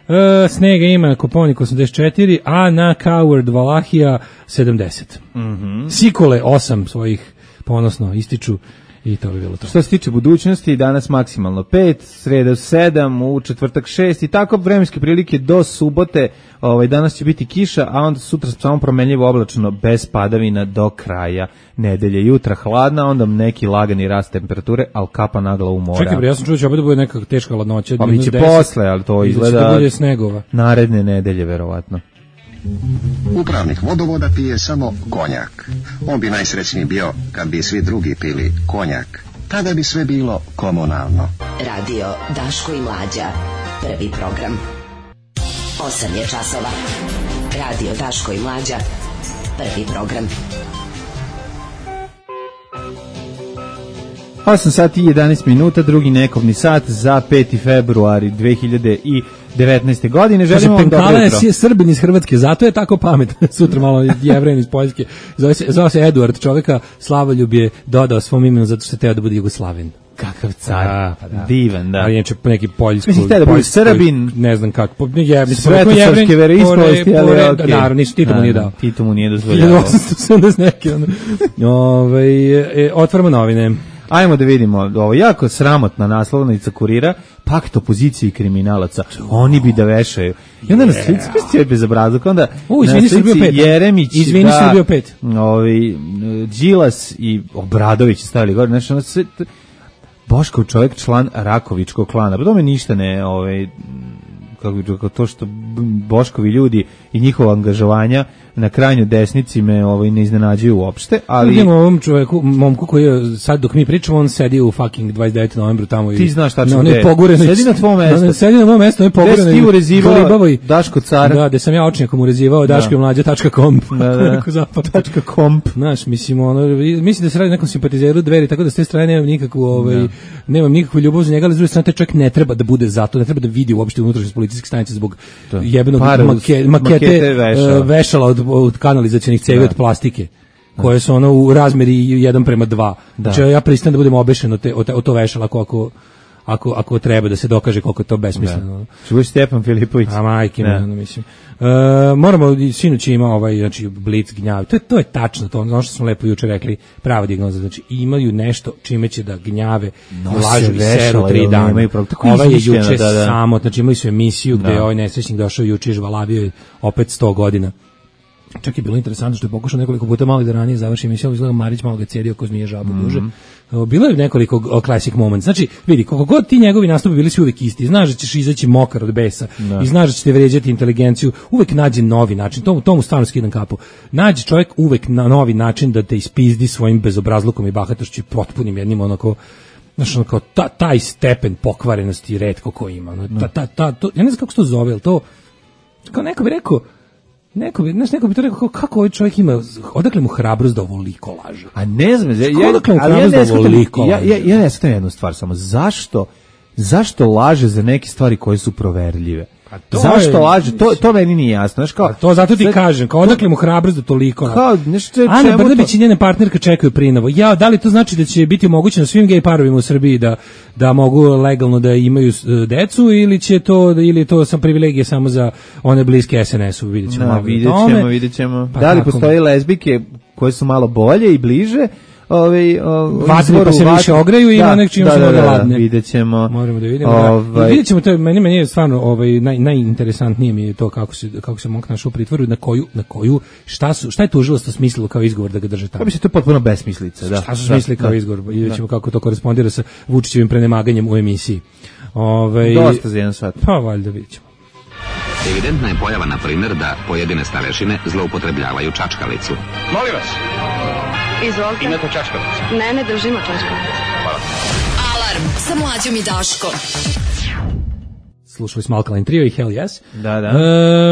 Uh, snega ima na Koponik osamdeset četiri, a na Coward Valahija sedamdeset. Mm-hmm. Sikole osam svojih ponosno ističu i to bi bilo to. Što se tiče budućnosti, danas maksimalno pet, sreda sedam, u četvrtak šest i tako vremenske prilike do subote. Ovaj, danas će biti kiša, a onda sutra samo promenljivo oblačno bez padavina do kraja nedelje. Jutra hladna, onda neki lagani rast temperature, ali kapa nagla u mora. Čekaj bre, ja sam čuo da će opet da bude neka teška hladnoća. Pa mi će posle, ali to izgleda da bude snegova. Naredne nedelje, verovatno. Upravnik vodovoda pije samo konjak. On bi najsrećniji bio kad bi svi drugi pili konjak. Tada bi sve bilo komunalno. Radio Daško i Mlađa. Prvi program. osam je časova. Radio Daško i Mlađa. Prvi program. osam sati i jedanaest minuta, drugi nekovni sat za peti februari dve hiljade devetnaeste. godine. Želimo vam dobro Penkala jutro. je Srbin iz Hrvatske, zato je tako pametan. Sutra malo Jevren iz Poljske. Zove se, zove se Eduard, čovjeka Slavoljub je dodao svom imenu zato što je teo da bude Jugoslaven. Kakav car, Da, pa da. divan, da. Ali inače neki poljski, Mislim, htio da bude Srbin. ne znam kako, po, je, Svetosavske veroispovesti, ali okej. Naravno, nisu, Tito mu nije dao. Tito mu nije dozvoljavao. hiljadu osamsto sedamdeset neki, ono. Ove, e, otvaramo novine. Ajmo da vidimo, ovo jako sramotna naslovnica Kurira, pakt opozicije i kriminalaca. Oni bi da vešaju. I onda na slici, yeah. je bezobrazluk, onda U, izvini, na Srbijo pet. Jeremić, izvini, da, Srbijo pet. Ovi, Đilas i Obradović stavili gore, znači ono sve, Boškov čovjek, član Rakovičkog klana, pa tome ništa ne, ovaj, kako bi rekao, to što Boškovi ljudi i njihova angažovanja na krajnjoj desnici me ovaj, ne iznenađuju uopšte, ali... Vidimo ovom čovjeku, momku koji je, sad dok mi pričamo, on sedi u fucking dvadeset devetog novembra tamo. Ti znaš tačno no, gde. Sedi na tvom mestu. No, sedi na mom mestu, on je pogureno. Gde si ti urezivao Daško car? Da, gde sam ja očnjakom urezivao Daško i mlađa tačka com. Da, da, tačka com. Znaš, mislim, ono, mislim da se radi nekom simpatizeru Dveri, tako da s te strane nemam nikakvu, ovaj, nemam nikakvu ljubav za njega, ali s druge strane taj čovjek ne treba da bude zato, ne treba da vidi uopšte unutrašnjost policijske stanice zbog to. jebenog Par, make, makete, makete vešala, uh, vešala od, od kanalizacionih cevi od plastike, koje su ono u razmeri jedan prema dva. Znači ja pristajem da budem obešen od, te, od, od to vešala ako, ako, ako treba da se dokaže koliko je to besmisleno. Čuvaš Stjepan Filipović? A majke me, ono mislim. Uh, moramo, sinoć ima ovaj, znači, blic gnjav. To je, to je tačno, to ono što smo lepo juče rekli, prava dijagnoza. Znači, imaju nešto čime će da gnjave, lažu i seru tri dana. Ovaj je juče da, da. samo, znači imali su emisiju gde je ovaj nesrećnik došao juče i žvalavio je opet sto godina. Čak je bilo interesantno što je pokušao nekoliko puta malo da ranije završi emisiju, izgleda Marić malo ga cedio ko zmije žabu mm-hmm. duže. Bilo je nekoliko classic moments. Znači, vidi, koliko god ti njegovi nastupi bili su uvijek isti, znaš da ćeš izaći mokar od besa da. i znaš da ćete vređati inteligenciju, uvijek nađe novi način, tomu, tomu stvarno skidam kapu. Nađe čovjek uvijek na novi način da te ispizdi svojim bezobrazlukom i bahatošću i potpunim jednim onako, znaš, ono kao ta, taj stepen pokvarenosti retko ko ima. Ta, ta, ta, to, ja ne znam kako se to zove, ali to, kao neko bi rekao, Neko bi, znaš, neko bi to rekao, kako ovaj čovjek ima, odakle mu hrabrost da ovoliko laže? A ne znam, ja, ja, odakle mu hrabrost ja da ovoliko laže? Ja, ja, ja ne shvatam jednu stvar samo, zašto, zašto laže za neke stvari koje su proverljive? Zašto je, laže? To, to meni nije jasno. Znaš, kao, to zato ti sad, kažem, kao odakle mu hrabrost da toliko... Kao, nešto, Ana Brnabić i njena partnerka čekaju prinovo. Ja, da li to znači da će biti omogućeno svim gej parovima u Srbiji da, da mogu legalno da imaju decu ili će to, ili je to sam privilegije samo za one bliske es en esu? Vidjet ćemo. Da, vidjet ćemo, vidjet ćemo. Pa da li postoje lezbijke koje su malo bolje i bliže? Ove, ove, vatri pa se vat... više ograju i ima nek čim se da ladne. Videćemo. Moramo da vidimo. Ovaj... Da. Videćemo to, meni meni je stvarno ovaj naj najinteresantnije mi je to kako se kako se monk našao u pritvoru, na koju na koju šta su šta je tužilaštvo smislilo kao izgovor da ga drže tamo. Pa bi se to potpuno besmislica, da. Šta su smislili kao da, izgovor? Videćemo kako to korespondira sa Vučićevim prenemaganjem u emisiji. Ovaj dosta za jedan sat. Pa valjda videćemo. Evidentna je pojava, na primjer, da pojedine starešine zloupotrebljavaju čačkalicu. Molim vas. Izvolite. Imate čačkalicu? Ne, ne držimo čačkalicu. Hvala. Alarm sa Mlađom i Daškom. Slušali smo Alkaline Trio i Hell Yes. Da, da.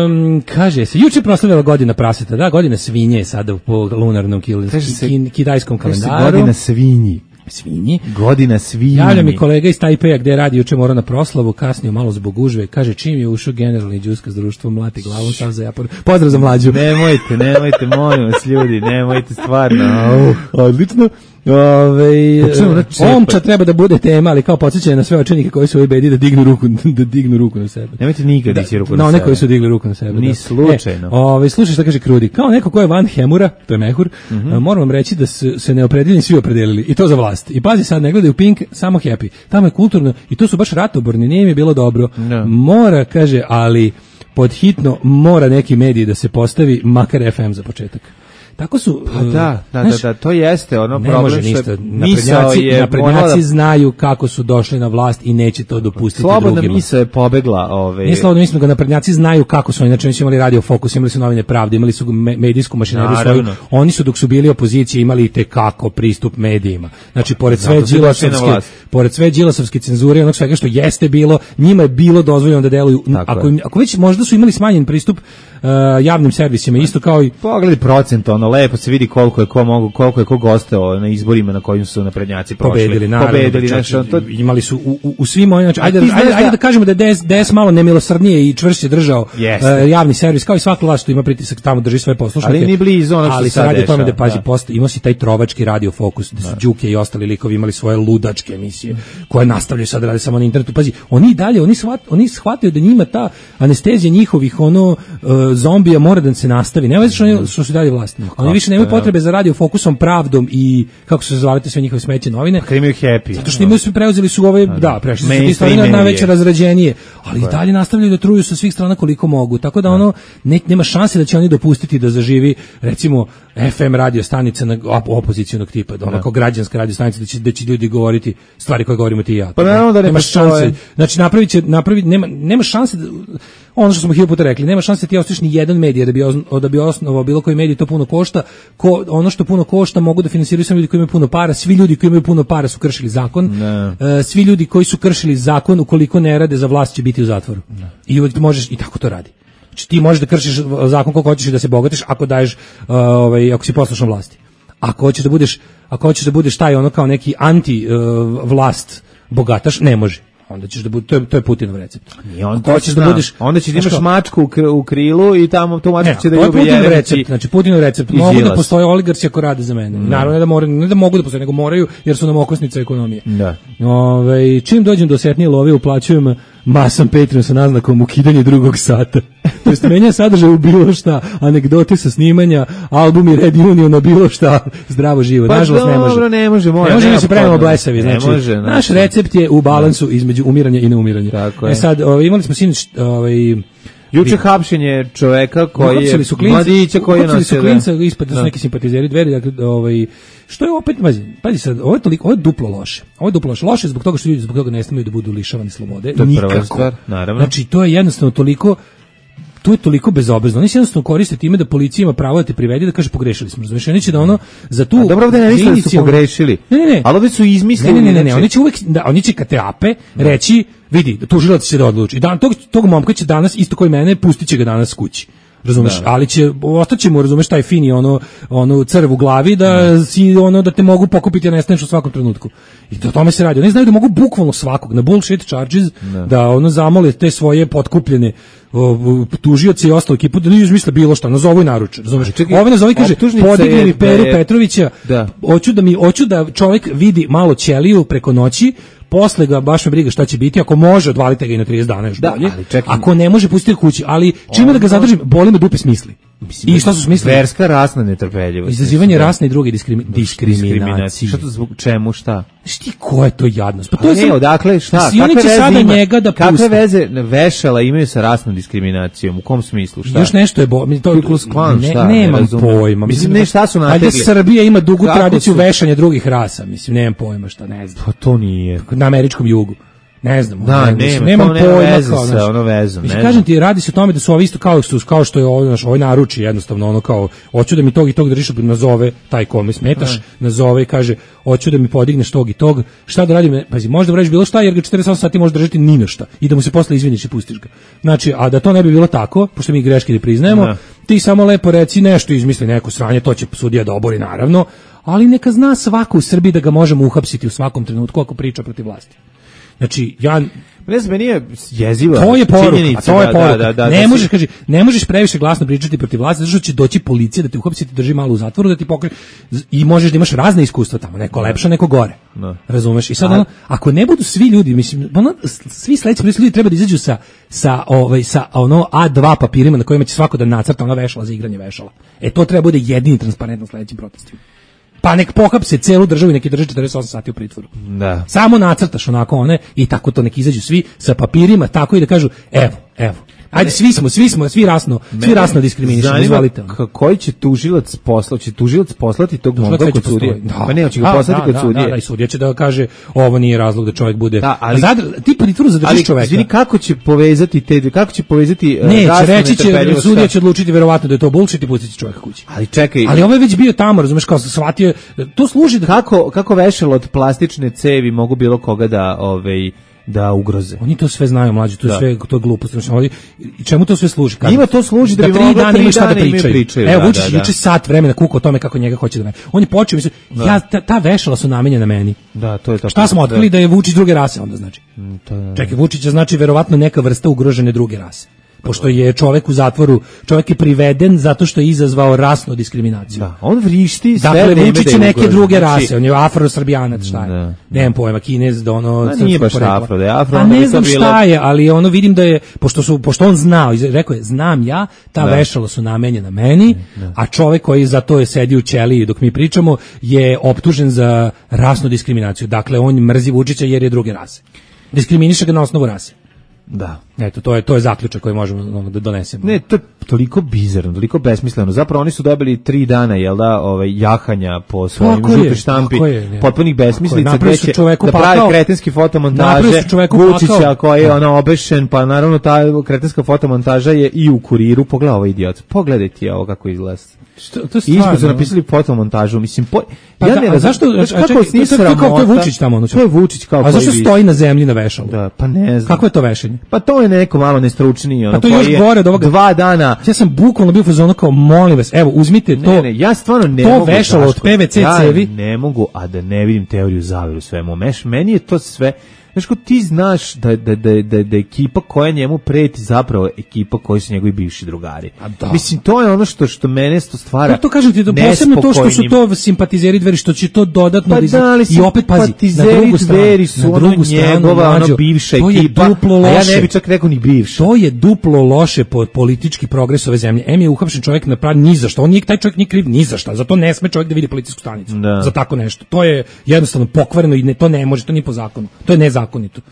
Um, kaže se, juče proslavila godina praseta, da, godina svinje sada po lunarnom kil, se, kin, kidajskom kalendaru. Godina svinji. Svinji. Godina svinji. Javlja mi kolega iz Tajpeja gde radi, juče morao na proslavu, kasnio malo zbog gužve, kaže čim je ušao generalni đuska s društvom, mlati glavom, sam za japor. Pozdrav za Mlađu. Nemojte, nemojte, molim vas ljudi, nemojte stvarno. Uh, odlično. Ove, omča treba da bude tema, ali kao podsjećanje na sve očenike koji su u bedi da dignu ruku, da dignu ruku na sebe. Nemojte nikad da, dići ruku na, na sebe. Na one koji su digli ruku na sebe. Ni da. slučajno. E, ove, slušaj šta kaže Krudi. Kao neko ko je van Hemura, to je Mehur, mm-hmm. moram vam reći da se, se neopredeljeni svi opredelili. I to za vlast. I pazi sad, ne gledaju Pink, samo Happy. Tamo je kulturno, i to su baš ratoborni, nije mi bilo dobro. No. Mora, kaže, ali pod hitno mora neki mediji da se postavi, makar ef em za početak. Tako su, pa da, da, znaš, da, da, to jeste ono ne problem može ništa. Naprednjaci, je naprednjaci da... znaju kako su došli na vlast i neće to dopustiti slobodna drugima. Slobodna misao je pobegla. Ove... Nije slobodna misao, nego naprednjaci znaju kako su, inače su imali Radio Fokus, imali su Novine Pravde, imali su medijsku mašineriju svoju. Oni su dok su bili opozicije imali i tekako pristup medijima. Znači, pored sve Đilasovske, pored sve Đilasovske cenzure, onog svega što jeste bilo, njima je bilo dozvoljeno da deluju. Ako, im, ako već možda su imali smanjen pristup uh, javnim servisima, isto kao i... Pogledaj procent ono normalno, lepo se vidi koliko je ko mogu, koliko je ko gostao na izborima na kojim su naprednjaci prošli. Pobedili, naravno. Pobedili, znači, to... imali su u, u, u svim ovim, znači, ajde, ajde, ajde, ajde da kažemo da je D S, D S malo nemilosrdnije i čvršće držao yes. uh, javni servis, kao i svaka vlast što ima pritisak tamo drži svoje poslušnike. Ali ni blizu ono što ali se sad radi o tome dešava, da pazi, da. post, imao si taj trovački radio Fokus, da su Đuke i ostali likovi imali svoje ludačke emisije, koje nastavljaju sad da rade samo na internetu. Pazi, oni dalje, oni shvat, oni shvataju da njima ta anestezija njihovih ono uh, zombija mora da se nastavi. Nema što oni što su dalje vlast. Oni više nemaju potrebe za radio Fokusom, Pravdom i kako se zvale te sve njihove smeće novine. Pa imaju Happy. Zato što imaju sve preuzeli su ove, da, prešli su ti stvari na veće razrađenije, ali i dalje nastavljaju da truju sa svih strana koliko mogu. Tako da ono ne, nema šanse da će oni dopustiti da zaživi recimo F M radio stanica na opozicionog tipa, da ono kao građanska radio stanica da će da će ljudi govoriti stvari koje govorimo ti i ja. Pa naravno da nema šanse. Znači napraviće napravi nema nema šanse da, ono što smo hiljadu puta rekli, nema šanse da ti ostaviš ni jedan medij da bi da bi osnovao bilo koji medij, to puno košta. Ko, ono što puno košta mogu da finansiraju samo ljudi koji imaju puno para. Svi ljudi koji imaju puno para su kršili zakon. Uh, svi ljudi koji su kršili zakon ukoliko ne rade za vlast će biti u zatvoru. Ne. I uvijek možeš i tako to radi. Znači ti možeš da kršiš zakon koliko hoćeš i da se bogatiš ako daješ uh, ovaj ako si poslušan vlasti. Ako hoćeš da budeš ako hoćeš da budeš taj ono kao neki anti uh, vlast bogataš, ne može. Onda ćeš da bude, to je, to je Putinov recept. I on to hoćeš da budeš, onda ćeš da imaš mačku u, kr, u krilu i tamo tu mačku će da ljubi Putinov recept, znači Putinov recept. Mogu da postoje oligarsi ako rade za mene. Mm. Naravno ne da moraju, ne da mogu da postoje, nego moraju jer su nam okosnica ekonomije. Da. Ove, čim dođem do setnije love uplaćujem masom Patreon sa naznakom ukidanje drugog sata. To jest menja sadržaj u bilo šta, anegdote sa snimanja, albumi Red Union o bilo šta, zdravo živo. Pa nažalost ne može. Dobro, ne može, mora. Ne može da se pravimo blesavi, znači. Može, naš recept je u balansu između umiranja i neumiranja. Tako e sad, ovaj imali smo sinoć ovaj juče hapšenje čoveka koji je mladića koji je nosio klinca ispod da su neki simpatizeri Dveri, dakle ovaj što je opet pazi, pazi sad, ovo je toliko, ovo je duplo loše. Ovo je duplo loše, loše zbog toga što ljudi zbog toga ne smeju da budu lišavani slobode. To je prva stvar, naravno. Znači to je jednostavno toliko to je toliko bezobrazno. Oni se jednostavno koriste time da policija ima pravo da te privede da kaže pogrešili smo. Razumeš, oni će da ono za tu. A dobro, ovde ne misle da su pogrešili. Ne, ne, ne. Ali ovde su izmislili. Ne, ne, ne, ne, oni će uvek da oni će kad te ape reći, vidi, tužilac će da odluči. Dan tog tog momka će danas isto koji mene pustiće ga danas kući. Razumeš, da. Ali će ostaćemo, razumeš, taj fini ono ono crv u glavi da, da si ono da te mogu pokupiti, a nestaneš u svakom trenutku. I to o tome se radi. Oni znaju da mogu bukvalno svakog na bullshit charges da, da ono zamole te svoje potkupljene tužioci i ostalu ekipu da ne izmisle bilo šta, nazovu i naruče, razumeš? Ove nazovi kaže podigni mi Peru je, Petrovića, da. hoću da mi hoću da čovjek vidi malo ćeliju preko noći. Posle ga baš me briga šta će biti, ako može odvalite ga i na trideset dana još da, bolje. Ako ne može pustiti kući, ali čime da ga zadržim, boli me dupe smisli. Mislim, i šta su smislili? Verska rasna netrpeljivost. Izazivanje rasne i druge diskrimi, diskriminacije. Šta to zbog čemu, šta? Šti ko je to jadnost? Pa to je ne, odakle, šta? Kakve oni će sada ima? Njega da puste. Kakve veze vešala imaju sa rasnom diskriminacijom? U kom smislu, šta? Još nešto je bo, to, klan, ne, šta, nemam ne pojma. Mislim, ne šta su nategli. Ajde, Srbija ima dugu Kako tradiciju su? Vešanja drugih rasa, mislim, nemam pojma šta, ne znam. Pa to nije. Na američkom jugu. Ne znam, da, ne, nema, nemam nema pojma veze kao, sa ono vezom. Mislim, kažem ti, radi se o tome da su ovi isto kao, kao što je ovo, naš, ovaj naruči jednostavno, ono kao, hoću da mi tog i tog držiš, nazove taj kome smetaš, ne. nazove i kaže, hoću da mi podigneš tog i tog, šta da radim, pazi, možda vradiš bilo šta, jer ga četrdeset osam sati može držati ni na šta i da mu se posle izviniš i pustiš ga. Znači, a da to ne bi bilo tako, pošto mi greške ne priznajemo, ne. ti samo lepo reci nešto, izmisli neko sranje, to će sudija da obori naravno, ali neka zna svako u Srbiji da ga možemo uhapsiti u svakom trenutku ako priča protiv vlasti. Znači, ja ne znam, meni je jeziva. To je poruka, a to je poruka. Da, da, da, ne da možeš, si... kaže, ne možeš previše glasno pričati protiv vlasti, zato što će doći policija da te uhapsi, da te drži malo u zatvoru, da ti pokre i možeš da imaš razne iskustva tamo, neko lepše, neko gore. No. Razumeš? I sad ono, ako ne budu svi ljudi, mislim, ono, svi sledeći ljudi treba da izađu sa sa ovaj sa ono A dva papirima na kojima će svako da nacrta ona vešala za igranje vešala. E to treba bude jedini transparentno sledećim protestima. Pa nek pohapse celu državu i neki drži četrdeset osam sati u pritvoru. Da. Samo nacrtaš onako one i tako to nek izađu svi sa papirima, tako i da kažu evo, evo. Ajde, svi smo, svi smo, svi rasno, svi rasno diskriminišemo, izvolite. Koji će tužilac poslati, će tužilac poslati tog momka kod sudije? Da. Pa ne, hoće ga poslati da, kod da, sudije. Da, da, i sudija će da kaže, ovo nije razlog da čovjek bude. Da, ali Zadr, ti pritvoru zadržiš čoveka. Izvini, kako će povezati te, kako će povezati ne, će reći će, sudija će odlučiti verovatno da je to bullshit i pustit će čovjeka kući. Ali čekaj. Ali ovo je već bio tamo, razumeš, kao se shvatio, to služi da kako kako vešalo od plastične cevi mogu bilo koga da, ovaj da ugroze. Oni to sve znaju, mlađi, to je da. sve to je glupost. Znači, i čemu to sve služi? Njima to služi da, da bi tri mogla dana tri imaju šta da dana pričaju. pričaju. Evo, Da, Vučić da, da. juče sat vremena kuka o tome kako njega hoće da me. On je počeo, mislim, ja, ta, ta vešala su namenjena meni. Da, to je tako. Šta smo otkrili da je Vučić druge rase onda znači? Mm, to je, Čekaj, Vučić je znači verovatno neka vrsta ugrožene druge rase. Pošto je čovjek u zatvoru, čovjek je priveden zato što je izazvao rasnu diskriminaciju. Da, on vrišti sve dakle, vreme Vučić da je neke ugrožen. druge Znači, rase, on je afro-srbijanac, šta je? Da. Nemam pojma, Kinez, da ono... Ma nije baš afro, da je afro, a onda bi ne to znam bilo- šta je, ali ono vidim da je, pošto, su, pošto on znao, iz- rekao je, znam ja, ta Da. vešala su namenjena meni, a čovjek koji za to je sedio u ćeliji dok mi pričamo, je optužen za rasnu diskriminaciju. Dakle, on mrzi Vučića jer je druge rase. Diskriminiše ga na osnovu rase. Da. Eto, to je to je zaključak koji možemo ono, da donesemo. Ne, to je toliko bizarno, toliko besmisleno. Zapravo oni su dobili tri dana, jel da, ovaj, jahanja po svojim Tako je, žuti štampi, tako je, ne. potpunih besmislica, Tako je, napravili gde su će čoveku da pravi pakao. kretenski fotomontaže, Napravili su čoveku Vučića pakao. koji je ono obešen, pa naravno ta kretenska fotomontaža je i u Kuriru. Pogledaj ovaj idiot, pogledaj ti ovo kako izgleda. Što, to je Ispod su stvarno. napisali fotomontažu, mislim, po, Pa ja da, ne a razum- zašto- znaš a kako čekaj, s njih to je kao- to je sramota? Vučić tamo, ono, To je Vučić kao A zašto koji stoji na zemlji na vešalu? Da, pa ne znam. Kako je to vešanje? Pa to je neko malo nestručniji, ono Pa to je još koji gore od ovoga. dva dana. Ja sam bukvalno bio u fazonu kao, molim vas, evo, uzmite to. Ne, ne, ja stvarno ne to mogu. vešalo od Daško, P V C ja cevi. ne mogu, a da ne vidim teoriju zavere u svemu. Meš, meni je to sve, znaš ko ti znaš da, da, da, da, da ekipa koja njemu preti zapravo ekipa koji su njegovi bivši drugari. da. Mislim, to je ono što, što mene sto stvara. Ja to kažem ti, da posebno to što su nespokojnim. to simpatizeri Dveri, što će to dodatno Pa da iz- da, ali i opet pazi, na simpatizeri drugu stranu, Dveri su na ono drugu stranu, njegova, ono mlađo, bivša to je ekipa, duplo a ja loše. ne bi čak rekao ni bivša. To je duplo loše po politički progres ove zemlje. Em je uhapšen čovjek na pravi ni za što. On nije, taj čovjek nije kriv ni za šta. Zato ne sme čovjek da vidi policijsku stanicu. Da. Za tako nešto. To je jednostavno pokvareno i ne, to ne može, to nije po zakonu. To je nezakonito.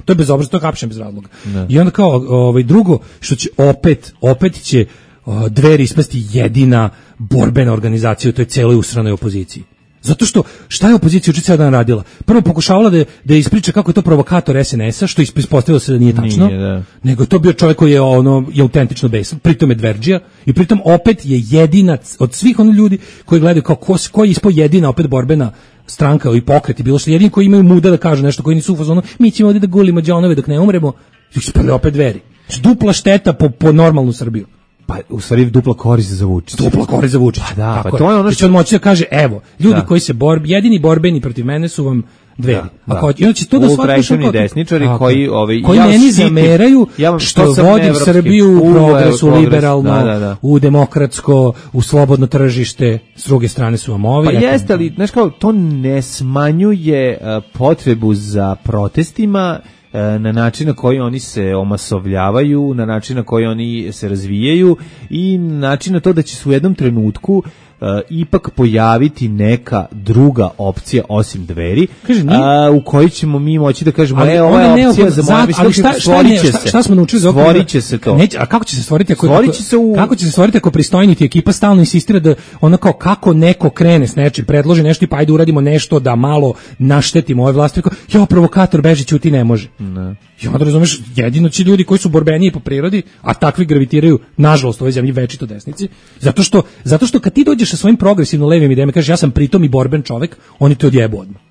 To je bezobrazno, to je hapšen bez razloga. I onda kao ovaj drugo što će opet opet će o, Dveri ispasti jedina borbena organizacija u toj celoj usranoj opoziciji. Zato što, šta je opozicija juče ceo dan radila? Prvo pokušavala da, da ispriča kako je to provokator S N S-a, što ispostavilo se da nije tačno, Nije, da. nego je to bio čovjek koji je, ono, je autentično besan, pritom je Dverđija, i pritom opet je jedina od svih onih ljudi koji gledaju kao ko, koji je ispao jedina opet borbena stranka i pokret i bilo što jedini koji imaju muda da kažu nešto, koji nisu u fazonu, mi ćemo ovdje da gulimo đonove dok ne umremo, ispali opet Dveri. Dupla šteta po, po normalnu Srbiju. Pa u stvari dupla korist za Vučića. Dupla korist za Vučića. Pa da, Tako pa to je ono Da što- će on moći da kaže, evo, ljudi Da. koji se bor, jedini borbeni protiv mene su vam Dveri. Da, A kao, da. i onda će to da shvati Ultraešeni kao- desničari Tako. koji, ovaj, koji ja meni štitim- zameraju ja vam- što to sam vodim evropski. Srbiju u U, progres, u progres, liberalno, da, da, da. u demokratsko, u slobodno tržište, s druge strane su vam ovi. Pa eto. jeste, ali, znaš kao, to ne smanjuje uh, potrebu za protestima uh, na način na koji oni se omasovljavaju, na način na koji oni se razvijaju i na način na to da će se u jednom trenutku uh, ipak pojaviti neka druga opcija osim Dveri, Kaže, nije- a, u kojoj ćemo mi moći da kažemo, Ali e, ova ona je ne opcija oko- za za- moje, ali šta, šta, stvorit ne, će šta, se. šta smo naučili za Stvorit će se to. Neće, a kako će se stvoriti ako Stvorit ako- će se u- kako će se stvoriti ako pristojniti ekipa stalno insistira da ono kao kako neko krene s nečim, predloži nešto i pa ajde uradimo nešto da malo naštetimo ove vlasti. Kao, jo, provokator beži, ćuti, ne može. Ne. I onda razumeš, jedino će ljudi koji su borbeniji po prirodi, a takvi gravitiraju, nažalost, u ovoj zemlji večito desnici, zato što, zato što kad ti dođeš sa svojim progresivno levim idejama, kažeš ja sam pritom i borben čovek, oni te odjebu odmah.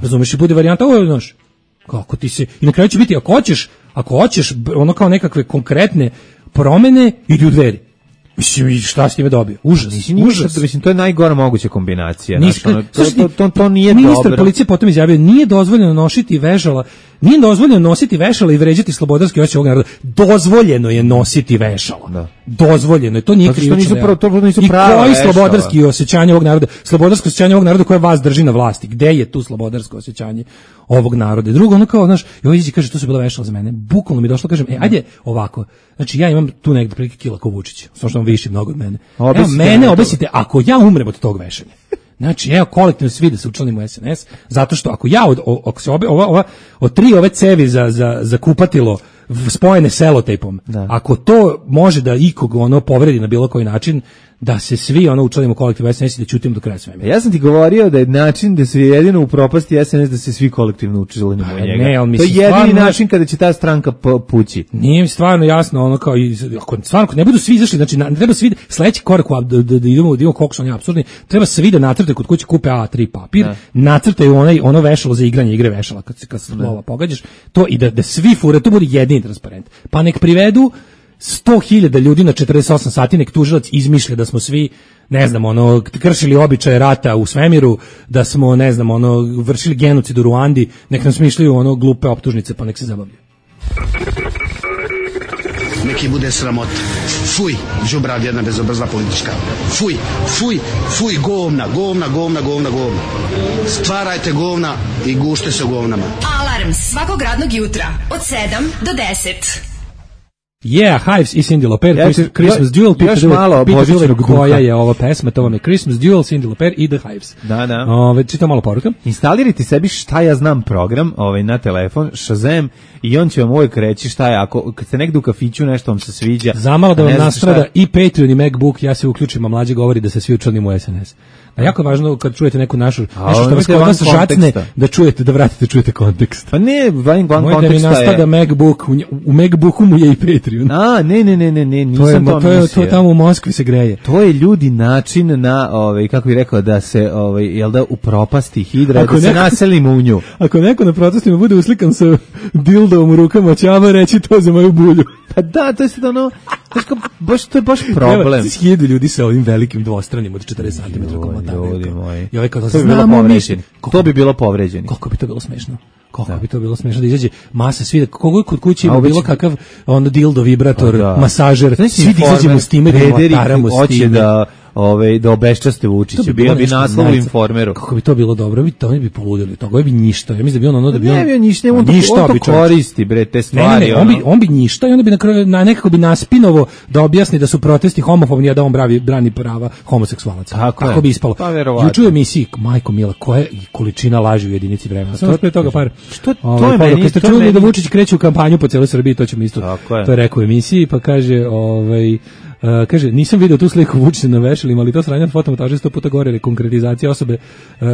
Razumeš, i bude varijanta, ovo je, znaš, kako ti se, i na kraju će biti, ako hoćeš, ako hoćeš b- ono kao nekakve konkretne promene, idi u Dveri. Mislim, i šta si time dobio? Užas, Nisi ništa, užas. mislim, to je najgora moguća kombinacija. Nis- Znaš, ono, to, slušaj, to, to, to nije ministar dobro. policije potom izjavio, nije dozvoljeno nositi vežala, nije dozvoljeno nositi vešala i vređati slobodarski osjećaj ovog naroda. Dozvoljeno je nositi vešala. Da. Dozvoljeno je, to nije Zato što krivično nisu delo. pravo- to nisu I prava koji vešala. slobodarski osjećanje ovog naroda? Slobodarsko osjećanje ovog naroda koje vas drži na vlasti. Gde je tu slobodarsko osjećanje ovog naroda? Drugo, ono kao, znaš, i ovo ići kaže, to su bila vešala za mene. Bukvalno mi je došlo, kažem, e, ajde ovako. Znači, ja imam tu negde prilike kila ko Vučić. Samo što on viši mnogo od mene. Evo, Obesite mene me to. obesite, ako ja umrem od tog vešanja. Znači, evo, kolektivno svi da se učlanimo u S N S, zato što ako ja, od, o- ako se obe, ova, ova, od tri ove cevi za, za, za kupatilo v- spojene selotejpom, Da. ako to može da ikog ono povredi na bilo koji način, da se svi ono učlanimo kolektivno S N S i da ćutimo do kraja svemira. Ja sam ti govorio da je način da se jedino u propasti S N S da se svi kolektivno učlanimo u njega. Ne, ali to je jedini stvarno, način kada će ta stranka pući. Nije mi stvarno jasno ono kao i ako stvarno ako ne budu svi izašli, znači ne treba svi sledeći korak da, da, da idemo da idemo koliko su oni apsurdni, treba svi da nacrte kod kuće kupe A tri papir, ne. Nacrtaju onaj ono vešalo za igranje igre vešala kad se kad slova pogađaš, to i da da svi fure, to bude jedini transparent. Pa nek privedu sto hiljada ljudi na četrdeset osam sati, nek tužilac izmišlja da smo svi, ne znam, ono, kršili običaje rata u svemiru, da smo, ne znam, ono, vršili genocid u Ruandi, nek nam smišljaju ono glupe optužnice, pa nek se zabavljaju. Neki bude sramot. Fuj, đubrad jedna bezobrazna politička. Fuj, fuj, fuj, govna, govna, govna, govna, govna. Stvarajte govna i gušte se u govnama. Alarm svakog radnog jutra od sedam do deset. Yeah, Hives i Cyndi Lauper, Ja, Christmas Duel, još malo božićnog duha. koja je ova pesma, to vam je Christmas Duel, Cyndi Lauper i The Hives. Da, da. Ove, čitam malo poruka. Instalirajte sebi šta ja znam program ovaj, na telefon, Shazam, i on će vam uvijek reći šta je, ako kad ste negdje u kafiću nešto vam se sviđa. Zamalo da vam nastrada šta... i Patreon i MacBook, ja se uključim, a mlađe govori da se svi učlanimo u S N S. A jako je važno kad čujete neku našu, nešto što vas kod vas žacne, da čujete, da vratite, čujete kontekst. Pa ne, van, van Moj konteksta je... Moj da mi nastada MacBook, u, u MacBooku mu je i Patreon. A, ne, ne, ne, ne, ne, nisam to, je, to, to je, mislio. To tamo u Moskvi se greje. To je ljudi način na, ovaj, kako bih rekao, da se, ovaj, jel da, u propasti hidra, ako da neko, se naselimo u nju. Ako neko na protestima bude uslikan sa dildom u rukama, će ama reći to za moju bulju. Pa da, to je sad ono, baš, to je baš problem. Evo, hiljadu ljudi sa ovim velikim dvostranim od četrdeset centimetara komotavim. Ljudi moji. I ovaj kao, to bi bilo povređeni. To bi bilo povređeni. Koliko bi to bilo smešno? Koliko da. bi to bilo smešno da izađe masa svi, kogo kod kuće ima bilo kakav ono dildo, vibrator, da. masažer, znači, svi da izađemo s time, da motaramo s time. Da, ove, da obeščaste Vučića, bi bilo bi naslov u Informeru. Kako bi to bilo dobro, bi to bi poludili, toga bi ništa. Ja mislim da bi on ono da bi on ne bi on ništa, on, on to koristi bre te stvari. Ne, ne, on bi on bi ništa i onda bi na kraju na nekako bi naspinovo da objasni da su protesti homofobni, a da on bravi brani prava homoseksualaca. Tako, Tako bi ispalo. Pa juče u emisiji Majko Mila, koja je količina laži u jedinici vremena. Samo pre toga par. Što to je meni, kad ste čuli da Vučić kreće u kampanju po celoj Srbiji, to ćemo isto. To je rekao u emisiji, pa kaže, ovaj Uh, kaže, nisam video tu sliku Vučića na vešalima, ali to sranje fotomontaže sto puta gore, jer je konkretizacija osobe uh,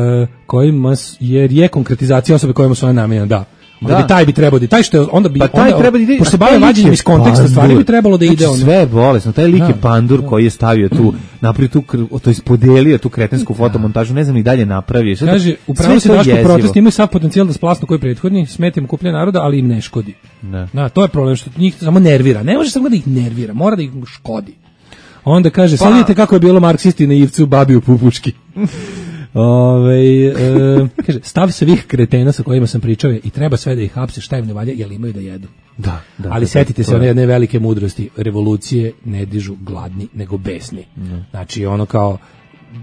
kojima, jer je konkretizacija osobe kojima su ona namenjena, da. Onda da. bi taj bi trebao da taj što je, onda bi pa taj onda, treba da ide, pošto se bave vađenjem iz konteksta stvari bi trebalo da ide on. Sve bolesno, taj lik je pandur koji je stavio tu, napravio tu, to jest podelio tu kretensku fotomontažu, ne znam ni dalje napravio. Kaže, upravo se Daško protest imaju sav potencijal da splasnu koji prethodni, smeta im kupljenje naroda, ali im ne škodi. Ne. Da, to je problem što njih samo nervira. Ne može samo da ih nervira, mora da ih škodi. Onda kaže, pa, sad vidite kako je bilo marksisti na Ivcu, babi u Pupuški. Ove, e, kaže, stav svih kretena sa kojima sam pričao je i treba sve da ih hapse, šta im ne valja, jer imaju da jedu. Da, da, ali da, setite da, se one jedne velike mudrosti, revolucije ne dižu gladni, nego besni. Mm. Znači, ono kao,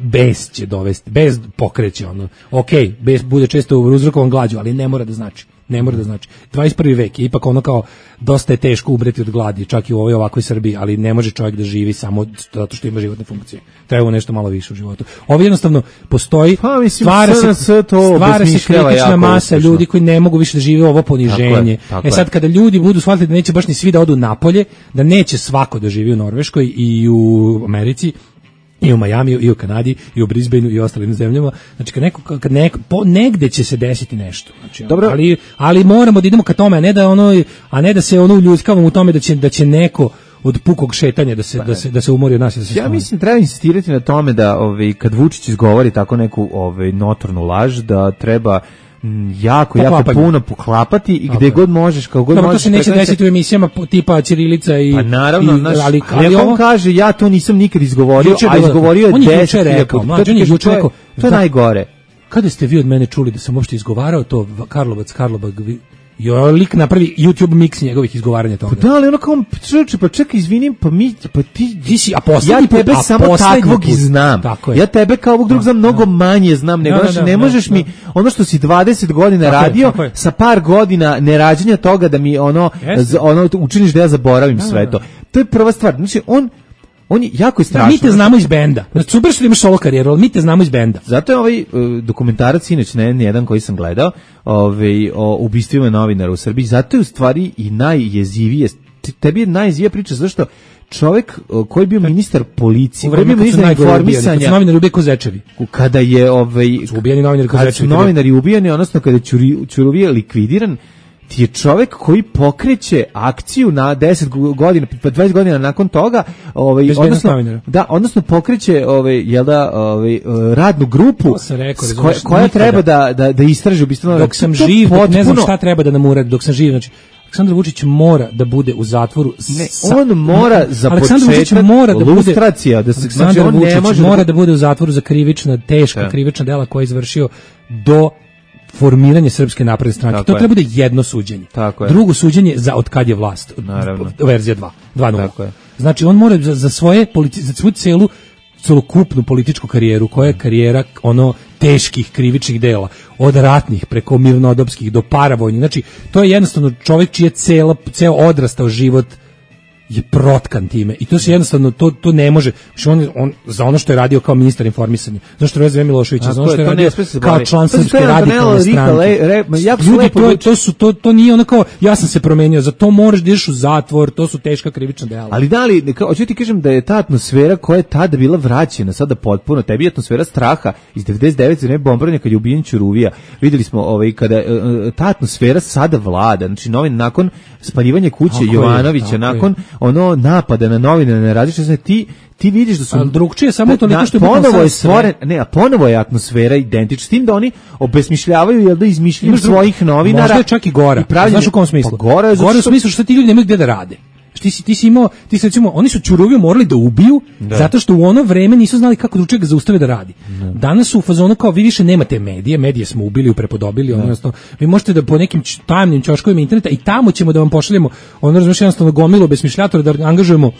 bes će dovesti, bes pokreće, ono, ok, bes bude često uzrokovan glađu, ali ne mora da znači. Ne mora da znači. dvadeset prvi vek je ipak ono kao dosta je teško umreti od gladi, čak i u ovoj ovakvoj Srbiji, ali ne može čovjek da živi samo zato što ima životne funkcije. Treba nešto malo više u životu. Ovo jednostavno postoji, pa, mislim, stvara se, stvara se kritična masa uspešno. Ljudi koji ne mogu više da žive ovo poniženje. Tako je, tako e sad kada ljudi budu shvatili da neće baš ni svi da odu napolje, da neće svako da živi u Norveškoj i u Americi, i u Majamiju, i u Kanadi, i u Brisbaneu, i u ostalim zemljama. Znači, kad neko, kad neko, po, negde će se desiti nešto. Znači, dobro. Ali, ali moramo da idemo ka tome, a ne da ono, a ne da se ono uljuskavamo u tome da će, da će neko od pukog šetanja da se, da se, da se umori od nas. Da se ja stane. Mislim, treba insistirati na tome da ovaj, kad Vučić izgovori tako neku ovaj, notornu laž, da treba jako, jako puno poklapati i gde god možeš, kao god Dobro, možeš. To se neće desiti u emisijama tipa Ćirilica i... Pa naravno, i, naš, ali, ali, ali on kaže, ja to nisam nikad izgovorio, a izgovorio je deset rekao, mlađe, on je juče rekao, to je najgore. Kada ste vi od mene čuli da sam uopšte izgovarao to Karlovac, Karlobag, jo, lik napravi YouTube mix njegovih izgovaranja toga. Pa da, ali ono kao, čeče, pa čekaj, izvinim, pa mi, pa ti, ti si, a poslednji ja tebe put, samo takvog i znam. Ja tebe kao ovog drugog znam mnogo manje znam, nego da, da, ne možeš da, mi, ono što si dvadeset godina tako radio, je, sa par godina nerađenja toga da mi ono, z, ono učiniš da ja zaboravim da, sve da, to. To je prva stvar. Znači, on, on je jako je strašno. Da, mi te znamo iz benda. Znači, super što imaš solo karijeru, ali mi te znamo iz benda. Zato je ovaj uh, dokumentarac inač ne jedan koji sam gledao, ovaj o ubistvima novinara u Srbiji, zato je u stvari i najjezivije, tebi je najjezivija priča zašto čovjek koji je bio ministar policije, U koji je bio vreme kad su ministar najgore ubijani, kad informisanja, su novinari ubijeni ko zečevi. kada je ovaj Su ubijeni novinari ko kada su zečevi. kad je- novinari ubijeni, odnosno kada je Ćuri- Ćuruvija likvidiran, ti je čovjek koji pokreće akciju na deset godina, pa dvadeset godina nakon toga, ovaj Bezbednost odnosno novinara. da, odnosno pokreće ovaj jel da ovaj radnu grupu To sam rekao, s razumeš, koja, koja nikada. treba da da da istraži ubistvo. Dok sam To živ, dok ne znam potpuno- šta treba da nam uradi, dok sam živ, znači Aleksandar Vučić mora da bude u zatvoru. Ne, sa- on mora za Aleksandar Vučić početak mora da bude lustracija, da se Aleksandar znači on ne Vučić može da mora bude- da bude u zatvoru za krivična, teška Da. krivična dela koje je izvršio do formiranje Srpske napredne stranke. Tako To je. treba bude jedno suđenje. Tako je. Drugo suđenje za od kad je vlast. Naravno. Verzija dva. dva nula. Tako je. Znači on mora za, za svoje politi, za svoju celu celokupnu političku karijeru, koja je karijera ono teških krivičnih dela, od ratnih preko mirnodopskih do paravojnih. Znači to je jednostavno čovjek čiji je cela, ceo odrastao život je protkan time i to se jednostavno to to ne može. Znači on, on za ono što je radio kao ministar informisanja, za što je Vezan Milošević, za ono što je radio kao član Srpske radikalne stranke. Ljudi, to, je- to su to to nije ono kao ja sam se promenio, za to moraš da ideš u zatvor, to su teška krivična dela. Ali da li, kao, hoću ti kažem da je ta atmosfera koja je tada bila vraćena, sada potpuno, tebi je atmosfera straha iz devedeset devete za ne bombardovanja kad je ubijen Ćuruvija. Videli smo ovaj, kada e, e, ta atmosfera sada vlada, znači novin, nakon spaljivanja kuće Tako je, Jovanovića, tako nakon ono napada na novine, na različite, ti ti vidiš da su Ali drugčije samo toliko na- što je ponovo bukvalno je sad sve. stvoren, ne, a ponovo je atmosfera identična s tim da oni obesmišljavaju jel da izmišljaju Imaš drugo- svojih novinara. Možda je čak i gora. i pravljenje- Znaš u kom smislu? Pa gora je zato Gora u što- smislu što ti ljudi nemaju gde da rade. Ti si, ti si imao, ti si recimo, oni su Ćuruviju morali da ubiju, zato što u ono vreme nisu znali kako drugčije ga zaustave da radi. Danas su u fazonu kao vi više nemate medije, medije smo ubili, prepodobili, odnosno vi možete da po nekim č- tajnim ćoškovima interneta i tamo ćemo da vam pošaljemo, ono razumiješ jednostavno gomilu besmišljatora da angažujemo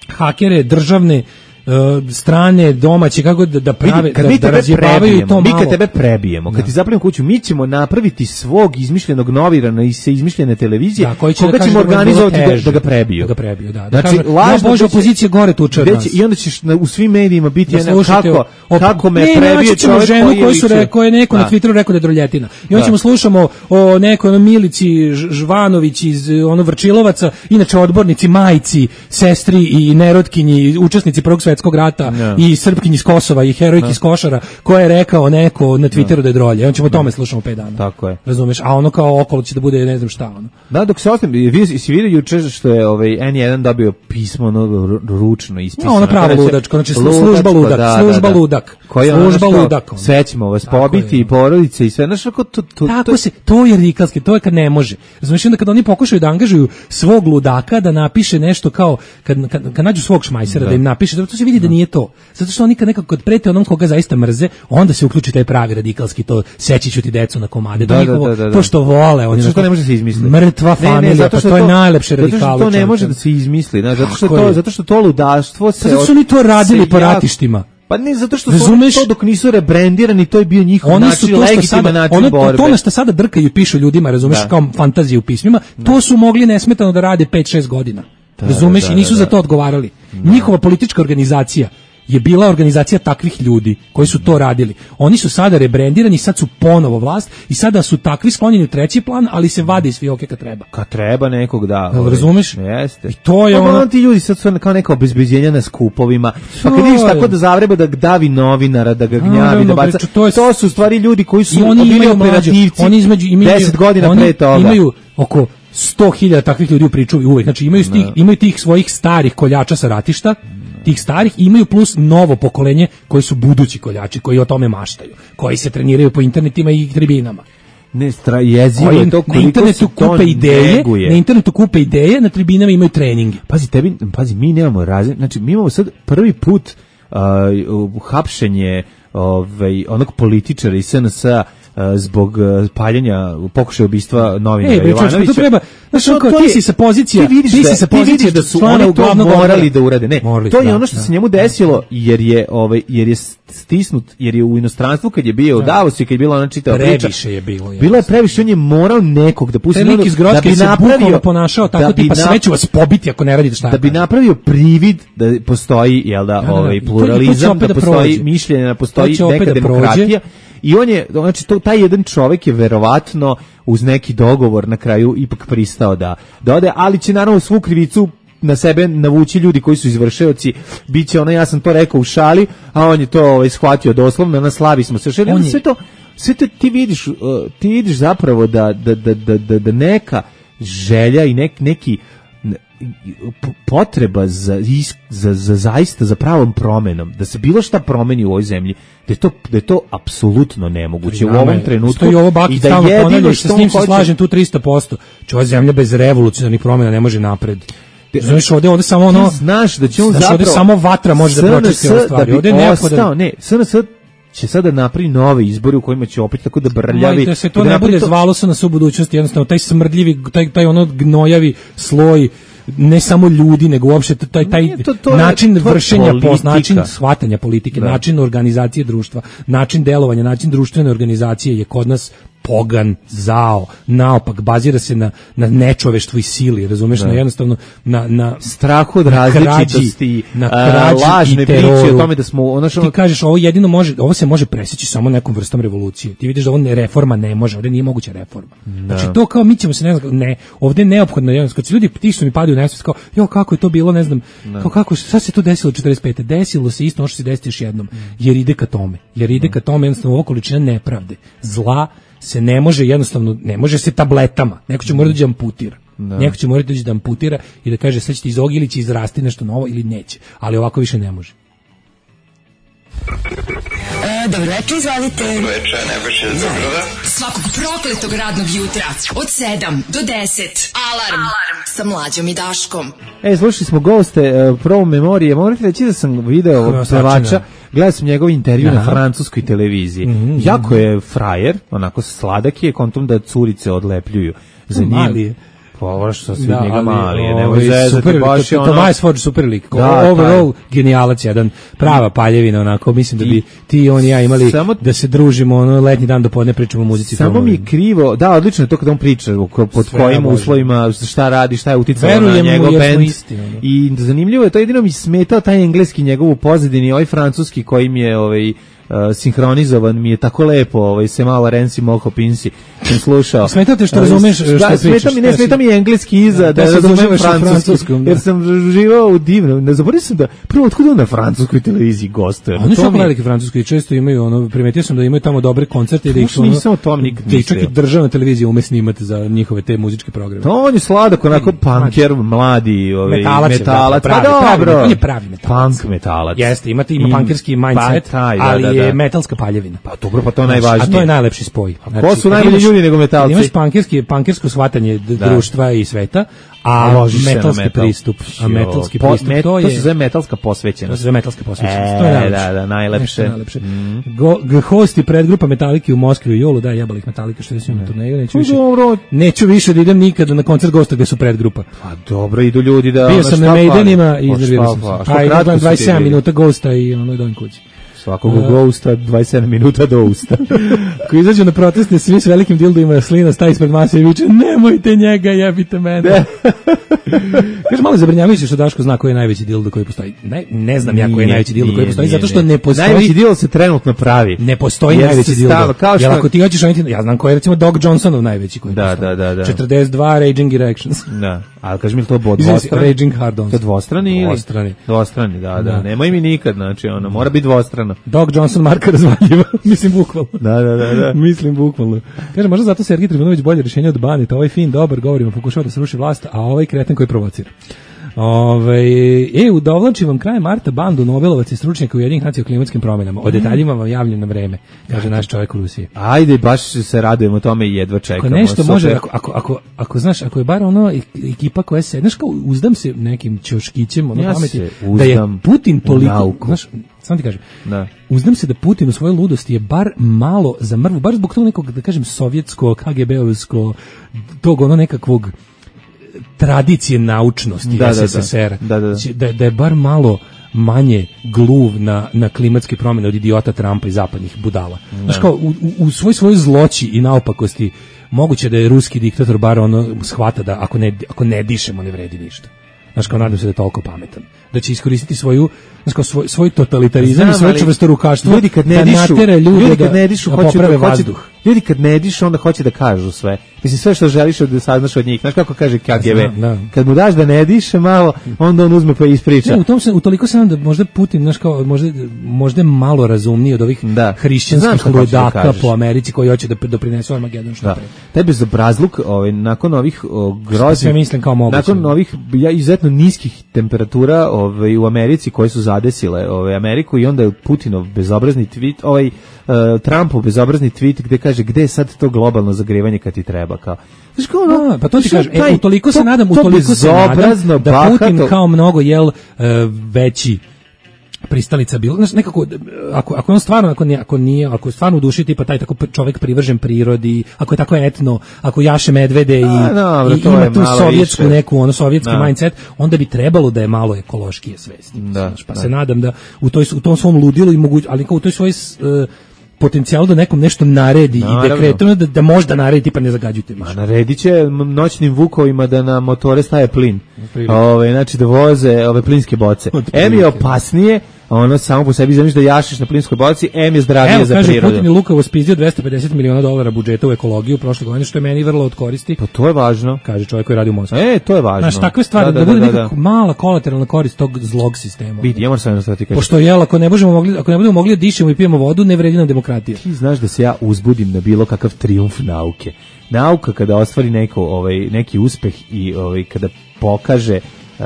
hakere, državne, e, strane, domaće, kako da, da prave, Vidi, kad da, mi da tebe razjebavaju prebijemo, to mi malo. kad tebe prebijemo, kad ti zapalimo kuću, mi ćemo napraviti svog izmišljenog novinara iz se izmišljene televizije, Da, koji će koga da kaže ćemo da mu je bilo organizovati da, teže. da ga prebiju. Da ga prebiju, da. Da Znači, kažu, lažno ja, Bože, gde će- opozicija gore tuče od gde nas. će- I onda ćeš na, u svim medijima biti Da jedna, slušate kako, o- kako me ne, prebije naći ćemo čovjek ženu koji je koju su liče. re, koje je neko Da. na Twitteru rekao da je droljetina. I onda Da. ćemo slušamo o nekoj ono Milici Ž- Žvanović iz e, ono Vrčilovaca, inače odbornici, majci, sestri i nerotkinji, učesnici Prvog svjetskog rata Da. i Srpkinji iz Kosova i herojki iz Košara, koja je rekao neko na Twitteru da je drolje. I onda ćemo o tome slušamo pet dana. Tako je. Razumeš? A ono kao okolo će da bude ne znam šta ono. Da, dok se ostavim, vi si vidio juče što je ovaj N jedan dobio pismo ono ru- ručno ispisano. No, ono pravo Kada će- ludačko, znači slu- služba ludak, da, služba da, da. ludak, Koji je ono služba što, ludak, ono. Sve ćemo vas Tako pobiti je. i porodice i sve. Znaš, kako to, to, Tako to, se, to je radikalski, to je kad ne može. Razumiješ, onda kad oni pokušaju da angažuju svog ludaka da napiše nešto kao, kad, kad, kad nađu svog šmajsera da. im napiše, to se vidi da nije to. Zato što oni kad nekako kad prete onom koga zaista mrze, onda se uključi taj pravi radikalski, to seći ću ti decu na komade, Da, to, da, njihovo, da, da, da. to što vole. Oni Zato što onako, to ne može se izmisliti. Mrtva Ne, ne, familija, zato pa što to je najlepše Zato što radikalo. to ne čoveče. može da se izmisli, znaš, zato što Tako to, je. zato što to ludaštvo se... Zato što su oni to radili se po jako- ratištima. Pa ne, zato što su oni Razumeš? to dok nisu rebrendirani, to je bio njihov Oni su način, to što legitiman sada, način ono, borbe. to na što sada drkaju i pišu ljudima, razumeš, Da. kao fantazije u pismima, to su mogli nesmetano da rade pet šest godina. razumeš, da, i nisu da, za da. to odgovarali. Njihova politička organizacija je bila organizacija takvih ljudi koji su to radili. Oni su sada rebrendirani, sad su ponovo vlast i sada su takvi sklonjeni u treći plan, ali se vade iz fioke kad treba. Kad treba nekog, da. Jel ovaj, razumeš? Jeste. I to je Pa ono- ti ljudi sad su kao neka obezbeđenja na skupovima. Pa To kad vidiš je. tako da zavreba da davi novinara, da ga gnjavi, Naravno, da baca. bre, to je- To su u stvari ljudi koji su I oni bili imaju mlađe, operativci oni između imaju deset godina oni pre toga. imaju oko sto hiljada takvih ljudi u pričuvi uvek. Znači imaju tih, imaju tih svojih starih koljača sa ratišta, tih starih, i imaju plus novo pokolenje koji su budući koljači, koji o tome maštaju, koji se treniraju po internetima i tribinama. Ne, stra, jezivo Koji je to na koliko internetu se to kupe ideje, neguje. na internetu kupe ideje, na tribinama imaju treninge. Pazi, tebi, pazi, mi nemamo razine, znači mi imamo sad prvi put uh, hapšenje ovaj, onog političara iz S N S-a uh, zbog uh, paljenja, pokušaja ubistva novinara Ej, bre, čovječe, Jovanovića. to treba, znaš, To- ono kao, to ti je- si sa pozicija, ti vidiš ti da, si sa ti vidiš pozicije da su člana oni to glavnog morali odbora. da urade. Ne, Morali, to je da, ono što da. se njemu desilo jer je ovaj jer je stisnut, jer je u inostranstvu kad je bio u Davosu i kad je bila ona čitava priča. Previše je bilo. Bilo je previše, on je morao nekog da pusti. Taj lik ono- iz da Grocke bi se napravio- bukvalno ponašao tako, da bi tipa sve nap- ću vas pobiti ako ne radite šta ja da bi kažem. napravio privid da postoji, jel da, Da, da, da. ovaj I to- i to će pluralizam, opet da da postoji prođe. mišljenje, da postoji To će opet neka da prođe. demokratija. I on je, znači, to, taj jedan čovjek je verovatno uz neki dogovor na kraju ipak pristao da, da ode, ali će naravno svu krivicu na sebe navući ljudi koji su izvršioci, biće ono, ja sam to rekao u šali, a on je to ovaj, shvatio doslovno, na slavi smo se šeli, sve to, sve to ti vidiš, uh, ti vidiš zapravo da, da, da, da, da neka želja i nek, neki potreba za, za, za zaista za pravom promenom, da se bilo šta promeni u ovoj zemlji, da je to, da je to apsolutno nemoguće u ovom trenutku. I ovo Bakić stalno ponavlja, što s njim se slažem tu tristo posto. Če ova zemlja bez revolucionarnih promjena ne može napred. Znaš, ovdje, ovdje samo ono, znaš da će on zapravo, ovdje samo vatra može da pročisti ove stvari. Da bi ovdje ostao, ne, S N S će sada napravi nove izbori u kojima će opet tako da brljavi. Da se to ne bude zvalo S N S u budućnosti, jednostavno taj smrdljivi, taj, taj ono gnojavi sloj, ne samo ljudi, nego uopšte taj, taj to, to način je, vršenja, post, način shvatanja politike, da. način organizacije društva, način delovanja, način društvene organizacije je kod nas pogan, zao, naopak, bazira se na, na nečoveštvu i sili, razumeš, da. na jednostavno na, na strahu od različitosti, na krađi, uh, lažne priče o tome da smo ono što... Ti kažeš, ovo jedino može, ovo se može presjeći samo nekom vrstom revolucije. Ti vidiš da ovo ne, reforma ne može, ovdje nije moguća reforma. Da. Znači to kao mi ćemo se ne znam, ne, ovdje je neophodno, jednostavno, kad se ljudi ti što mi padaju u nesvijest, kao, jo, kako je to bilo, ne znam, da. kao kako, šta se to desilo četrdeset pete Desilo se isto ono što se desiti još jednom, jer ide ka tome, jer ide ka tome, jednostavno, ovo količina nepravde, zla, se ne može jednostavno, ne može se tabletama, neko će morati da amputira. Da. Neko će morati da amputira i da kaže sad ćete iz ovog ili će izrasti nešto novo ili neće, ali ovako više ne može. E, dobro večer, izvolite. Dobro večer, Nebojša iz Beograda. Svakog prokletog radnog jutra od sedam do deset. Alarm, Alarm. Sa Mlađom i Daškom. E, slušali smo goste, uh, prvo memorije. Morate reći da sam video ovog pevača, gledao sam njegov intervju Aha. na francuskoj televiziji. Mm-hmm. Jako je frajer, onako sladak je, kontom da curice odlepljuju za njim. Mali je. Pa ovo što su da, njega mali, je, nemoj zezati, baš je ono... Tobias Forge super lik, da, overall taj. Genijalac, jedan prava paljevina, onako, mislim da bi ti i on i ja imali samo, da se družimo, ono, letnji dan do podne pričamo o muzici. Samo mi je krivo, da, odlično je to kada on priča, pod sve kojim uslovima, šta radi, šta je uticalo na njegov band. I zanimljivo je, to jedino mi smetao taj engleski njegov u pozadini, ovaj francuski kojim je, ovaj, Uh, sinhronizovan mi je tako lepo, ovaj se malo Rensi Moko Pinsi sam slušao. Smeta te što razumeš što da, pričaš. Smeta mi, ne smeta mi engleski iza, da, da, da razumem francuski, da. Jer sam živao u divnom. Ne zaboravio sam da prvo otkud on na francuskoj televiziji gostuje. Oni su jako veliki francuski, često imaju ono, primetio sam da imaju tamo dobre koncerte i da ih ono, nisam o tom nikad mislio. Čak i državna televizija ume snimati za njihove te muzičke programe. To on je sladak, onako punker, mladi, ovaj metalac, metalac, pravi, pa pravi, dobro. On je pravi metalac. Punk metalac. Jeste, imate ima punkerski mindset, ali je metalska paljevina. Pa dobro, pa to je najvažnije. A to je najlepši spoj. Znači, ko su najbolji ljudi nego metalci? Imaš pankerski, pankersko shvatanje da. društva i sveta, a metalski metal. pristup, a metalski po, pristup, met, to je... To se zove metalska posvećenost. To se zove metalska posvećenost, e, to je najlepše. Da, da, najlepše. najlepše. Mm. Go, go, host i predgrupa Metalike u Moskvi u julu, da, jebali ih Metalike, što su na turneju, neću više, neću više da idem nikada na koncert Gosta gde su predgrupa. Pa dobro, idu ljudi da... Bio sam na Maidenima i iznervirao sam se. Pa i gledam dvadeset sedam minuta Gosta i ono idem kući. Svakog uh, Ghosta, dvadeset sedam minuta do usta. Ko izađu na proteste, svi s velikim dildovima slina staje ispred mase i viče, nemojte njega, jebite mene. Kaže, malo zabrinjavajuće što Daško zna koji je najveći dildo koji postoji. Ne, ne znam ja koji je najveći dildo koji postoji, nije, zato što ne postoji... Najveći dildo se trenutno pravi. Ne postoji najveći dildo. Kao što... Jer ako ti hoćeš, ja znam koji je recimo Doc Johnsonov najveći koji da, da, da, da. četrdeset dva Raging Erections. Da, ali kaži mi to bo dvostrani. Raging Hard-ons. To dvostrani ili? Dvostrani. Dvostrani, da, da. da. Nemoj mi nikad, znači, ono, mora biti dvostrano. Doc Johnson Marka razvaljiva, mislim bukvalno. Da, da, da, da. Mislim bukvalno. Kaže, možda zato Sergij Trifunović bolje rješenje od Banita, ovaj fin, dobar, govorimo, pokušava da se ruši vlast, a ovaj kreten koji provocira. Ove, e, udovlačim vam krajem marta bandu Nobelovac i stručnjaka Ujedinjenih nacija o klimatskim promjenama. O detaljima vam javljam na vreme, kaže naš čovjek u Rusiji. Ajde, baš se radujemo tome i jedva čekamo. Ako nešto može, ako, ako, ako, ako, znaš, ako je bar ono ekipa koja se, znaš kao uzdam se nekim ćoškićem, ono ja pameti, da je Putin toliko, znaš, sam ti kažem, da. Uzdam se da Putin u svojoj ludosti je bar malo zamrvu, bar zbog tog nekog, da kažem, sovjetsko, K G B-ovsko, tog ono nekakvog tradicije naučnosti da, S S S R, da, da, da. Da, da je bar malo manje gluv na, na klimatske promjene od idiota Trumpa i zapadnih budala. Znaš kao, u, u svoj svojoj zloći i naopakosti moguće da je ruski diktator bar ono shvata da ako ne, ako ne dišemo ne vredi ništa. Znaš kao, nadam se da je toliko pametan. Da će iskoristiti svoju, znaš kao, svoj, svoj totalitarizam i svoje čvrstorukaštvo da natjera ljude ljudi kad ne dišu, da, da hoće, poprave hoće, vazduh. Ljudi kad ne dišu, onda hoće da kažu sve. Mislim, sve što želiš da saznaš od njih. Znaš kako kaže K G B? Da, da. Kad mu daš da ne diše malo, onda on uzme pa ispriča. Ne, u tom se, utoliko se nam da možda Putin, znaš kao, možda, možda je malo razumniji od ovih da. hrišćanskih ludaka da po Americi koji hoće da doprinesu Armagedon što da. pre. Taj bezobrazluk, ovaj, nakon ovih groznih, sve mislim kao moguće. Nakon ovih ja, izuzetno niskih temperatura ovaj, u Americi koje su zadesile ovaj, Ameriku i onda je Putinov bezobrazni tweet, ovaj uh, Trumpov bezobrazni tweet gde kaže gde je sad to globalno zagrevanje kad ti treba kao. Znaš kao ono, da, pa to ti kažem, taj, e, utoliko se to, nadam, to utoliko se nadam da bahato. Putin kao mnogo jel uh, veći pristalica bilo, znači nekako ako ako on stvarno ako nije ako nije ako je stvarno u duši tipa taj tako čovjek privržen prirodi, ako je tako etno, ako jaše medvede i, A, dobro, i ima tu sovjetsku više. neku ono sovjetski da. mindset, onda bi trebalo da je malo ekološkije svesti. Da, znači, pa da. se nadam da u toj u tom svom ludilu i moguć, ali kao u toj svojoj uh, potencijalu da nekom nešto naredi Naravno. i dekretom da, da možda naredi tipa ne zagađujte više. A naredit će noćnim vukovima da na motore staje plin. Ove, znači da voze ove plinske boce. Em je opasnije, ono samo po sebi zamiš da jašiš na plinskoj boci, em je zdravije Evo, za kaže, prirodu. Putin je lukavo spizdio dvesta pedeset miliona dolara budžeta u ekologiju prošle godine, što je meni vrlo od koristi. Pa to je važno. Kaže čovjek koji radi u Moskvi. E, to je važno. Znaš, takve stvari, da, da, da bude da, nekako da. mala kolateralna korist tog zlog sistema. Vidi, ja moram sam jednostavno ti kažem. Pošto jel, ako ne možemo mogli, ako ne budemo mogli da dišemo i pijemo vodu, ne vredi nam demokratija. Ti znaš da se ja uzbudim na bilo kakav trijumf nauke. Nauka kada ostvari neko, ovaj, neki uspeh i ovaj, kada pokaže um,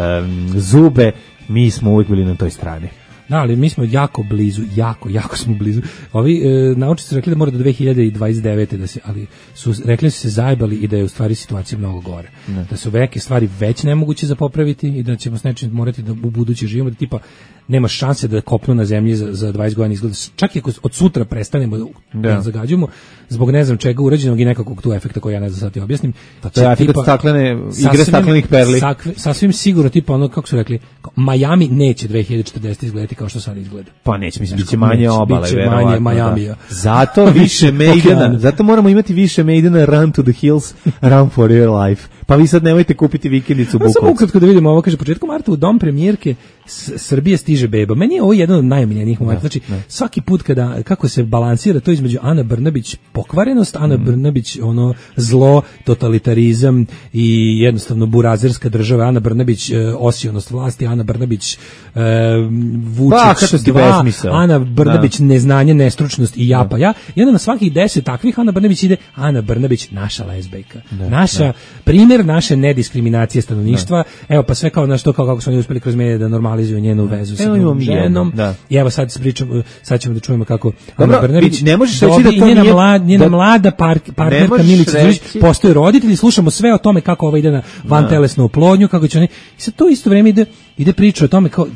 zube, mi smo uvijek bili na toj strani. Da, ali mi smo jako blizu, jako, jako smo blizu. Ovi e, naučnici su rekli da mora do dve hiljade dvadeset devete da se, ali su rekli da su se zajebali i da je u stvari situacija mnogo gore. Ne. Da su neke stvari već nemoguće za popraviti i da ćemo s nečim morati da u buduće živimo, da tipa nema šanse da kopnu na zemlji za, za dvadeset godina izgleda. Čak i ako od sutra prestanemo da, da zagađujemo, zbog ne znam čega urađenog i nekakvog tu efekta koji ja ne znam sad ti objasnim. Pa to je efekt staklene, igre staklenih perli. Sakve, sasvim sigurno tipa ono, kako su rekli, Miami neće dve hiljade četrdeset izgledati kao što sad izgleda. Pa neće, mislim, biće manje obale, biće verovatno. manje Miamija. Da. Zato više Maidena, zato moramo imati više Maidena, run to the hills, run for your life. Pa vi sad nemojte kupiti vikendicu u Bukovcu. Samo ukratko da vidimo ovo, kaže, početkom marta u dom premijerke Srbije stiže beba. Meni je ovo jedan od najomiljenijih momenta. Znači, ne. svaki put kada, kako se balansira to između Ana Brnabić pokvarenost, Ana mm. Brnabić ono zlo, totalitarizam i jednostavno burazerska država, Ana Brnabić e, osionost vlasti, Ana Brnabić e, Vučić dva, Ana Brnabić da. neznanje, nestručnost i japa ja. I onda na svakih deset takvih Ana Brnabić ide Ana Brnabić, naša lezbejka. Da, naša, da. primjer naše nediskriminacije stanovništva. Da. Evo, pa sve kao na što, kao kako su oni uspeli kroz medije da normalizuju njenu vezu sa drugom ženom. Da. I evo sad pričamo, sad ćemo da čujemo kako Dobro, Ana Brnabić ne možeš reći da to njena, nije, mlad, njena da, mlada par, partnerka Milica Đurić, postoje roditelji, slušamo sve o tome kako ova ide na vantelesnu oplodnju, kako će oni, i sad to isto vreme ide, ide priča o tome kao,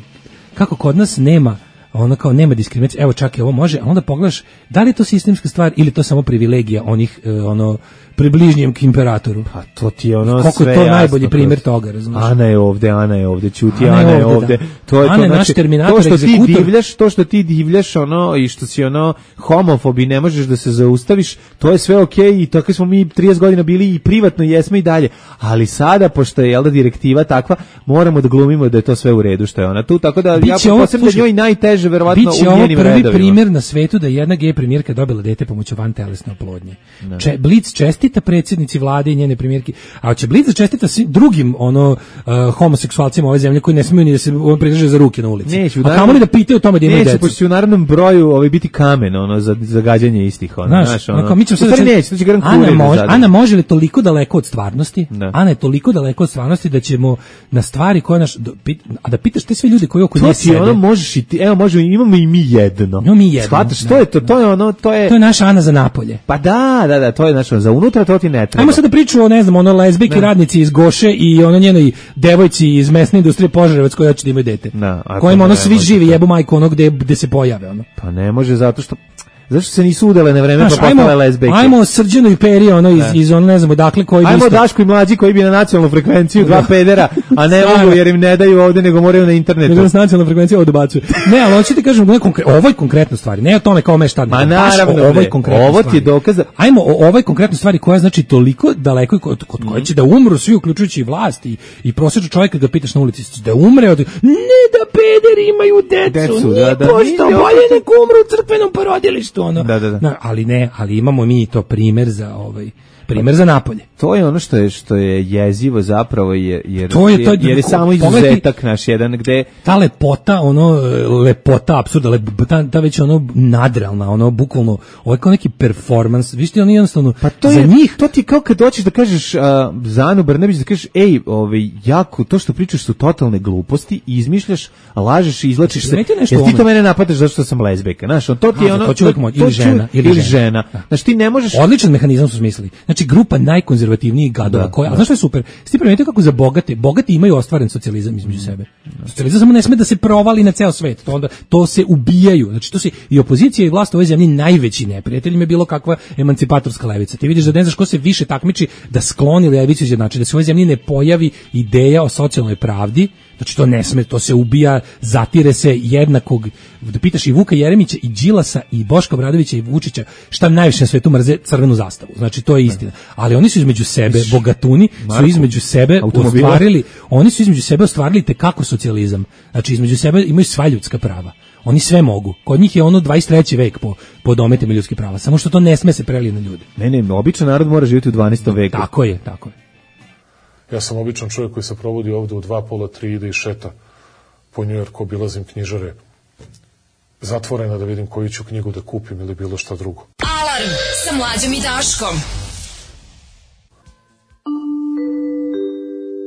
kako kod nas nema ono kao nema diskriminacije, evo čak i ovo može, a onda pogledaš da li je to sistemska stvar ili to samo privilegija onih e, ono približnjem k imperatoru. Pa to ti je ono Koliko sve je to jasno, najbolji primjer toga, razumiješ? Ana je ovde, Ana je ovde, ćuti, Ana, Ana je ovde, ovde. Da. To je Ana to, je naš znači, terminator, to što egzekutor. ti divljaš, to što ti divljaš ono i što si ono homofob i ne možeš da se zaustaviš, to je sve okej okay, i tako smo mi trideset godina bili i privatno jesmo i dalje. Ali sada pošto je jelda direktiva takva, moramo da glumimo da je to sve u redu što je ona tu, tako da biće ja ovo, posebno da njoj najteže verovatno u njenim redovima. Biće ovo prvi primjer na svetu da jedna gej premijerka dobila dete pomoću vantelesne oplodnje. Če, Blic čestita predsjednici vlade i njene premijerke, a će Blic čestita svim drugim ono uh, homoseksualcima ove zemlje koji ne smiju ni da se pridrže za ruke na ulici. Neću, a kamoli da pitaju o tome da imaju decu. Neće, pošto će u narodnom broju ovaj, biti kamen ono, za zagađanje istih. Ono, znaš, znaš, ono, ono, mi ćemo sad da neće, to će Ana, mož, Ana može li toliko daleko od stvarnosti? Da. Ana je toliko daleko od stvarnosti da ćemo na stvari koje naš, a da pitaš te sve ljudi koji oko nje sede. Ono možeš i ti, evo možemo, imamo i mi jedno. Imamo mi jedno. Shvataš, to je to, to je ono, to je... To je naša Ana za napolje. Pa da, da, da, to je znači za unutra to ti ne treba. Ajmo sad da pričamo o, ne znam, ono lezbijki radnici iz Goše i ono njenoj devojci iz mesne industrije Požarevac koja hoće da imaju dete. Da, kojima ono svi živi jebu majku ono gde, gde se pojave. Ono. Pa ne može zato što... Zašto se nisu udale na vreme pa postale lezbejke? Ajmo Srđanu i Peri, ono iz, iz ono, ne znam, odakle koji... Ajmo Daško i Mlađi koji bi na nacionalnu frekvenciju, dva pedera, a ne mogu jer im ne daju ovde, nego moraju na internetu. Nego na nacionalnu frekvenciju ovo dobacuju. Ne, ali hoćete kažem o konkre, ovoj konkretnoj stvari, ne o tome kao me šta. Ma naravno, o ovoj konkretnoj ovo ti je dokaz. Da... Ajmo o ovoj konkretnoj stvari koja znači toliko daleko, kod, kod koje će da umru svi, uključujući i vlast i, i prosječan čovjek kad ga pitaš na ulici, da umre od... Ne da pederi imaju decu, decu nije da, da, pošto, bolje nek umru u crkvenom porodilištu, ono. Da, da, da. Ali ne, ali imamo mi to primjer za ovaj Primer za napolje. To je ono što je što je jezivo zapravo jer jer to je, to je, jer je samo izuzetak naš jedan gde ta lepota, ono lepota apsurda, lepota, ta, ta već ono nadrealna, ono bukvalno ovo je kao neki performans. Vi ste oni jednostavno pa to za je, njih to ti kao kad dođeš da kažeš uh, za Anu Brnabić da kažeš ej, ovaj jako to što pričaš su totalne gluposti i izmišljaš, lažeš i izvlačiš se. Jer ti to mene napadaš zato što sam lezbijka, znaš, on to ti je ono to čovjek ili žena ili, ili žena. Znači ti ne možeš. Odličan mehanizam su smislili. Znači grupa najkonzervativnijih gadova koja, a znaš što je super? Sti primetite kako za bogate, bogati imaju ostvaren socijalizam između sebe. Socijalizam samo ne sme da se provali na ceo svet. To onda to se ubijaju. Znači to se i opozicija i vlast u ovoj zemlji najveći neprijatelj im je bilo kakva emancipatorska levica. Ti vidiš da ne znaš ko se više takmiči da skloni levicu, znači da se u ovoj zemlji ne pojavi ideja o socijalnoj pravdi. Znači to ne sme, to se ubija, zatire se jednakog, da pitaš i Vuka Jeremića i Đilasa i Boška Obradovića i Vučića šta najviše na svetu mrze, crvenu zastavu. Znači to je istina. Ali oni su između sebe, bogatuni su između sebe ostvarili, oni su između sebe ostvarili tekako socijalizam. Znači između sebe imaju sva ljudska prava. Oni sve mogu. Kod njih je ono dvadeset treći vek po, po dometima ljudskih prava. Samo što to ne sme se prelije na ljude. Ne, ne, običan narod mora živjeti u dvanaestom veku. Tako je, tako je. Ja sam običan čovjek koji se provodi ovde u dva pola, tri, ide i šeta po Njujorku, obilazim knjižare zatvorena da vidim koju ću knjigu da kupim ili bilo šta drugo. Alarm sa Mlađom i Daškom.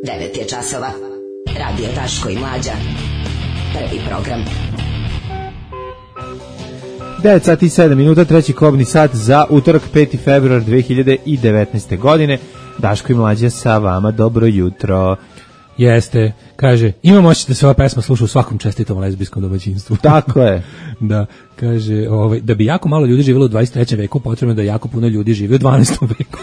devet je časova. Radio Daško i Mlađa. Prvi program. devet sati i sedam minuta, treći kobni sat za utorak peti februar dve hiljade devetnaeste. godine. Daško i Mlađa sa vama, dobro jutro. Jeste, kaže, imam moći da se ova pesma sluša u svakom čestitom lezbijskom domaćinstvu. Tako je. Da, kaže, ovaj, da bi jako malo ljudi živjelo u dvadeset trećem veku, potrebno da jako puno ljudi živi u dvanaestom veku.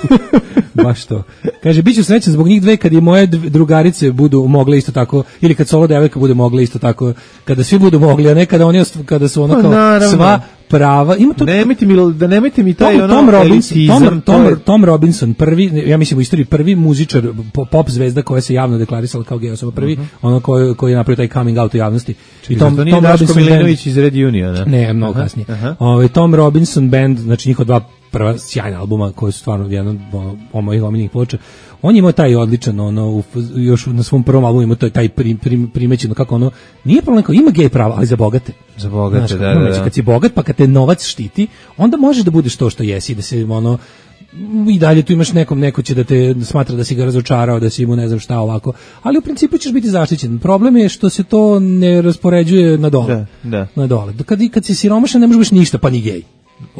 Baš to. Kaže, bit ću srećan zbog njih dve kad i moje drugarice budu mogle isto tako, ili kad solo devojka bude mogla isto tako, kada svi budu mogli, a ne kada, oni, kada su ono kao pa, sva prava. Ima to, nemojte mi, da nemojte mi taj Tom, ono Tom Robinson, elitizam. Tom, Tom, Tom Robinson, prvi, ja mislim u istoriji prvi muzičar, pop zvezda koja se javno deklarisala kao gej osoba, prvi, uh-huh. ono koji, koji je napravio taj coming out u javnosti. I Tom, to nije Tom Daško Milinović iz Red Uniona. Ne, mnogo uh-huh. kasnije. Uh-huh. Ovaj Tom Robinson Band, znači njihova dva prva sjajna albuma koji su stvarno jedan od mojih omiljenih ploča. On je imao taj odličan, ono, još na svom prvom albumu imao taj, taj prim, prim, primećeno kako ono, nije problem kao ima gej prava, ali za bogate. Za bogate, znaš, da, da, da, da. Kad si bogat, pa kad te novac štiti, onda možeš da budeš to što jesi, da se, ono, i dalje tu imaš nekom, neko će da te smatra da si ga razočarao, da si mu ne znam šta ovako, ali u principu ćeš biti zaštićen. Problem je što se to ne raspoređuje na dole. Da, da. Na dole. Kad, kad si siromašan ne možeš biti ništa, pa ni gej.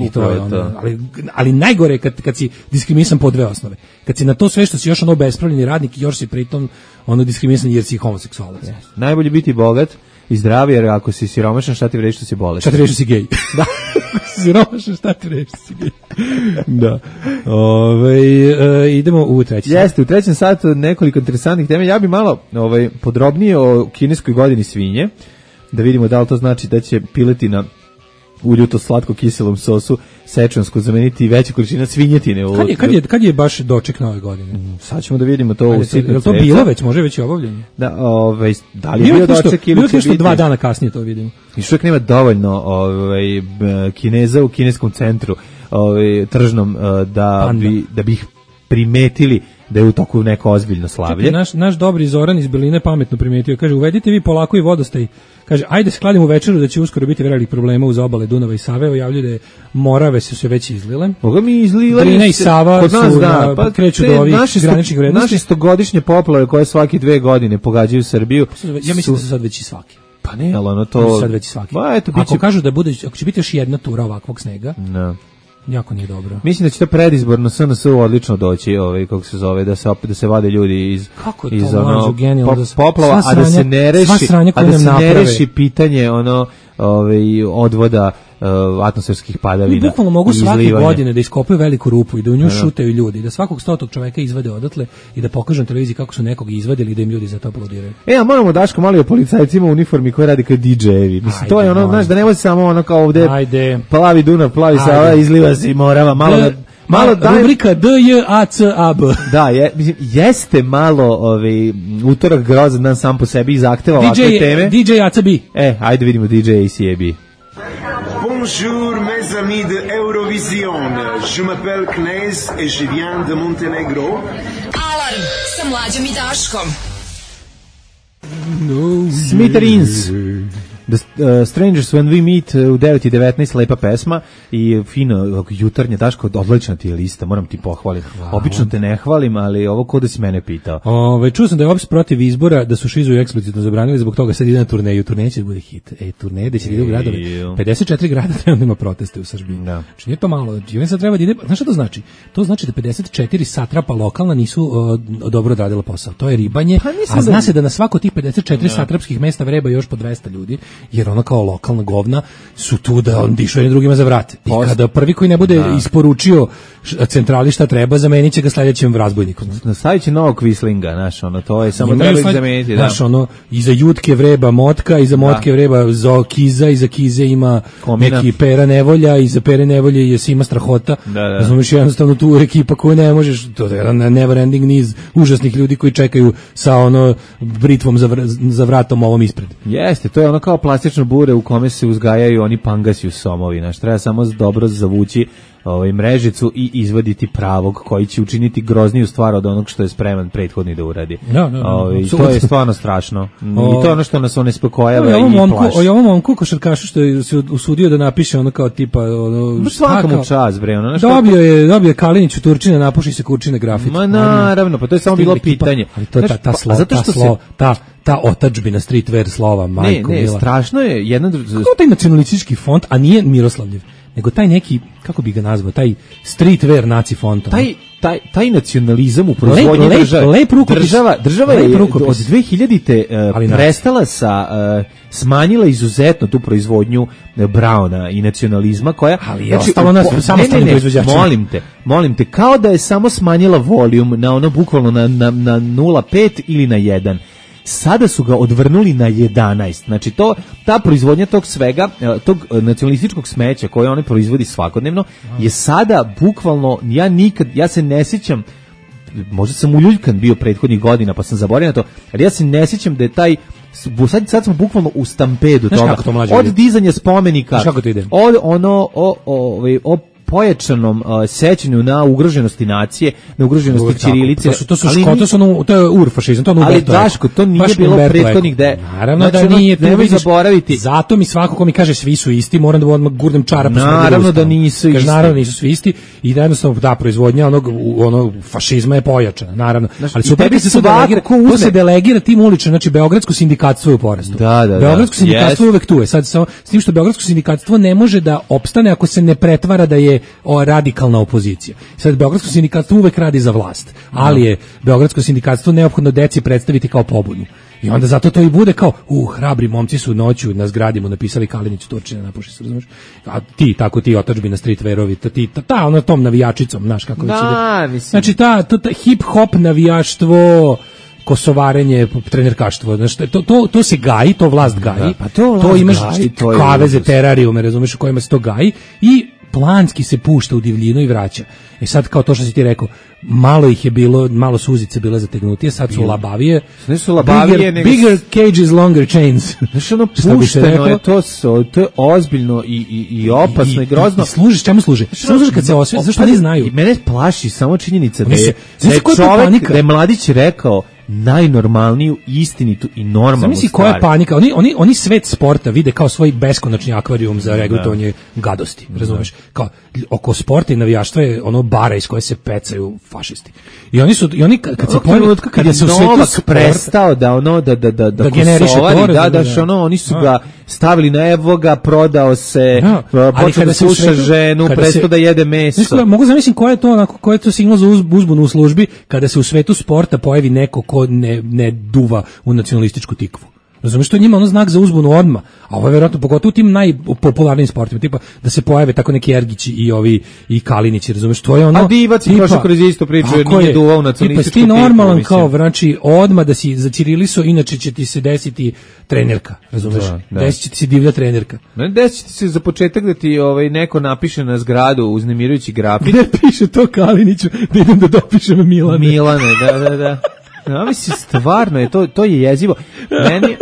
I to je ono, ali, ali najgore je kad, kad si diskriminisan po dve osnove. Kad si na to sve što si još ono bespravljeni radnik i još si pritom ono diskriminisan jer si homoseksualac. Yes. Najbolje biti bogat i zdrav, jer ako si siromašan, šta ti vredi što si bolestan? Šta ti vredi što si gej? Da. Siromašan, šta ti vredi što si gej? Da. Ove, e, idemo u treći sat. Jeste, u trećem satu nekoliko interesantnih tema. Ja bi malo ovaj, podrobnije o kineskoj godini svinje, da vidimo da li to znači da će piletina u ljuto slatko kiselom sosu sečansko zameniti veća količina svinjetine. U... Kad je, kad je, kad je baš doček nove godine? Mm, sad ćemo da vidimo to. Ajde, u sitnom. Je li to bilo već, može već i obavljanje? Da, ovaj, da li je bio doček ili će biti? Dva dana kasnije to vidimo. I što nema dovoljno ovaj, Kineza u kineskom centru ovaj, tržnom da Panda. bi, da bi ih primetili da je u toku neko ozbiljno slavlje. Čekaj, naš, naš dobri Zoran iz Beline pametno primetio. Kaže, uvedite vi polako i vodostaj. Kaže, ajde skladimo večeru da će uskoro biti velikih problema uz obale Dunava i Save. Javljaju da je Morave su se već izlile. Boga mi izlile. Drina i Sava kod nas, su da, na, pa, kreću do ovih graničnih vrednosti. Naše stogodišnje poplave koje svake dve godine pogađaju Srbiju. Ja mislim da su sad već i svaki. Pa ne, ali ono to... Sad već i svaki. Ba, eto, ako će... kažu da bude, ako će biti još jedna tura ovakvog snega, no. jako nije dobro. Mislim da će to predizborno S N S odlično doći, ovaj kako se zove, da se opet da se vade ljudi iz kako iz to ono po, poplava, sranja, a da se ne reši, a da se naprave. ne reši pitanje ono ovaj odvoda uh, atmosferskih padavina. Mi bukvalno mogu svake godine da iskopaju veliku rupu i da u nju šutaju ljudi, da svakog stotog čoveka izvade odatle i da pokažu na televiziji kako su nekog izvadili i da im ljudi za to aplaudiraju. E, a moramo Daško malo o policajcima u uniformi koji radi kao D J-evi. Mislim, ajde, to je ono, znaš, da ne može samo ono kao ovde ajde. Plavi Dunav, plavi Sava, izliva se i Morava, malo da... Malo dajem, rubrika D J A C A B. Da, je, jeste malo ovaj, utorak grozan dan sam po sebi i zahteva ovakve teme. D J A C B. E, ajde vidimo D J A C A B. Puno Bonjour mes amis de Eurovision. Je m'appelle Knez et je viens de Montenegro. Alarm sa Mlađom i Daškom. No, Smithereens. The uh, Strangers When We Meet u devet i devetnaest, lepa pesma i fino jutarnje. Daško, odlična ti je lista, moram ti pohvaliti. Obično te ne hvalim, ali ovo ko da si mene pitao. Ove, čuo sam da je opis protiv izbora, da su Šizu eksplicitno zabranili, zbog toga sad ide na turneju. Turneje će da bude hit. E, turneje gde će da ide u gradove. pedeset četiri grada trenutno ima proteste u Srbiji. Da. Znači nije to malo. Znači, sad treba da ide. Znaš šta to znači? To znači da pedeset četiri satrapa lokalna nisu uh, dobro odradila posao. To je ribanje, pa a zna da... se da na svako tih pedeset četiri da. satrapskih mesta vreba još po dvesta ljudi. Jer ona kao lokalna govna su tu da on dišu jednim drugima za vrat. I kada prvi koji ne bude da. isporučio centrali šta treba, zamenit će ga sledećem razbojnikom. Nastavit će novog Quislinga, znaš, ono, to je samo treba ih zameniti. Znaš, da. ono, iza Jutke vreba Motka, iza Motke da. vreba Zo Kiza, iza Kize ima Komina. Neki Pera Nevolja, iza Pere Nevolje je Sima Strahota. Da, da. Razumiješ, jednostavno tu ekipa koju ne možeš, to je jedan never ending niz užasnih ljudi koji čekaju sa ono britvom za, vr, za vratom ovom ispred. Jeste, to je ono kao plastično bure u kome se uzgajaju oni pangasi u somovi, znaš, treba samo dobro zavući ovaj mrežicu i izvaditi pravog koji će učiniti grozniju stvar od onog što je spreman prethodni da uradi. No, no, no, ovaj, to je stvarno strašno. O, I to je ono što nas onespokojava i momku, plaši. O ovom momku košarkašu što je se usudio da napiše ono kao tipa ono svakom čast bre, ono nešto. Dobio je, dobio je Kalinić u Turčine, napuši se Kurčine grafit. Ma naravno, pa to je samo bilo pitanje. Ali to ta ta slo, zato što se ta ta otadžbina streetwear slova, majko mila. Ne, ne, strašno je jedan kako taj nacionalistički font, a nije Miroslavljev, nego taj neki, kako bi ga nazvao, taj streetwear naci font. Taj taj taj nacionalizam u proizvodnji lep, države. Lep država, država lep je rukopis. Od dve hiljadite uh, prestala sa uh, smanjila izuzetno tu proizvodnju uh, Brauna i nacionalizma koja ali je znači, ostalo nas samostalni proizvođači. Molim te, molim te, kao da je samo smanjila volum na ono bukvalno na na na nula zarez pet ili na jedan. Sada su ga odvrnuli na jedanaest. Znači to ta proizvodnja tog svega, tog nacionalističkog smeća koje oni proizvodi svakodnevno je sada bukvalno ja nikad ja se ne sjećam, možda sam uljuljkan bio prethodnih godina pa sam zaboravio na to, ali ja se ne sjećam da je taj sad, sad smo bukvalno u stampedu toga. To od dizanja spomenika, ide? od ono o o o pojačanom uh, sećanju na ugroženosti nacije, na ugroženosti Uvijek ćirilice. To su to su ško, to su no, to je urfašizam, to je ali Daško, to nije Baš bilo prethodnih da. Naravno znači, da nije, nemoj zaboraviti. Zato mi svako ko mi kaže svi su isti, moram da odmah gurnem čarap. Naravno da nisu isti. Naravno nisu svi isti i da jednostavno da proizvodnja onog onog fašizma je pojačana, naravno. Znači, ali super bi se to delegira, to se delegira tim ulično, znači beogradsko sindikatstvo je u porastu. Da, da, beogradsko sindikatstvo yes. uvek tu je. Sad samo s tim što beogradsko sindikatstvo ne može da opstane ako se ne pretvara da je o, radikalna opozicija. Sad beogradsko sindikatstvo uvek radi za vlast, ali je beogradsko sindikatstvo neophodno deci predstaviti kao pobunu. I onda zato to i bude kao, u, hrabri momci su noću na zgradi mu napisali Kalinić Turčine, napuši se, razumeš? A ti, tako ti otadžbina streetwearovi, ta, ti, ta, ta, ono tom navijačicom, znaš kako da, već ide. Znači, ta, ta, ta hip-hop navijaštvo, kosovarenje, trenerkaštvo, znači to to to se gaji, to vlast gaji. Da, pa to, to imaš gaji, to je kaveze, terarijume, razumeš, u kojima se to gaji i planski se pušta u divljinu i vraća. E sad kao to što si ti rekao, malo ih je bilo, malo su uzice bile zategnutije, sad su labavije. Ne su labavije, bigger, nego... bigger cages, longer chains. Znači ono pušteno je, to, to je ozbiljno i, i, i opasno i, i grozno. I, i služiš, čemu služi? Služiš kad se osvijeti, zašto ne znaju? I mene plaši samo činjenica da je, da je čovek, da je mladić rekao najnormalniju, istinitu i normalnu stvar. Zamisli koja je panika. Oni, oni, oni svet sporta vide kao svoj beskonačni akvarijum za regrutovanje gadosti. Razumeš? Kao, oko sporta i navijaštva je ono bara iz koje se pecaju fašisti. I oni su, i oni kad se pojavili, kad je se u svetu sporta prestao da ono, da, da, da, da, da kosovari, da, da, da, ono, oni su ga stavili na evo ga, prodao se, počeo da sluša ženu, prestao da jede meso. Mogu zamisliti koja je to, onako, koja je to signal za uzbunu u službi kada se u svetu sporta pojavi neko ko ne, ne duva u nacionalističku tikvu. Razumiješ, to je njima ono znak za uzbunu odma, a ovo je vjerojatno pogotovo u tim najpopularnijim sportima, tipa da se pojave tako neki Ergići i ovi i Kalinići, razumiješ, to je ono... A Divac je prošao kroz istu priču, jer nije duvao nacionalističku tikvu. Tipa, ti normalan kao, znači, odma da si za ćirilisu, inače će ti se desiti trenerka, razumiješ, da, da. Desit će ti se divlja trenerka. Ne, desit će ti se za početak da ti ovaj, neko napiše na zgradu uznemirujući grafit. Gde piše to Kaliniću, da idem da dopišem Milane. Milane, da, da, da. No, mislim, stvarno je, to, to je jezivo. Meni,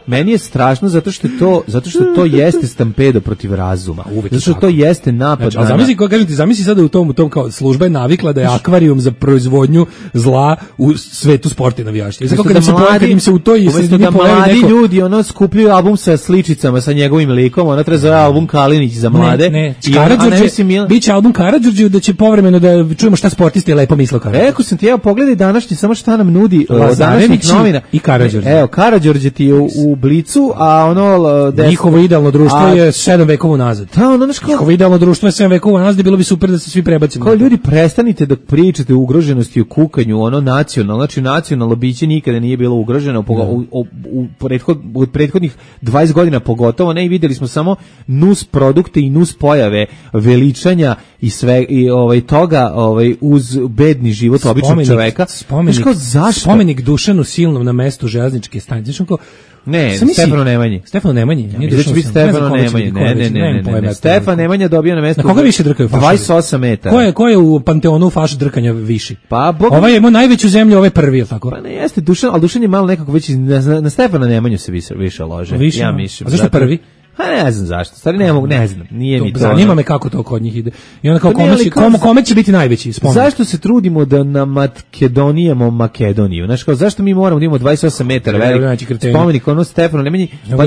meni je strašno zato što to, zato što to jeste stampedo protiv razuma. Zato što to jeste napad. Znači, a zamisli, kako kažem ti, zamisli sada u tom, u tom kao služba je navikla da je akvarijum za proizvodnju zla u svetu sporta i navijaštva. Zato kad im se kad im se u toj sredini da mladi neko... ljudi ono skupljaju album sa sličicama sa njegovim likom, ona treba zove album Kalinić za mlade. Ne, ne. Karađorđe, mil... biće album Karađorđe da će povremeno da čujemo šta sportisti lepo misle o Karađorđe. Rekao sam ti, evo pogledaj današnji, samo šta nam nudi od današnjih novina. I Karađorđe. Evo, Karađorđe ti je u, u Blicu, a ono... Des... Njihovo idealno društvo a... je sedam vekova nazad. Da, ono naško... Njihovo idealno društvo je sedam vekova nazad i bilo bi super da se svi prebacimo. Kao ljudi, prestanite da pričate o ugroženosti, o kukanju, ono nacionalno, znači nacionalno biće nikada nije bilo ugroženo u, u, u, u, prethod, u prethodnih dvadeset godina pogotovo, ne, i videli smo samo nus produkte i nus pojave veličanja i sve i ovaj toga ovaj uz bedni život spomenik, običnog čoveka. Spomenik, kao, spomenik Dušanu Silnom na mestu železničke stanice. Znači kao Ne, Stefano Nemanji. Stefano Nemanji. Ja, mislim da će biti Stefano Nemanji. Ne, ne, ne, ne, ne. Stefan Nemanja dobio na mesto. Na koga više drkaju fašovi? dvadeset osam metara. Ko je, ko je u panteonu faš drkanja viši? Pa, Bog... Ovaj je imao najveću zemlju, ovaj prvi, je tako? Pa ne, jeste Dušan, ali Dušan je malo nekako već na, na Stefana Nemanju se više, više lože. Više, ja mislim. A zašto zato... prvi? Pa ne znam zašto, stvari ne mogu, ne znam, nije mi to. Zanima me kako to kod njih ide. I onda kao pa kome, će, kome, kome će biti najveći spomenik? Zašto se trudimo da na Makedonijemo Makedoniju? Znaš, kao zašto mi moramo da imamo dvadeset osam metara velik spomenik, ono Stefano Nemanji, pa...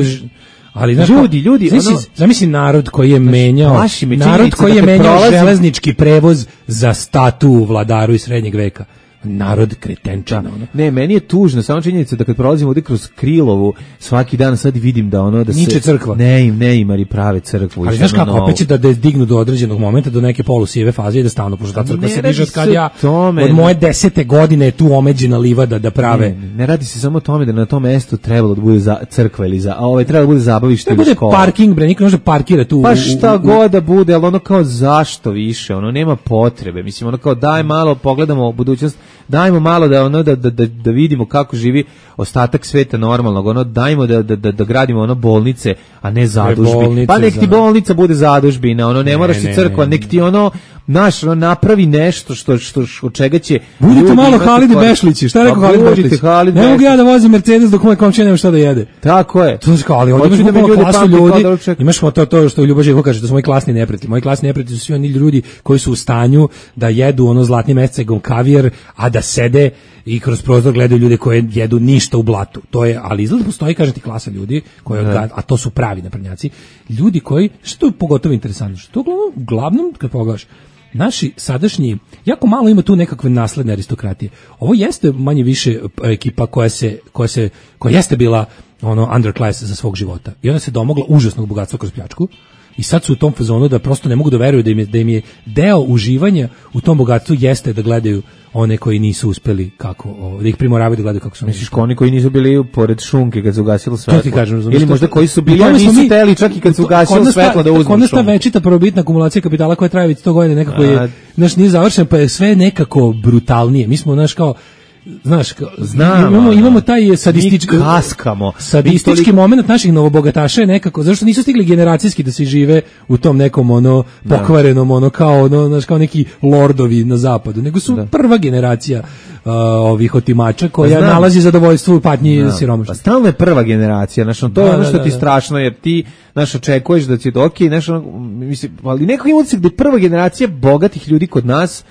Ali znaš, ljudi, ljudi, zamisli, ono, zamisli narod koji je menjao, narod koji je menjao prolazim... železnički prevoz za statu u vladaru iz srednjeg veka. Narod kretenčana. Ono. Ne, meni je tužno, samo činjenica da kad prolazimo ovdje kroz Krilovu, svaki dan sad vidim da ono da se... Niče crkva. Ne im, ne imari prave crkvu. Ali znaš kako, opet će da, da dignu do određenog momenta, do neke polusive faze i da stavno, pošto ta crkva ne se diže od kad ja, tome, od moje desete godine je tu omeđena livada da prave. Ne, ne radi se samo o tome da na tom mestu trebalo da bude za crkva ili za, a ovaj treba da bude zabavište ili škola. Parking, bre, niko može parkira tu. Pa šta u, u, god da bude, ali ono kao zašto više, ono nema potrebe. Mislim, ono kao daj malo, pogledamo budućnost, dajmo malo da ono da, da, da vidimo kako živi ostatak sveta normalnog, ono dajmo da, da, da, da gradimo ono bolnice, a ne zadužbi. Pa nek ti bolnica bude zadužbina, ono ne, ne moraš ti crkva, ne, ne, nek ti ono naš ono, napravi nešto što što od čega će budite malo Halidi Bešlići, šta rekao Halid Bešlić? Ne mogu ja da vozim Mercedes dok moj komšija nema šta da jede. Tako je. To je kao, ali ovdje imaš da klasu ljudi, imaš to, to što Ljubo Živko kaže, da su moji klasni neprijatelji. Moji klasni neprijatelji su svi oni ljudi koji su u stanju da jedu ono zlatni mesecegom kavijer, a da sede i kroz prozor gledaju ljude koji jedu ništa u blatu. To je, ali izgleda postoji, kaže ti, klasa ljudi, koji, a to su pravi naprednjaci, ljudi koji, što je pogotovo interesantno, što to uglavnom, kad pogledaš, naši sadašnji, jako malo ima tu nekakve nasledne aristokratije. Ovo jeste manje više ekipa koja se, koja se, koja jeste bila ono underclass za svog života. I ona se domogla užasnog bogatstva kroz pljačku. I sad su u tom fazonu da prosto ne mogu da veruju da im je, da im je deo uživanja u tom bogatstvu jeste da gledaju one koji nisu uspeli kako, o, da ih primoravaju da gledaju kako su. Misliš oni koji nisu bili pored šunke kad se ugasilo svetlo? To ti kažem, ili možda koji su bili, a nisu mi, teli čak i kad se ugasilo svetlo da uzmu šunku. Kod nas ta večita prvobitna akumulacija kapitala koja traje već sto godina nekako je, znaš, nije završena, pa je sve nekako brutalnije. Mi smo, znaš, kao znaš, Znam, imamo, imamo taj sadistički kaskamo. Sadistički toliko... moment naših novobogataša je nekako, zašto nisu stigli generacijski da se žive u tom nekom ono pokvarenom ono kao ono, znaš, kao neki lordovi na zapadu, nego su da. prva generacija uh, ovih otimača koja Znam. nalazi zadovoljstvo u patnji siromaštva. Pa stalno je prva generacija, znaš, to je da, ono što da, ti da. strašno, jer ti znaš, očekuješ da će to okej, okay, znaš, ono, mislim, ali nekako ima utisak da je prva generacija bogatih ljudi kod nas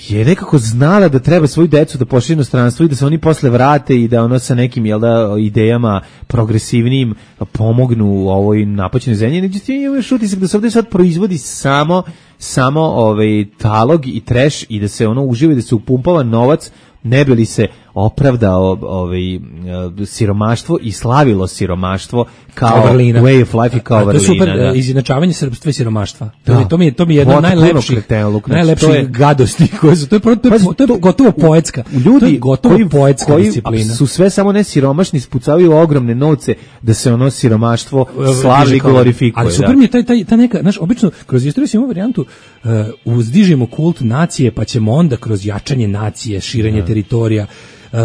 je nekako znala da treba svoju decu da pošalje u inostranstvo i da se oni posle vrate i da ono sa nekim, jel da, idejama progresivnim pomognu u ovoj napaćenoj zemlji. Međutim, imaš utisak da se ovdje sad proizvodi samo samo ovaj talog i treš i da se ono uživa i da se upumpava novac ne bi li se opravdao ovaj siromaštvo i slavilo siromaštvo kao vrlina. Way of life i kao vrlina. To je super da. izjednačavanje srpstva i siromaštva. Da. To, to mi je to mi je jedno najlepših najlepših je, gadosti koje su to je, to je, to je, to je gotovo poetska. Ljudi to je gotovo koji, poetska koji disciplina. Su sve samo ne siromašni, spucavaju ogromne novce da se ono siromaštvo slavi i glorifikuje. Ali super da. mi je taj, taj, ta neka, znaš, obično kroz istoriju imamo varijantu uh, uzdižimo kult nacije, pa ćemo onda kroz jačanje nacije, širenje da. teritorija,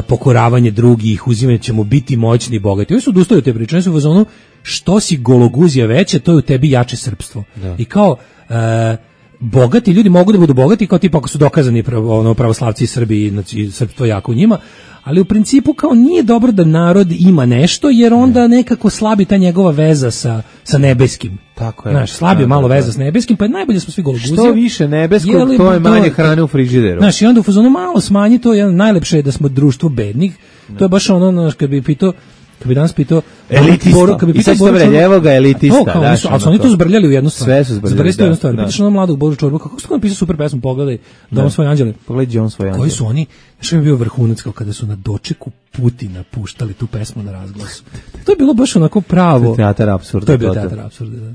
pokoravanje drugih, uzimanje ćemo biti moćni i bogati. Oni su odustali od te priče, oni su u fazonu što si gologuzija veća, to je u tebi jače srpstvo. Da. I kao e, bogati ljudi mogu da budu bogati kao tipa ako su dokazani pravo, ono, pravoslavci i Srbi, znači srpstvo jako u njima, ali u principu kao nije dobro da narod ima nešto, jer onda nekako slabi ta njegova veza sa, sa nebeskim. Tako je. Znaš, slabi da, malo da, veza da. s nebeskim, pa je najbolje smo svi gologuzi. Što više nebeskog, Jeli, to je manje to- hrane u frižideru. Znaš, i onda u fazonu malo smanji to, jedan, najlepše je da smo društvo bednih, to je baš ono, znaš, kad bi pitao, kad bi danas pitao Elitista. Boru- kad bi I pitao sad što Boru bre, Čorbu- evo ga elitista, To, kao, oni daš, su, ali su ono oni to to. zbrljali u jednu stvar. Sve su zbrljali, Zbrljali su u jednu da, stvar. da. Pitaš ono mladog Boru Čorbu, kako su napisao super pesmu, pogledaj, Dom Da. svoje anđele. Pogledaj Dom svoje Koji anđele. su oni, znaš, mi je bio vrhunac kao kada su na dočeku Putina puštali tu pesmu na razglasu. To je bilo baš onako pravo. To je teatar apsurda, To je bio to, to. teatar apsurda, da.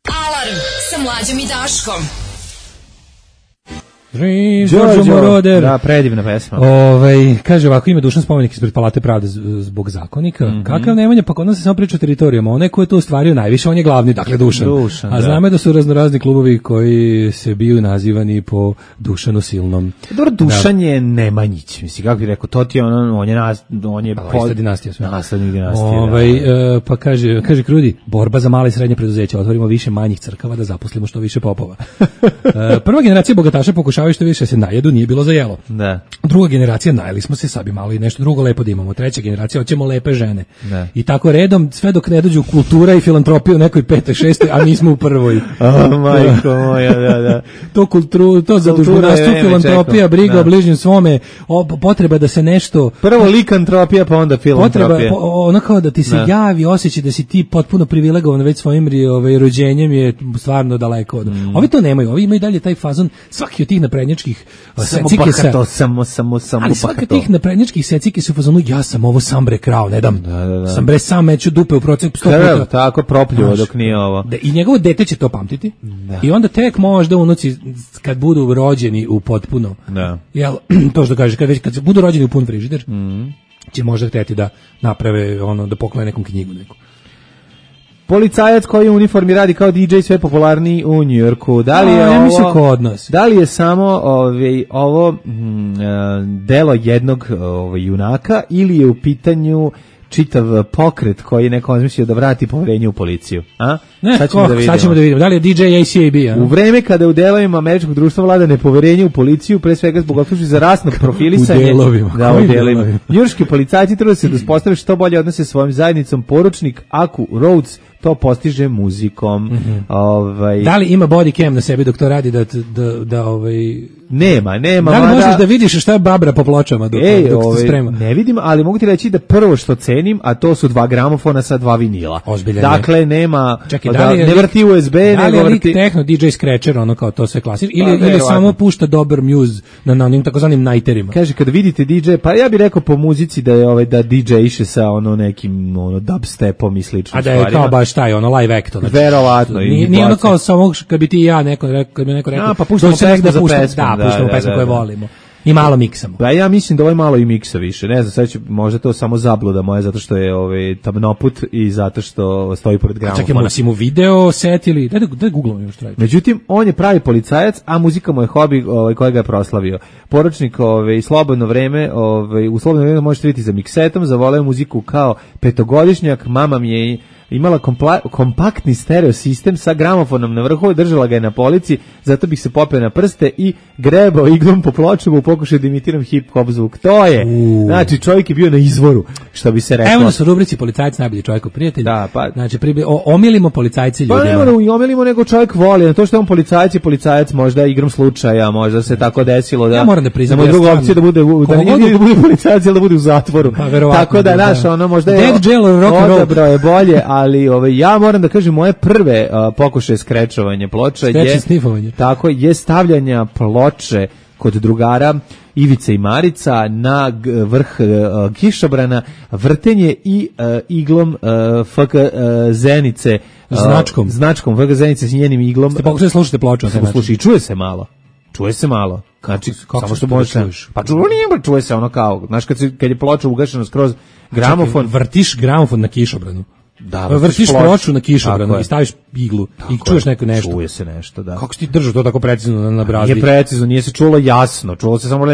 Alarm sa Mlađom i Daškom. Dream, Đorđo, Đorđo Moroder. da, predivna pesma. Ovaj, kaže ovako, ima dušan spomenik ispred Palate pravde z- zbog zakonika. Mhm. Kakav Nemanja, pa kod nas se samo priča o teritorijama. Onaj ko je to ostvario najviše, on je glavni, dakle Dušan. Dušan, A da. znamo da su raznorazni klubovi koji se biju nazivani po Dušanu Silnom. Dobro, Dušan je Nemanjić, mislim, kako bih rekao, to ti je ono, on je, nas, on je Pa, ista dinastija sve. Naslednik dinastije, Ovaj, da, da. e, pa kaže, kaže Krudi, borba za male i srednje preduzeća, otvorimo više manjih crkava da zaposlimo što više popova. E, prva generacija bogataša pokušavaju što više se najedu, nije bilo za jelo. Da. Druga generacija, najeli smo se, sad bi malo i nešto drugo lepo da imamo. Treća generacija, hoćemo lepe žene. Da. I tako redom, sve dok ne dođu kultura i filantropija u nekoj petoj, šestoj, a mi smo u prvoj. O, majko moja, da, da. To kulturu, to zadužbunarstvo, vreme filantropija, čekao, briga da. o bližnjem svome, o, potreba da se nešto... Prvo likantropija, pa onda Potreba, filantropija. po, ono kao da ti se Da. javi, osjećaj da si ti potpuno privilegovan već svojim ri- ovaj, rođenjem je stvarno daleko od... Mm. Ovi to nemaju, ovi imaju dalje taj fazon, svaki od tih naprednjačkih uh, Samo secikesa- bahato, samo, samo, samo ali svaka bahato. tih naprednjačkih secike su u fazonu, ja sam ovo sam bre krao, ne dam. Da, da, da. Sam bre sam meću dupe u procep sto Krv, puta. tako propljivo Znaš, dok nije ovo. da, I njegovo dete će to pamtiti. Da. I onda tek možda unuci, kad budu rođeni u potpuno, Da. jel, to što kaže, kad, već, kad budu rođeni u pun frižider, Mhm. će možda hteti da naprave ono, da poklone nekom knjigu neku. Policajac koji u uniformi radi kao D J sve popularniji u Njujorku. Da li je A, ja ovo, mislim kod nas. Da li je samo ovaj, ovo mm, e, delo jednog ovaj, junaka ili je u pitanju čitav pokret koji je neko razmislio da vrati poverenje u policiju? A? Ne, sad, ćemo ko, da sad ćemo da vidimo. Da li je D J A C A B? A? U vreme kada u delovima američkog društva vlada nepoverenje u policiju, pre svega zbog optužbi za rasno profilisanje. U delovima, Da, u kojim delovima. delovima? Njujorški policajci trude se da uspostave što bolje odnose sa svojim zajednicom. Poručnik Aku Rhodes to postiže muzikom. Ovaj Da li ima body cam na sebi dok to radi da, da, da ovaj... nema, nema. Da li mada- možeš da vidiš šta je babra po pločama dok, Ej, dok se ovaj, sprema? ne vidim, ali mogu ti reći da prvo što cenim, a to su dva gramofona sa dva vinila. Ozbiljan je. Dakle, nema, Čekaj, da, da li je ne lik- vrti U S B, Da li nego je lik vrti... techno D J Scratcher, ono kao to sve klasično, ili, Pa, ili verovatno. samo pušta dobar muse na, na onim takozvanim najterima? Kaže, kad vidite D J, pa ja bih rekao po muzici da je ovaj da D J iše sa ono nekim ono dubstepom i sličnim A da je stvarima. kao baš taj, ono live act. Znači, Verovatno, i Nije, nije ono baci. kao samo kad bi ti i ja neko, rekao- kad bi neko rekao, A, pa puštamo dođi nek pesmu za puštam- pesmom, Da, da, puštamo da, pesmu da, koje da. volimo. I malo miksamo. Pa ja mislim da ovo je malo i miksa više. Ne znam, sad će možda to samo zabluda moja zato što je ovaj tamnoput i zato što stoji pored gramofona. Čekaj, si mu video set ili... Daj da, daj googlom još trajati. Međutim, on je pravi policajac, a muzika mu je hobi ovaj, kojega je proslavio. Poručnik ovaj, slobodno vreme, ovaj, u slobodno vreme možete vidjeti za miksetom, zavoleo muziku kao petogodišnjak, mama mi je imala kompla, kompaktni stereo sistem sa gramofonom na vrhu, držala ga je na polici, zato bih se popeo na prste i grebao iglom po pločama u pokušaju da imitiram hip-hop zvuk. To je, U. znači čovjek je bio na izvoru, što bi se reklo. Evo nas u rubrici Policajac najbolji čovjek prijatelj. Da, pa- Znači, pribi, o, omilimo policajci Pa ljudima. ne moramo i omilimo, nego čovjek voli. Na to što je on policajac je policajac, možda igrom slučaja, možda se tako desilo da... Ja moram da priznam, da mu je ja druga stvarno- opcija da bude, u- da Koliko nije god- da bude policajac, ili da bude u zatvoru. Pa, verovatno, Tako da, da, naš, da. ono, možda je... Dead jail or rock and roll. Odabrao je bolje, ali ovaj, ja moram da kažem, moje prve uh, pokušaje skrečovanja ploča Skreč je... i snifovanje. Tako je stavljanja ploče kod drugara Ivice i Marica na g- vrh uh, kišobrana, vrtenje i uh, iglom uh, F K uh, Zenice, uh, Značkom. značkom F K Zenice s njenim iglom. Ste pokušali slušati ploču na taj Samo način? slušaj, čuje se malo. Čuje se malo. Znači, kako samo se što to možeš... čuješ? Pa čuje, nije, čuje se ono kao, znaš, kad, se, kad je ploča ugašena skroz gramofon, Čekaj, vrtiš gramofon na kišobranu. Da, vrtiš ploču na kišobranu i staviš iglu tako i čuješ neko nešto. Čuje se nešto, da. Kako si ti držao to tako precizno na, na brazdi? Nije precizno, nije se čulo jasno. Čulo se samo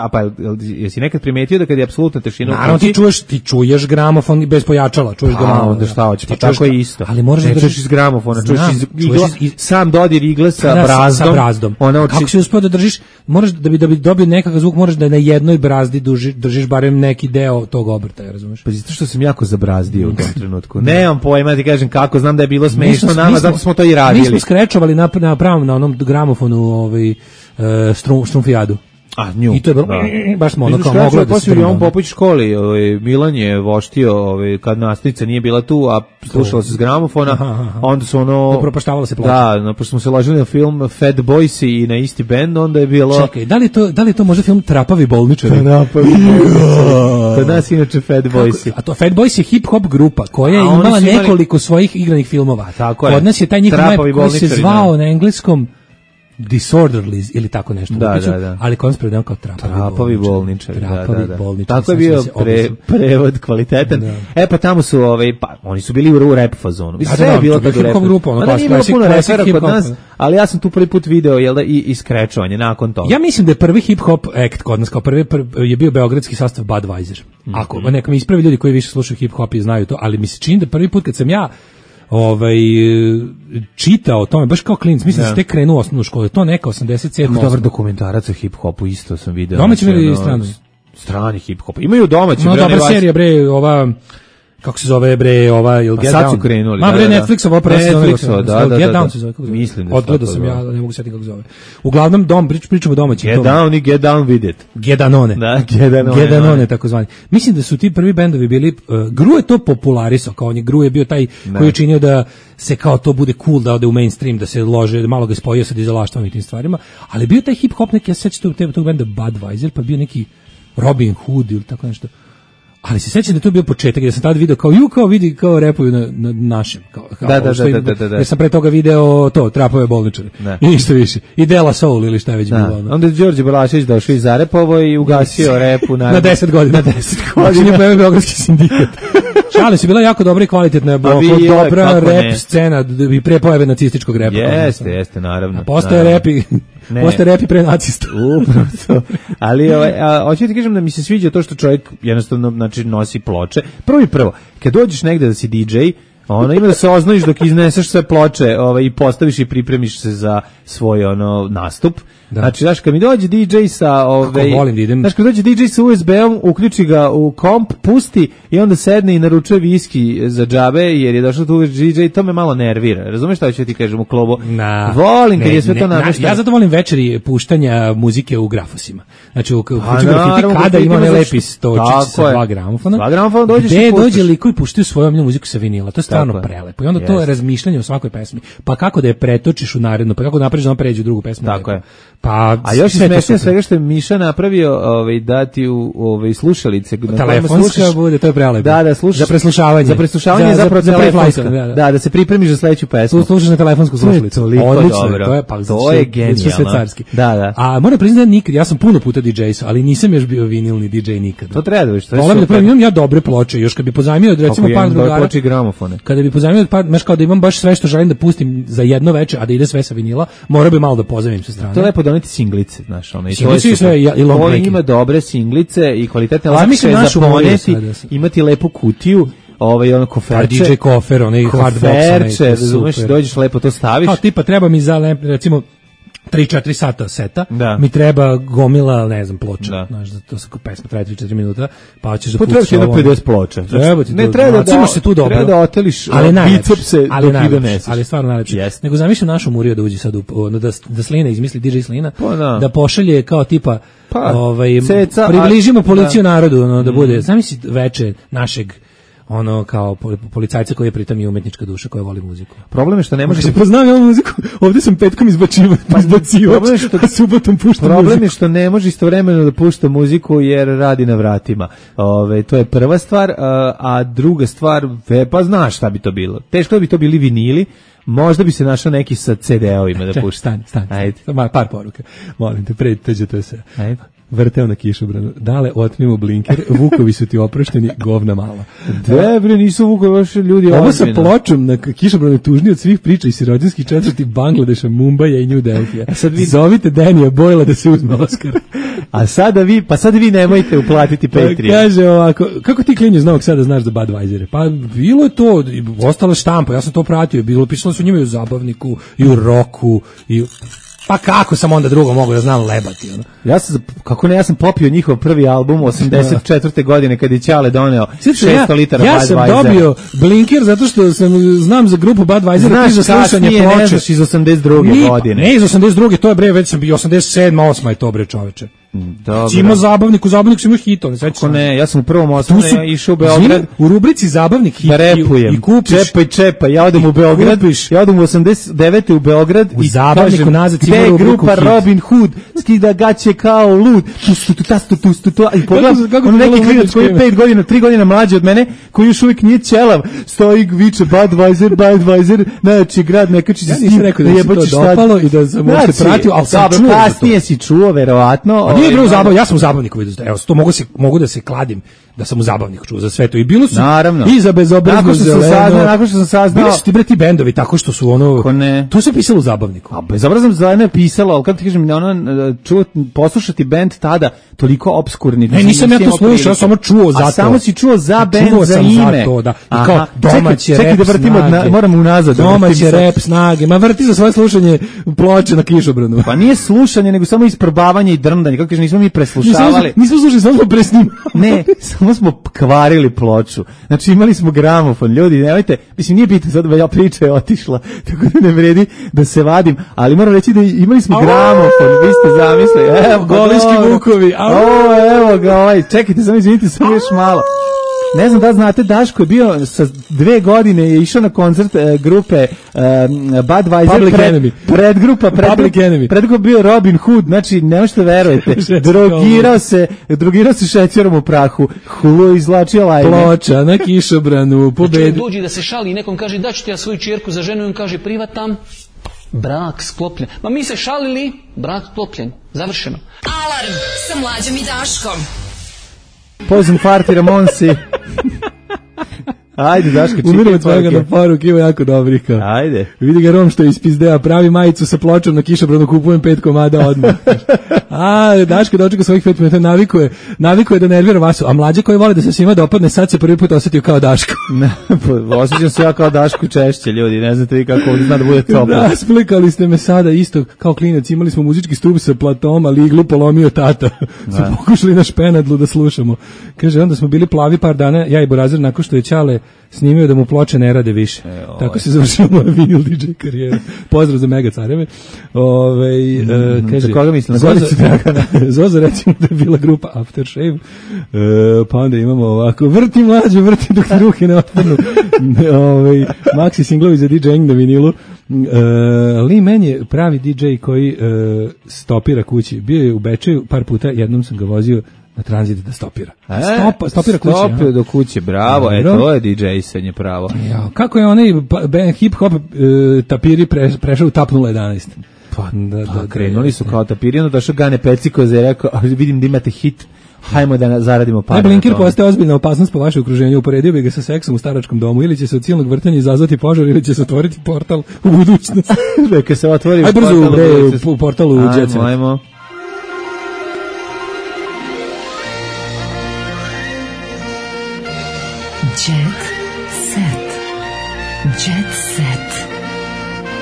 a pa jesi nekad primetio da kad je apsolutna tišina? Naravno ti čuješ, ti čuješ gramofon bez pojačala, čuješ ga malo. Onda šta hoćeš? Pa tako je isto. Ali možeš da čuješ iz gramofona, čuješ iz igla, sam dodir igle sa brazdom. Sa brazdom. Kako si uspeo da držiš? Moraš da bi da bi dobio nekakav zvuk, moraš da na jednoj brazdi držiš barem neki deo tog obrtaja, razumeš? Pa zato što sam jako zabrazdio u tom trenutku. Nemam pojma, ti kažem kako, znam da je bilo smešno nama, zato smo to i radili. Mi smo skrečovali na, na pravom, na onom gramofonu ovaj, uh, strum, strumfijadu. A, nju. I to je bilo, da. baš smo ono kao moglo da se drma. On Popović školi, ovaj, Milan je voštio ovaj, kad nastavnica nije bila tu, a slušalo se s gramofona, aha, aha. Onda su ono... Da propaštavalo se ploča. Da, no, pošto smo se ložili na film Fat Boys i na isti band, onda je bilo... Čekaj, da li to, da li to možda film Trapavi bolničari? Trapavi bolničari. Kod nas inače Fat Boys. A to Fat Boys je hip-hop grupa koja je imala imali... nekoliko svojih igranih filmova. Tako je. Kod nas je taj njihov koji se zvao da. Na engleskom Disorderlies ili tako nešto. Da, upiću, da, da. Ali konspred nam kao trapavi, trapavi bolničari. Trapavi da, da, da. bolničari. Tako je bio pre, prevod kvalitetan. Da. E pa tamo su, ovaj, pa, oni su bili u rap fazonu. Da, sve da, je bilo tako u rap. Grupa, ono, da, nije bilo puno rapera kod nas, ali ja sam tu prvi put video, jel da, i iskrečovanje nakon toga. Ja mislim da je prvi hip-hop act kod nas, kao prvi, prvi je bio beogradski sastav Budweiser. Ako, mm-hmm. neka mi ispravi ljudi koji više slušaju hip-hop i znaju to, ali mi se čini da prvi put kad sam ja ovaj čitao o tome baš kao klinac, mislim da ste krenuo u osnovnu školu, to neka osamdeset sedma. Dobar dokumentarac o hip-hopu isto sam video. Domaći ili strani? Strani hip-hop. Imaju domaći. No, bre, dobra serija, bre, ova kako se zove bre, ova ili Get Down. Sad su krenuli. Ma bre, Netflixova prva sezona. Da, da, Get Down se zove. Mislim da. Odgledao sam ja, ne mogu setiti kako se zove. Uglavnom dom prič, pričamo o domaćim. Get Down i Get Down with it. Get Danone. Da, Get Danone. Get Danone takozvani. Mislim da su ti prvi bendovi bili uh, Gru je to popularisao, kao on je Gru je bio taj ne. Koji je činio da se kao to bude cool, da ode u mainstream, da se lože, da malo ga spojio sa dizelaštvom i tim stvarima, ali bio taj hip hop neki, ja se sećam tog, tog benda Budweiser, pa bio neki Robin Hood ili tako nešto. Ali se sećam da to bio početak, da sam tad video kao ju kao vidi kao repuju na, na našem kao, kao da, da, da, da, da, da. Ja sam pre toga video to Trapove bolničari. I ništa više. I Dela Soul ili šta je već da. bilo. Onda je Đorđe Balašević došao iz Arepovo i ugasio repu na na deset godina. Na deset godina je pojavio Beogradski sindikat. Šale su bila jako dobra i kvalitetna, dobra rap scena i pre pojave nacističkog repa. Jeste, jeste, naravno. Postoje repi, postoje repi pre nacista. Upravo to. Ali ovaj, hoću ti kažem da mi se sviđa to što čovjek jednostavno znači nosi ploče. Prvo i prvo, kad dođeš negde da si di džej, ono ima da se oznojiš dok izneseš sve ploče, ovaj i postaviš i pripremiš se za svoj ono nastup. Da. Znači, znaš, kad mi dođe di džej sa ovaj, volim da idem. Znaš, kad dođe di džej sa U S B-om, uključi ga u komp, pusti i onda sedne i naručuje viski za džabe, jer je došao tu di džej, to me malo nervira. Razumeš šta ću ti kažem u klubu? Na, volim kad ne, je sve ne, to namešteno. Ja zato volim večeri puštanja muzike u grafosima. Znači, u, u kuću grafiti kada ima ne lepi stočić sa dva gramofona. Dva gramofona dođeš i puštaš. dođe liko i puštaju svoju omiljenu muziku sa vinila. To je stvarno prelepo. I onda yes. to je razmišljanje o svakoj pesmi. Pa kako da je pretočiš u narednu, pa kako napraviš da on pređe u drugu pesmu. Tako je. Pa a još je smešno svega što je Miša napravio, ovaj dati u ovaj slušalice, telefonska bude, to je prelepo. Da, da, slušaš za preslušavanje. Za preslušavanje je zapravo telefonska. Da, da. da, da se pripremiš za sledeću pesmu. Slušaš na telefonsku slušalicu. Odlično, to je pa to je genijalno. Da, da. A moram priznati da nikad, ja sam puno puta di džej, ali nisam još bio vinilni di džej nikad. To treba da što je. Volim da pravim ja dobre ploče, još kad bi pozajmio recimo par drugara. Ploče gramofone. Kada bi pozajmio par, baš kao da imam baš sve što želim da pustim za jedno veče, a da ide sve sa vinila, mora bi malo da pozajmim sa strane. To je lepo doneti singlice, znaš, ono i to je sve i long to ima dobre singlice i kvalitetne lakše za poneti, imati lepu kutiju, ovaj ono koferče, D J kofer, onaj hard box, razumeš, dođeš lepo to staviš. A tipa treba mi za recimo tri četiri sata seta, da. Mi treba gomila, ne znam, ploča, da. Znaš, da to se kao pesma traje tri četiri minuta, pa ćeš da pustiš ovo. Potrebno je pedeset ploča. Treba ti ne treba da imaš se tu dobro. Treba da oteliš bicepse dok ih doneseš. Ali stvarno najlepše. Yes. Nego zamišljam našu Muriju da uđe sad u, da, da Slina izmisli D J Slina, pa, da. da pošalje kao tipa pa, ovaj, ceca, približimo policiju da. Narodu, ono, da bude, zamisli veče našeg ono kao policajca koji je pritom i umetnička duša koja voli muziku. Problem je što ne može se poznam ja muziku. Ovdje sam petkom izbačivao, pa izbacio. Problem je što subotom pušta Problem muziku. je što ne može istovremeno da pušta muziku jer radi na vratima. Ove, to je prva stvar, a, a druga stvar, pa znaš šta bi to bilo. Teško da bi to bili vinili. Možda bi se našao neki sa C D-ovima da pušta. Stani, stani. Ajde. Par poruka. Molim te, prediteđe to sve. Ajde. vrteo na kišobranu. Dale, otmimo blinker, vukovi su ti oprošteni, govna mala. Debre, nisu vukovi, vaši ljudi ovo sa ozbiljno. pločom na kišobranu je tužniji od svih priča iz sirotinskih četvrti Bangladeša, Mumbaja i New Delhija. Sad vi... Zovite Danija Boyla da se uzme Oskar. A sada vi, pa sad vi nemojte uplatiti Patreon. Pa kaže ovako, kako ti klinje iz Novog Sada znaš za Budweisere? Pa bilo je to, ostale štampa, ja sam to pratio, bilo pisalo su njima i u zabavniku, i u roku, i u... Pa kako sam onda drugo mogu da znam lebati, ono? Ja sam, kako ne, ja sam popio njihov prvi album osamdeset četvrte godine kad je Ćale doneo šesto litara Budweisera. Ja sam dobio Blinker zato što sam, znam za grupu Budweisera. Znaš za kasnije, ploče. Ne znaš iz osamdeset druge Ni, godine. Ne iz osamdeset druge, to je bre, već sam bio osamdeset sedma, osma je to bre čoveče. Dobro. Ima zabavnik, u zabavniku sam imao hitove. Kako ne, ja sam u prvom osnovu išao u Beograd. U rubrici zabavnik hit da repujem. I, i kupiš. Čepaj, čepaj, ja odem u Beograd, kupiš. ja odem u osamdeset devete u Beograd u i zabavniku kažem, nazad gde je grupa Robin Hood, skida gaće kao lud, tu stu tu tastu tu stu tu i pogledam, on neki klinac koji je pet godina, tri godina mlađi od mene, koji još uvijek nije ćelav, stoji viče Budweiser, Budweiser, znači grad Nekačić. Ja nisam rekao da mi se to dopalo i da sam uopšte pratio, ali sam čuo. Kasnije si čuo, verovatno. Nije bilo zabav, ja sam u zabavniku vidio. Evo, to mogu, se, mogu da se kladim da sam u zabavniku čuo za sve to. I bilo su naravno. I za bezobrazno zeleno. Nakon što sam saznao. Bili su ti bre ti bendovi tako što su ono... To se pisalo u zabavniku. A bezobrazno zeleno je pisalo, ali kako ti kažem, ono, čuo, poslušati bend tada toliko obskurni. Ne, nisam ja to slušao, ja samo čuo za to. A samo si čuo za bend, čuo za ime. Za to, da. I kao domaće čekaj, rap čekaj da vrtimo, snage. Moramo unazad. Domaće rap snage. Ma vrti za svoje slušanje ploče na kišobranu. Pa nije slušanje, nego samo isprobavanje i drndanje. Kako kažem, nismo mi preslušavali. Nismo slušali, samo smo presnimali. Ne, samo smo kvarili ploču. Znači imali smo gramofon. Ljudi, nemojte, mislim nije bitno sad, ja priča je otišla, tako da ne vredi da se vadim, ali moram reći da imali smo gramofon. Vi ste zamislili, evo Goliški Vukovi. O, evo ga, ovaj, čekajte, samo izvinite, samo još malo. Ne znam da znate, Daško je bio sa dve godine, je išao na koncert e, grupe e, Budweiser, pred, predgrupa, predgrupa, predgrupa bio Robin Hood, znači ne možete verujete, drogirao se, drogirao se šećerom u prahu, hulu izlačio lajne. Ploča na kišobranu, pobedi. Dođi da se šali i nekom kaže da ću ti ja svoju čerku za ženu i on kaže privatam, brak sklopljen. Ma mi se šalili, brak sklopljen, završeno. Alarm sa Mlađom i Daškom. Poison Party Ramonsi. Ajde, Daško, čitaj. Umiramo tvojega na poruke, ima jako dobrih. Ajde. Vidi ga Rom što je ispizdeo, pravi majicu sa pločom na kišobranu, kupujem pet komada odmah. A, Daško dočeka svojih pet minuta, navikuje, navikuje da nervira Vasu, a mlađe koji vole da se svima dopadne, sad se prvi put osjetio kao Daško. Osjećam se ja kao Daško češće, ljudi, ne znate vi kako ovdje zna da bude toplo. Da, splikali ste me sada isto kao klinac, imali smo muzički stup sa platom, ali iglu polomio tata. Smo pokušali na špenadlu da slušamo. Kaže, onda smo bili plavi par dana, ja i Borazir, nakon što je Ćale snimio da mu ploče ne rade više. E, tako se završila moja vinil D J karijera. Pozdrav za Mega Careve. Ove, mm, uh, kaže, za koga mislim? Na Goricu Dragana. Zoza recimo da je bila grupa Aftershave. Uh, pa onda imamo ovako, vrti mlađe, vrti dok ti ruke ne otpadnu. Ove, Maxi singlovi za DJing na vinilu. Uh, Lee Man je pravi D J koji uh, stopira kući. Bio je u Bečeju par puta, jednom sam ga vozio na tranzit da stopira. E, Stopa, stopira kuće. Stopio do kuće, bravo, e, to je D J-sanje pravo. Ja, kako je onaj hip-hop e, tapiri pre, prešao u tap nula jedanaest? Pa, da, da, da, krenuli su kao tapiri, ono došao Gane Peciko za rekao, vidim da imate hit, hajmo da zaradimo pare. Blinker postaje ozbiljna opasnost po vaše okruženju, uporedio bi ga sa seksom u staračkom domu, ili će se od silnog vrtanja izazvati požar, ili će se otvoriti portal u budućnost. Neka se otvori Aj, brzo, portal bre, u budućnost. u portalu u Jet Set. Ajmo, ajmo. Jet set. Jet set.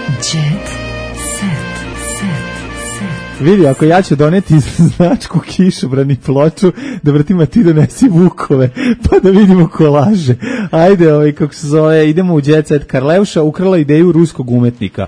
Jet set. Set. Set. Vidi, ako ja ću doneti značku kišobrani ploču, da vrtim, a ti donesi Vukove, pa da vidimo ko laže. Ajde, ovaj, kako se zove, idemo u Jet Set. Karleuša ukrala ideju ruskog umetnika.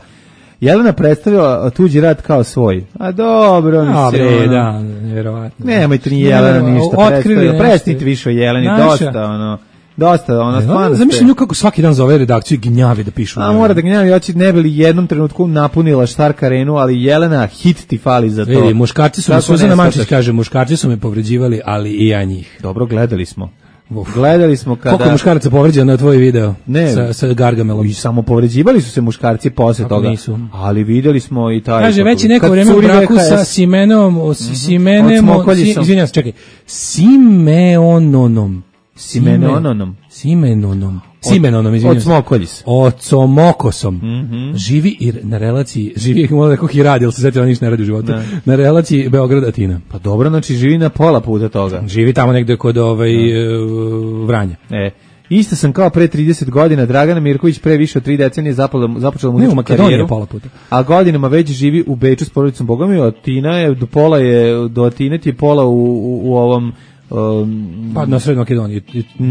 Jelena predstavila tuđi rad kao svoj. A dobro, mislim. Da, vjerovatno. Nemojte ni Jelena ništa predstavila. Prestite više o Jeleni, dosta, ono... Dosta, ona stvarno. Zamišljam nju kako svaki dan zove redakciju i gnjavi da pišu. A mora da gnjavi, ja će ne bili jednom trenutku napunila Štark arenu, ali Jelena, hit ti fali za to. Vidi, muškarci su me, Suzana Mančić kaže, muškarci su me povređivali, ali i ja njih. Dobro, gledali smo. Gledali smo kada... Koliko muškaraca povređeno na tvoj video ne, sa, sa Gargamelom? I samo povređivali su se muškarci posle Kako toga. Nisu. Ali videli smo i taj... Kaže, već i neko vreme u braku sa Simenom, o, mm-hmm. Simenem, si, izvinjam se, čekaj, Simeononom. Simeononom. Simenonom. Simenonom, izvinjam se. Od Smokoljis. Od Somokosom. Mm-hmm. Živi i na relaciji, živi, možda nekog i radi, ali se sjetila ništa ne radi u životu, ne. Na relaciji Beograd-Atina. Pa dobro, znači živi na pola puta toga. Živi tamo negde kod ovaj, uh, Vranja. E. Isto sam kao pre trideset godina, Dragana Mirković pre više od tri decenije započela muzičku karijeru, pola puta. A godinama već živi u Beču s porodicom Bogom i Atina je, do pola je, do Atine ti je pola u, u, u ovom... Um, pa na Srednjoj Makedoniji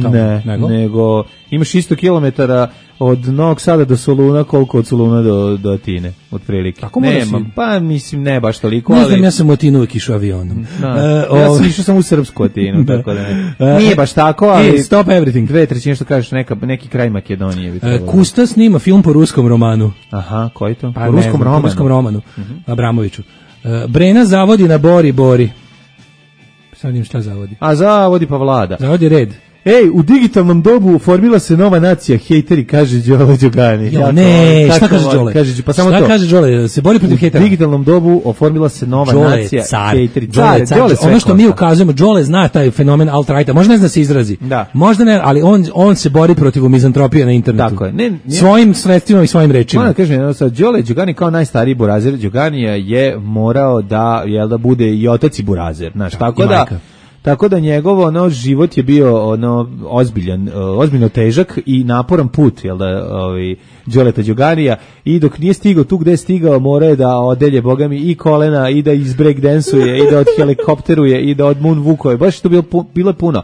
tamo, ne, nego? nego imaš isto kilometara od Novog Sada do Soluna, koliko od Soluna do, do Atine, otprilike. Tako nema, si... pa mislim ne baš toliko, ne ali... znam, ja sam u Atinu uvijek išao avionom. Da, uh, ja sam išao sam u srpsku Atinu, tako da ne. Nije baš tako, ali... Hey, stop everything. Dve trećine što kažeš, neka, neki kraj Makedonije. Bi uh, Kusta snima film po ruskom romanu. Aha, koji to? Pa, po ruskom romanu. Po ruskom romanu, uh-huh. Abramoviću. Uh, Brena zavodi na Bori Bori. Sad im šta zavodi? A zavodi pa vlada. Zavodi red. Ej, u digitalnom dobu formila se nova nacija, hejteri, kaže Đole Đogani. Jo, ne, šta kaže Đole? Kaže, pa samo šta to. kaže Đole? Se bori protiv hejtera. U digitalnom dobu oformila se nova Đole nacija, car, hejteri. Đole car, Đole ono što košta. Mi ukazujemo, Đole zna taj fenomen alt-righta, možda ne zna se izrazi. Da. Možda ne, ali on, on se bori protiv mizantropije na internetu. Tako je. Ne, ne, svojim sredstvima i svojim rečima. Moram da kažem, jedno sad, Đole Đogani kao najstariji burazer Đoganija je morao da, jel da bude i otac i burazer. Znaš, da, tako da... Majka. Tako da njegov ono život je bio ono ozbiljan, ozbiljno težak i naporan put, jel da, ovaj Đoleta Đoganija, i dok nije stigao tu gde je stigao, mora je da odelje bogami i kolena i da iz break dansuje i da od helikopteruje i da od moonwalkuje. Baš to bilo bilo puno.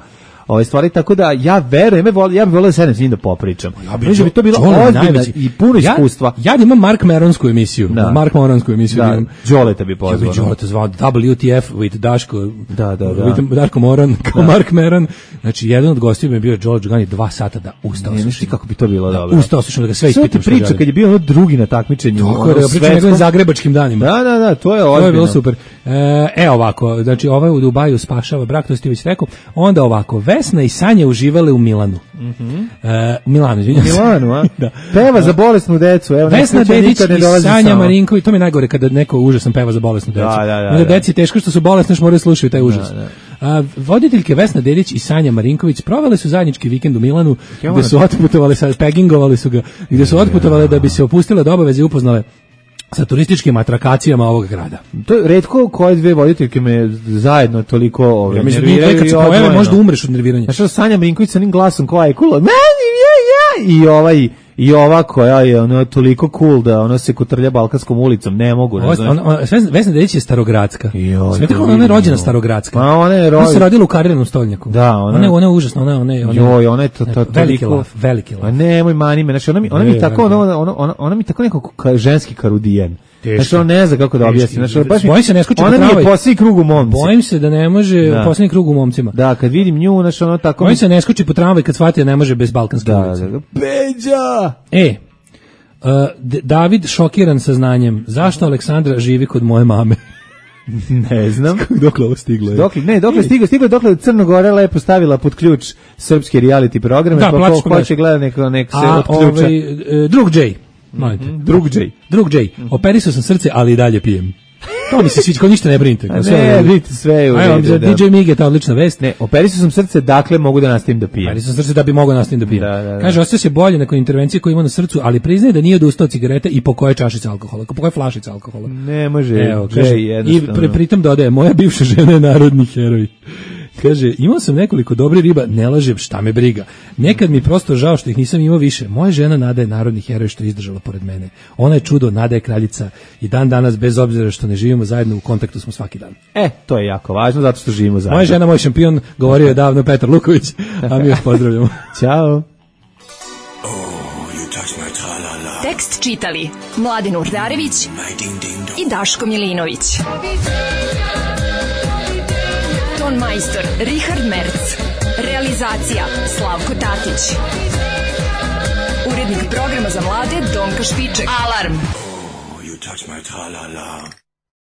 Ove stvari, tako da ja verujem, ja bih volio da sedem s njim da popričam. Ja bi, bi to bilo ozbiljno i puno iskustva. Ja, ja imam Mark Meronsku emisiju, da. Mark Meronsku emisiju. Da, Đoleta bi pozvao. Ja bi Đoleta zvao W T F with Daško, da, da, da. With Daško Moran, kao da. Mark Meron. Znači, jedan od gostiju mi je bio Đole Đogani dva sata da ustao. Ne, ne, kako bi to bilo dobro. Ustao slušam da ga sve ispitam. Sve ti priča kad je bio ono drugi na takmičenju. Tako je, pričam njegovim zagrebačkim danima. Da, da, da, to je ozbiljno. To je bilo super. E, e ovako, znači ovaj u Dubaju spašava brak, to ste već rekao. Onda ovako, Vesna i Sanja uživale u Milanu. Mhm. E, Milanu, izvinjam se. Milanu, a? Da. Peva za bolesnu decu. Evo, Vesna Dedić i Sanja Marinković, to mi je najgore kada neko užasan peva za bolesnu decu. Da, da, da. Onda deci teško što su bolesni, što moraju slušati taj užas. Da, da. A, voditeljke Vesna Dedić i Sanja Marinković provele su zajednički vikend u Milanu, ja, gde su otputovale, sa pegingovali su ga, gde su otputovale da bi se opustile do obaveze i upoznale sa turističkim atrakacijama ovog grada. To je retko koje dve voditeljke me zajedno toliko ove, ja mislim da kad se pojave možda umreš od nerviranja. Znaš, Sanja Marinković sa onim glasom koja je cool, meni je ja, i ovaj i ova koja je ono toliko cool da ona se kotrlja balkanskom ulicom, ne mogu, ne znam. Vesna Dedić je starogradska. Smete kako ona je rođena starogradska. Ma ona je rođena. Ona se rodila u Kariranom stolnjaku. Da, ona. Ona je ona je užasna, ona ona je ona. Joj, ona je to to veliki laf, veliki laf. Pa nemoj mani me, znači ona mi ona mi tako ona ona ona mi tako neko ženski karudijen. Znači on ne zna kako da objasni. Znači baš bojim se ne skoči po travi. Ona mi je posljednji krug u momci. Bojim se da ne može da. Posljednji krug u momcima. Da, kad vidim nju, znači ono tako. Bojim se ne skoči po travi kad shvati da ne može bez balkanske ulice. Da, da. Beđa. E, uh, David šokiran saznanjem. Zašto Aleksandra živi kod moje mame? Ne znam. Dokle ovo stiglo je? Dokle, ne, dokle stiglo, stiglo dokle Crnogora lepo stavila pod ključ srpski reality programe, da, pa ko hoće gleda neko, nek se odključa. Ovaj, drug J. Molite. Mm-hmm. Drug J. Drug J. Mm-hmm. Operisao sam srce, ali i dalje pijem. To mi se sviđa, kao ništa ne brinite. Kao sve ne, brinite sve u redu. Za D J Mige, ta odlična vest. Ne, operisao sam srce, dakle mogu da nastavim da pijem. Operisao sam srce da bi mogao nastavim da pijem. Da, da, da. Kaže, osjeća se bolje nakon intervencije koju ima na srcu, ali priznaje da nije odustao od cigarete i po koje čašice alkohola, po koje flašice alkohola. Ne može, evo, kaže, i pri, pritom dodaje, moja bivša žena je narodni heroj. Kaže, imao sam nekoliko dobrih riba, ne lažem, šta me briga. Nekad mi prosto žao što ih nisam imao više. Moja žena Nada je narodni heroj što je izdržala pored mene. Ona je čudo, Nada je kraljica i dan danas, bez obzira što ne živimo zajedno, u kontaktu smo svaki dan. E, to je jako važno, zato što živimo zajedno. Moja žena, moj šampion, govorio je davno Petar Luković, a mi još pozdravljamo. Ćao. Tekst čitali Mladin Urdarević i Daško Milinović. Ton majstor Richard Merc. Realizacija Slavko Tatić. Urednik programa za mlade Donka Špiček. Alarm! Oh, you touch my tra-la-la.